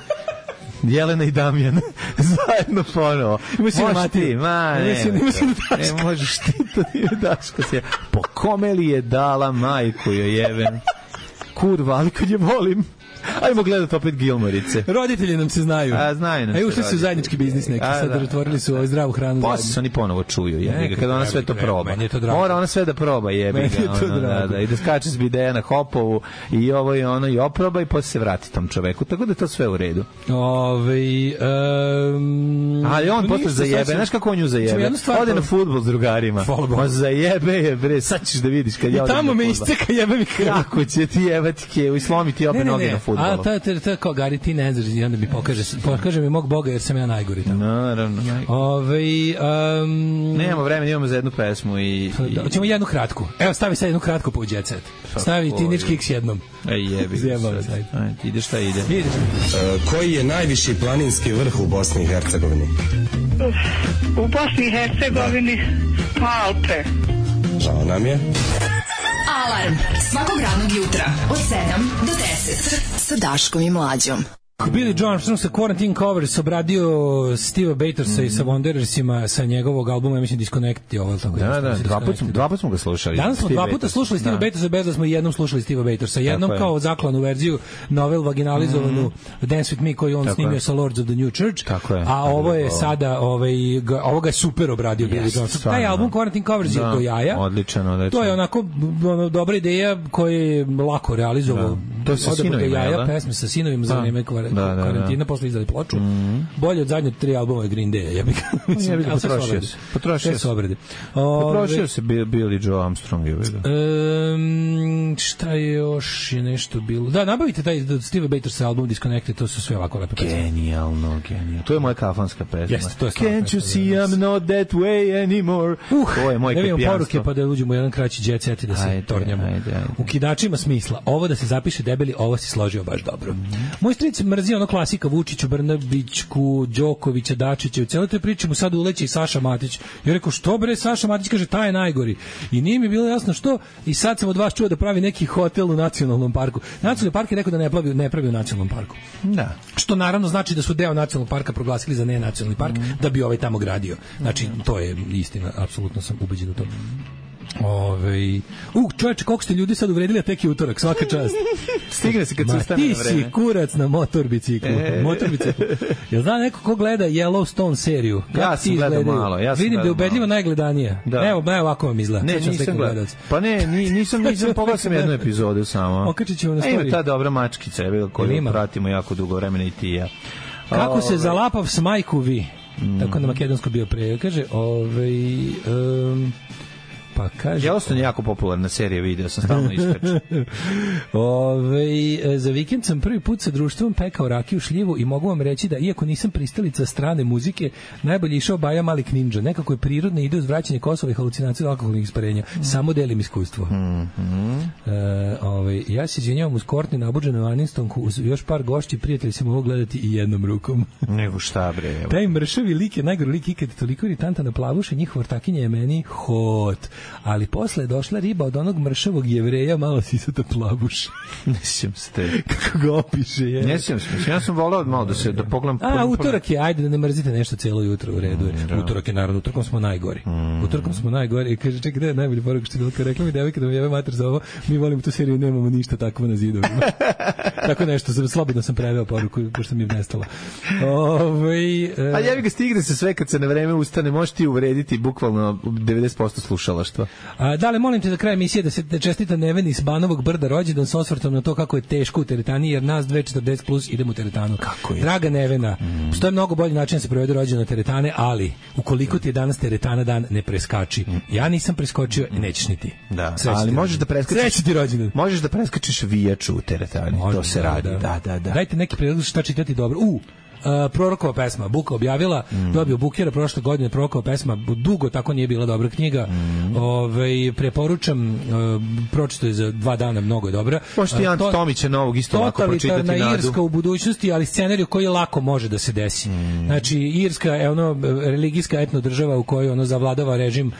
S7: Jelena i Damjan zajedno ponovo.
S8: Ima si na
S7: Možeš
S8: Matiju.
S7: ti, ma
S8: Ima
S7: ne.
S8: si- ima si na
S7: Ne, ne možeš ti to nije Daško se. Po kome li je dala majku joj jeben? Kurva, ali kad je volim. Ajmo gledati opet Gilmorice.
S8: Roditelji nam se znaju.
S7: A, znaju nam
S8: A
S7: se
S8: ušli su u
S7: roditelji.
S8: zajednički biznis neki,
S7: A,
S8: sad
S7: da.
S8: otvorili su ovaj zdravu hranu
S7: Posle
S8: zajedno.
S7: se oni ponovo čuju, jebi ga,
S8: Neka
S7: kada ona
S8: treba,
S7: sve to
S8: treba,
S7: proba.
S8: meni je to drago.
S7: Mora ona sve da proba, jebi
S8: Meni je
S7: ga,
S8: to
S7: ono, da,
S8: drago.
S7: da, i da skače s bideja na hopovu i ovo i ono i oproba i posle se vrati tom čoveku, tako da je to sve u redu.
S8: Ove, um,
S7: Ali on posle
S8: ništa, sad
S7: zajebe,
S8: ću-
S7: znaš kako on nju
S8: ćemo
S7: zajebe?
S8: jednu stvar
S7: Ode na
S8: prob-
S7: fudbal s drugarima.
S8: Hvala Bogu.
S7: Ma zajebe je, bre, sad ćeš da vidiš kad
S8: I
S7: ja odem
S8: tamo
S7: na
S8: me
S7: fudbal.
S8: isteka jebe mi krv.
S7: Kako će ti jebati kevu i slomiti obe noge na fudbalu?
S8: A to je, to je, to je kao Gari, ti ne znaš, i onda mi pokaže, pokaže mi mog Boga jer sam ja najgori tamo.
S7: Naravno.
S8: Ove, um,
S7: Nemamo vremena, imamo za jednu pesmu i... i...
S8: Da, hoćemo jednu kratku. Evo, stavi sad jednu kratku po Jet Set. Stavi Teenage Kicks jednom.
S7: Ej, jebi.
S8: Zjebam
S7: sad.
S8: se, ajde.
S7: Ajde, ide šta ide.
S8: Ideš.
S12: Koji je najviši planinski vrh u Bosni i Hercegovini?
S10: U Bosni i Hercegovini Alpe.
S12: Žao nam je.
S5: Alarm svakog radnog jutra od sedam do deset sa Daškom i Mlađom.
S8: Billy Joe Armstrong sa Quarantine Covers obradio Steva Batorsa i sa Wanderersima sa njegovog albuma, ja mislim Disconnect je ovo, tako
S7: Da, da, dva put, smo, dva put smo ga slušali.
S8: Danas smo
S7: Steve
S8: dva puta
S7: Bators.
S8: slušali Steva
S7: Da.
S8: Batorsa, bez da smo jednom slušali Steva Batorsa. Jednom
S7: Tako je.
S8: kao zaklanu verziju, novel vaginalizovanu Dance With Me koju on
S7: Tako
S8: snimio
S7: je.
S8: sa Lords of the New Church.
S7: Tako je.
S8: A ovo je
S7: Ovo.
S8: sada, ovaj, ga, ovoga je super obradio Billy
S7: Jest,
S8: Joe Armstrong. Taj
S7: stvarno.
S8: album Quarantine Covers je
S7: Da,
S8: do jaja.
S7: odličan, odličan.
S8: To je onako ono, dobra ideja koju je lako realizovao
S7: To je sa
S8: Odabro
S7: sinovima,
S8: jaja,
S7: jel da?
S8: pesme sa sinovima za
S7: Da.
S8: vreme kvar-
S7: Da, da, da.
S8: karantina, posle izdali ploču. Bolje od zadnje tri albuma je Green Day, ja bih
S7: Ja bih ga
S8: ali sve su
S7: potrošio
S8: obrade.
S7: se. Potrošio
S8: Sve su
S7: se.
S8: obrade.
S7: Potrošio
S8: Ove,
S7: se Bill- Billy Joe Armstrong. Je vidio.
S8: Um, šta je još je nešto bilo? Da, nabavite taj od Steve Batersa album Disconnected, to su sve ovako lepe pesme.
S7: Genijalno, genijalno. To je moja kafanska pesma.
S8: Jeste, to je stvarno
S7: Can't you
S8: pesma,
S7: see
S8: da.
S7: I'm not that way anymore?
S8: Uh,
S7: to je moj
S8: da vidimo
S7: kapijanstvo.
S8: poruke pa da uđemo u jedan kraći jet set i da se
S7: Ajde,
S8: tornjamo.
S7: ajde, ajde.
S8: Ukidač ima smisla. Ovo da se zapiše debeli, ovo si složio baš dobro. Moj stric mrzi ono klasika Vučiću, Brnabićku, Đokovića, Dačića. U celoj toj priči mu sad uleće i Saša Matić. Ja rekao, što bre, Saša Matić kaže, taj je najgori. I nije mi bilo jasno što. I sad sam od vas čuo da pravi neki hotel u nacionalnom parku. Nacionalni park je rekao da ne pravi, ne pravi u nacionalnom parku.
S7: Da.
S8: Što naravno znači da su deo nacionalnog parka proglasili za nenacionalni park da bi ovaj tamo gradio. Znači, to je istina, apsolutno sam ubeđen u to. Ove, u, čovječe, koliko ste ljudi sad uvredili, a tek je utorak, svaka čast.
S7: Stigne se kad se
S8: Ma
S7: ustane
S8: ti
S7: na vreme.
S8: si kurac na motor biciklu.
S7: E.
S8: Motor biciklu. Jel zna neko ko gleda Yellowstone seriju? Kako
S7: Ja
S8: ti
S7: sam gledao
S8: izgledaju?
S7: malo, ja sam
S8: Vidim da je
S7: gledao
S8: ubedljivo
S7: malo.
S8: najgledanija.
S7: Da.
S8: Evo, evo ovako vam izgleda.
S7: Ne,
S8: Sad ću vam
S7: nisam
S8: slikam
S7: gledao.
S8: gledalac.
S7: Pa ne, ni, nisam, nisam pogledao sam jednu epizodu samo.
S8: Okačit ćemo na
S7: A ima
S8: story.
S7: ta dobra mačkica, evo,
S8: Jel
S7: koju
S8: ima?
S7: pratimo jako dugo vremena i ti i ja.
S8: Kako se
S7: Ove,
S8: zalapav s majku vi? Tako na makedonsko bio pre. Kaže, ovaj... Um, pa kaže...
S7: Yellowstone je jako popularna serija, video sam stalno iskaču.
S8: Ove, za vikend sam prvi put sa društvom pekao rakiju šljivu i mogu vam reći da iako nisam pristalica strane muzike, najbolje išao Baja Malik Ninja. Nekako je prirodno ide uz vraćanje Kosova i halucinacije od alkoholnih isparenja. Samo delim iskustvo. E, ove, ja se izvinjavam uz Kortni nabuđenu Anistonku, uz još par gošći, prijatelji se mogu gledati i jednom rukom.
S7: Nego šta bre, evo.
S8: Taj mršavi lik je najgori lik ikad, toliko iritanta na plavuše, njihova ortakinja je meni hot. Ali posle je došla riba od onog mršavog Jevreja, malo sisata plavuš.
S7: Ne sjećam se te.
S8: Kako ga opiše je.
S7: Ne sjećam se, ja sam volao malo da se, da pogledam...
S8: A, utorak je, ajde da ne mrzite nešto cijelo jutro, u redu je. Utorak je, naravno, utorkom smo najgori. Utorkom smo najgori i kaže, čekaj, gde je najbolji poruka što je bilo, kad rekla mi devojka da mi jebe mater za ovo, mi volimo tu seriju, nemamo ništa takvo na zidovima. Tako nešto, sam, slobodno sam preveo poruku, pošto mi je nestalo. Ove, e,
S7: A ja bi ga stigne se sve kad se na vreme ustane, možeš ti uvrediti bukvalno devedeset posto slušalaštva.
S8: A, dale, molim te za kraj emisije da se da čestita Neveni s Banovog Brda rođendan s osvrtom na to kako je teško u teretani, jer nas dve četrdeset plus idemo u teretanu.
S7: Kako je?
S8: Draga Nevena, mm. postoje mnogo bolji način da se provede rođendan na teretane, ali ukoliko ti je danas teretana dan, ne preskači. Ja nisam preskočio i nećeš ni ti.
S7: Da,
S8: Srećan
S7: ali
S8: ti
S7: možeš
S8: rođendan.
S7: da preskačiš.
S8: Srećan ti rođendan.
S7: Možeš da preskačiš vijaču u teretani.
S8: Može,
S7: to se
S8: da,
S7: radi.
S8: da.
S7: Da, da, da.
S8: Dajte neki predlog šta čitati dobro. U, Uh, Prorokova pesma, Buka objavila, mm. dobio Bukera prošle godine, Prorokova pesma, dugo tako nije bila dobra knjiga. Mm. Ove, preporučam, uh, pročito je za dva dana, mnogo je dobra.
S7: Možete i Ante
S8: to,
S7: Tomića novog isto lako pročitati nadu.
S8: Totalitarna Irska u budućnosti, ali scenariju koji lako može da se desi. Mm. Znači, Irska je ono religijska etno država u kojoj ono zavladava režim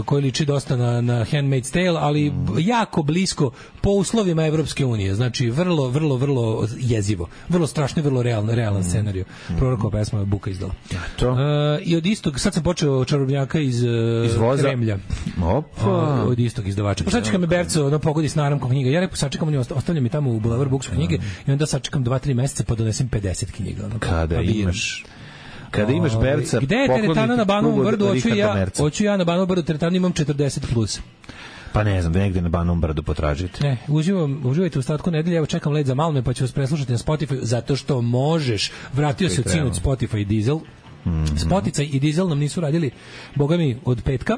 S8: koji liči dosta na, na Handmaid's Tale, ali mm. jako blisko po uslovima Evropske unije. Znači, vrlo, vrlo, vrlo jezivo. Vrlo strašno i vrlo realan, realan mm. scenariju. Mm. Prorokova pesma je Buka izdala.
S7: To.
S8: Uh, I od istog, sad sam počeo Čarobnjaka iz, uh,
S7: iz voza.
S8: Kremlja.
S7: Opa.
S8: Uh, od istog izdavača. Pa sačekam me Berco, ono pogodi s naramkom knjiga. Ja rekao, sačekam, on ostavljam mi tamo u Boulevard Books knjige i onda sačekam dva tri meseca pa donesem pedeset knjiga. Ono,
S7: kada
S8: pa
S7: imaš... Kada imaš berca,
S8: gde je teretana na Banovom Brdu? Hoću ja, hoću ja na Banovom Brdu teretanu, imam četrdeset plus.
S7: Pa ne znam, negde na Banovom Brdu potražite.
S8: Ne, uživam, uživajte u ostatku nedelje, evo čekam let za Malme, pa ću vas preslušati na Spotify, zato što možeš. Vratio se od sinoć Spotify i Diesel. Mm-hmm. Spotify i Diesel nam nisu radili, boga mi, od petka.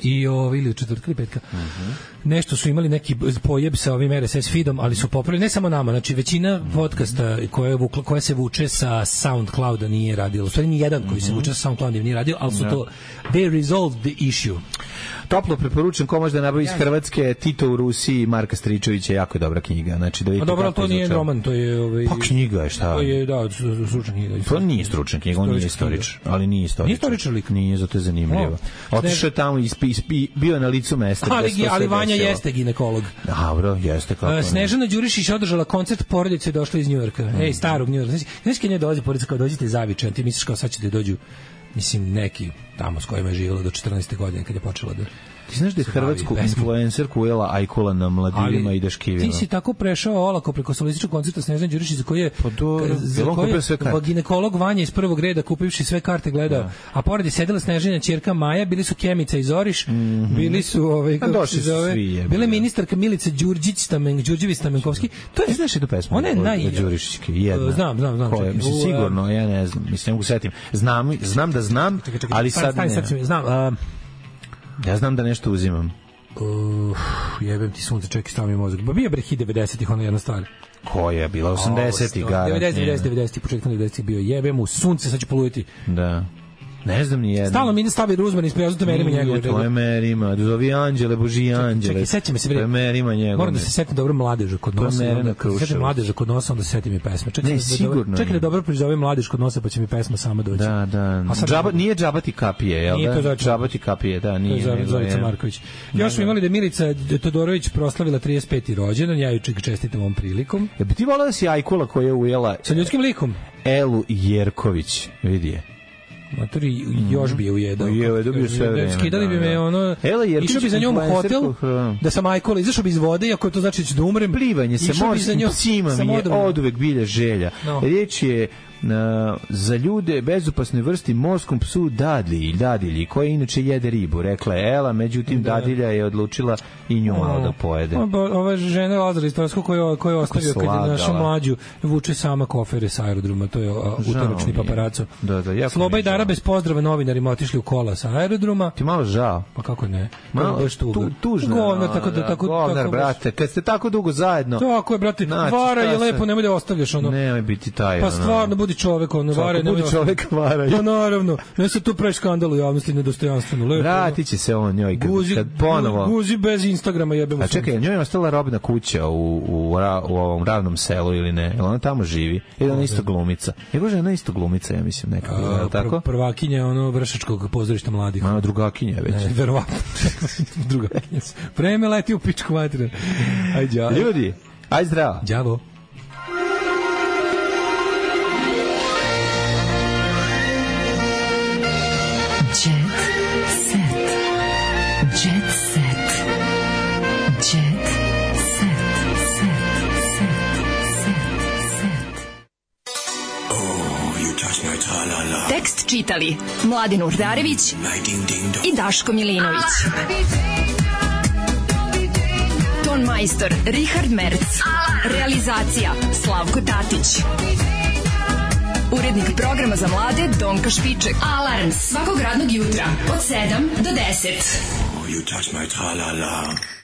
S8: I ovo, ili od četvrtka ili petka. Mm-hmm. Nešto su imali neki pojeb sa ovim R S S feedom, ali su popravili, ne samo nama, znači većina podcasta koje, vukla, koje se vuče sa SoundClouda nije radilo. U stvari ni jedan koji se vuče sa SoundClouda nije radio, ali su yeah. to, they resolved the issue.
S7: Toplo preporučujem ko može da nabavi iz Hrvatske, Tito u Rusiji, Marka Stričevića, jako je dobra knjiga. Znači da vidite.
S8: A dobro, to nije roman, to je ovaj.
S7: Pa knjiga je šta?
S8: To je da, stručna knjiga.
S7: To nije stručna knjiga, on nije istorič, ali nije istorič.
S8: Nije istoričar lik.
S7: Nije, zato je zanimljivo. Otišao tamo i bio je na licu mesta.
S8: Ali, ali Vanja jeste ginekolog.
S7: Dobro, jeste kako.
S8: Snežana Đurišić održala koncert, porodica je došla iz Njujorka. Mm. Ej, starog Njujorka. Znaš kad nje dolazi porodica, kao dođite iz Zavičaja, ti misliš kao sad ćete dođu, mislim, neki tamo s kojima je živjela do četrnaeste godine kad je počela da
S7: Ti znaš da je
S8: se bavi
S7: hrvatsku
S8: pesmom.
S7: influencerku ujela Ajkula na mladilima
S8: Ali
S7: i Daškivima?
S8: Ti si tako prešao olako preko solističkog koncerta Snežane Đurišić za koji je
S7: Pa dobro,
S8: za
S7: jel on
S8: koji
S7: kupio
S8: je
S7: sve karte?
S8: ginekolog Vanja iz prvog reda kupivši sve karte gledao.
S7: Da.
S8: A pored je sedela Snežana ćerka Maja, bili su Kemica i Zoriš, bili su ovaj kako
S7: došli
S8: se
S7: su
S8: zove,
S7: svi, jebote.
S8: bila je ministarka Milica Đurđić Stamen Đurđević Stamenkovski. To je
S7: Ti znaš jednu pesmu?
S8: Ona je naj-
S7: Đurišićke, jedna.
S8: Znam, znam, znam,
S7: Koja,
S8: čekaj,
S7: mislim,
S8: u,
S7: sigurno, ja ne znam, mislim, ne mogu setim. Znam, znam da znam,
S8: Čekaj, čekaj,
S7: ali
S8: stani,
S7: sad
S8: stani,
S7: ne.
S8: sad ću mi- znam. a,
S7: Ja znam da nešto uzimam.
S8: Uh, jebem ti sunce, čekaj, stavi mi mozak. Ba bio bre hit devedesetih, ona jedna stvar.
S7: Koja je bila osamdesetih gara?
S8: devedeset, devedeset, devedeset, početkom devedesetih bio jebem u sunce, sad ću poluditi.
S7: Da. Ne znam ni jedno.
S8: Stalno mi ne stavi Ruzman iz Preozute merima njegove.
S7: To je merima, zovi anđele, boži anđele.
S8: Čekaj, sećam me se bre.
S7: To je merima njegove.
S8: Moram da se setim dobro mladeža kod
S7: To je
S8: nosa.
S7: Merena
S8: onda kad se setim
S7: Kruševac.
S8: mladeža kod nosa, onda se setim i pesme. Čekaj,
S7: Ne,
S8: da dobro-
S7: sigurno
S8: Čekaj
S7: je.
S8: da dobro prizovem mladež kod nosa, pa će mi pesma sama doći.
S7: Da, da.
S8: A sad-
S7: Džaba, nije džabati kapije, jel
S8: Nije
S7: da?
S8: to Zorica.
S7: Džabati kapije, da,
S8: To je
S7: nije.
S8: Zor-
S7: nego
S8: Zorica
S7: je-
S8: Marković. Još smo imali da je Milica Todorović proslavila trideset peti rođendan, ja ju ček čestitam ovom prilikom.
S7: Ja bi ti volao da si Ajkula koja je ujela
S8: Sa ljudskim likom.
S7: Elu Jerković, vidi je.
S8: Matori još bi je ujedao.
S7: Ujeo je, dobio sve vreme,
S8: Skidali bi
S7: da,
S8: me
S7: da.
S8: ono...
S7: Ela Jerković,
S8: Išao bi za njom u hotel,
S7: influencerka,
S8: da sam Ajkola, izašao bi iz vode, iako to znači da ću da umrem.
S7: Plivanje sa
S8: Išao bi za
S7: morskim
S8: njom-
S7: psima
S8: sa
S7: mi je
S8: modrom.
S7: oduvek bilja želja.
S8: No.
S7: Riječ je na, za ljude bezopasnoj vrsti morskom psu dadilji, dadilji, koja inače jede ribu, rekla je Ela, međutim
S8: Da.
S7: dadilja je odlučila i nju malo da pojede.
S8: O, bo- Ova žena Lazara iz Torskog koja koja je ostavio kad je
S7: slagala.
S8: našu mlađu vuče sama kofere sa aerodroma, to je a, utoračni
S7: mi je.
S8: paparaco.
S7: Da, da, jako
S8: Sloba
S7: mi je
S8: i Dara
S7: žao.
S8: bez pozdrava novinarima otišli u kola sa aerodroma.
S7: Ti malo žao.
S8: Pa kako ne?
S7: Malo
S8: Malo baš tuga.
S7: tu, tužno.
S8: Govnar, tako da tako
S7: Govnar,
S8: tako baš-
S7: brate, kad ste tako dugo zajedno.
S8: Tako je, brate.
S7: Znači,
S8: Vara
S7: šta
S8: je
S7: se-
S8: lepo, nemoj da ostavljaš ono.
S7: Nemoj biti taj.
S8: Pa
S7: ono.
S8: stvarno budi čovek, ono,
S7: Svako
S8: vara,
S7: budi
S8: nemoj da
S7: čovek, varaj.
S8: Pa naravno, ne se tu pravi skandal u javnosti, nedostojanstveno. Lepo.
S7: Vratit će se on njoj kad,
S8: Guzi,
S7: kad ponovo...
S8: guzi bez Instagrama jebemo.
S7: A čekaj, njoj je ostala robna kuća u, u, ra- u ovom ravnom selu ili ne? Jel ona tamo živi? Ili ona isto glumica? Je bože, ona isto glumica, ja mislim, nekako, je li tako?
S8: Prvakinja ono Vršačkog pozorišta mladih.
S7: Ona drugakinja već.
S8: Ne, verovatno. Drugakinja. Vreme leti u pičku materinu. Ajde, đavo.
S7: Ljudi, aj zdravo.
S8: Đavo.
S5: Jet set. Jet set. Jet set. Set. Set. Set. Tekst čitali Mladin Urdarević i Daško Milinović. Ton majstor Richard Merc. Realizacija Slavko Tatić. Urednik programa za mlade Donka Špiček. Alarms svakog radnog jutra od sedam do deset.
S11: You touch my tra-la-la.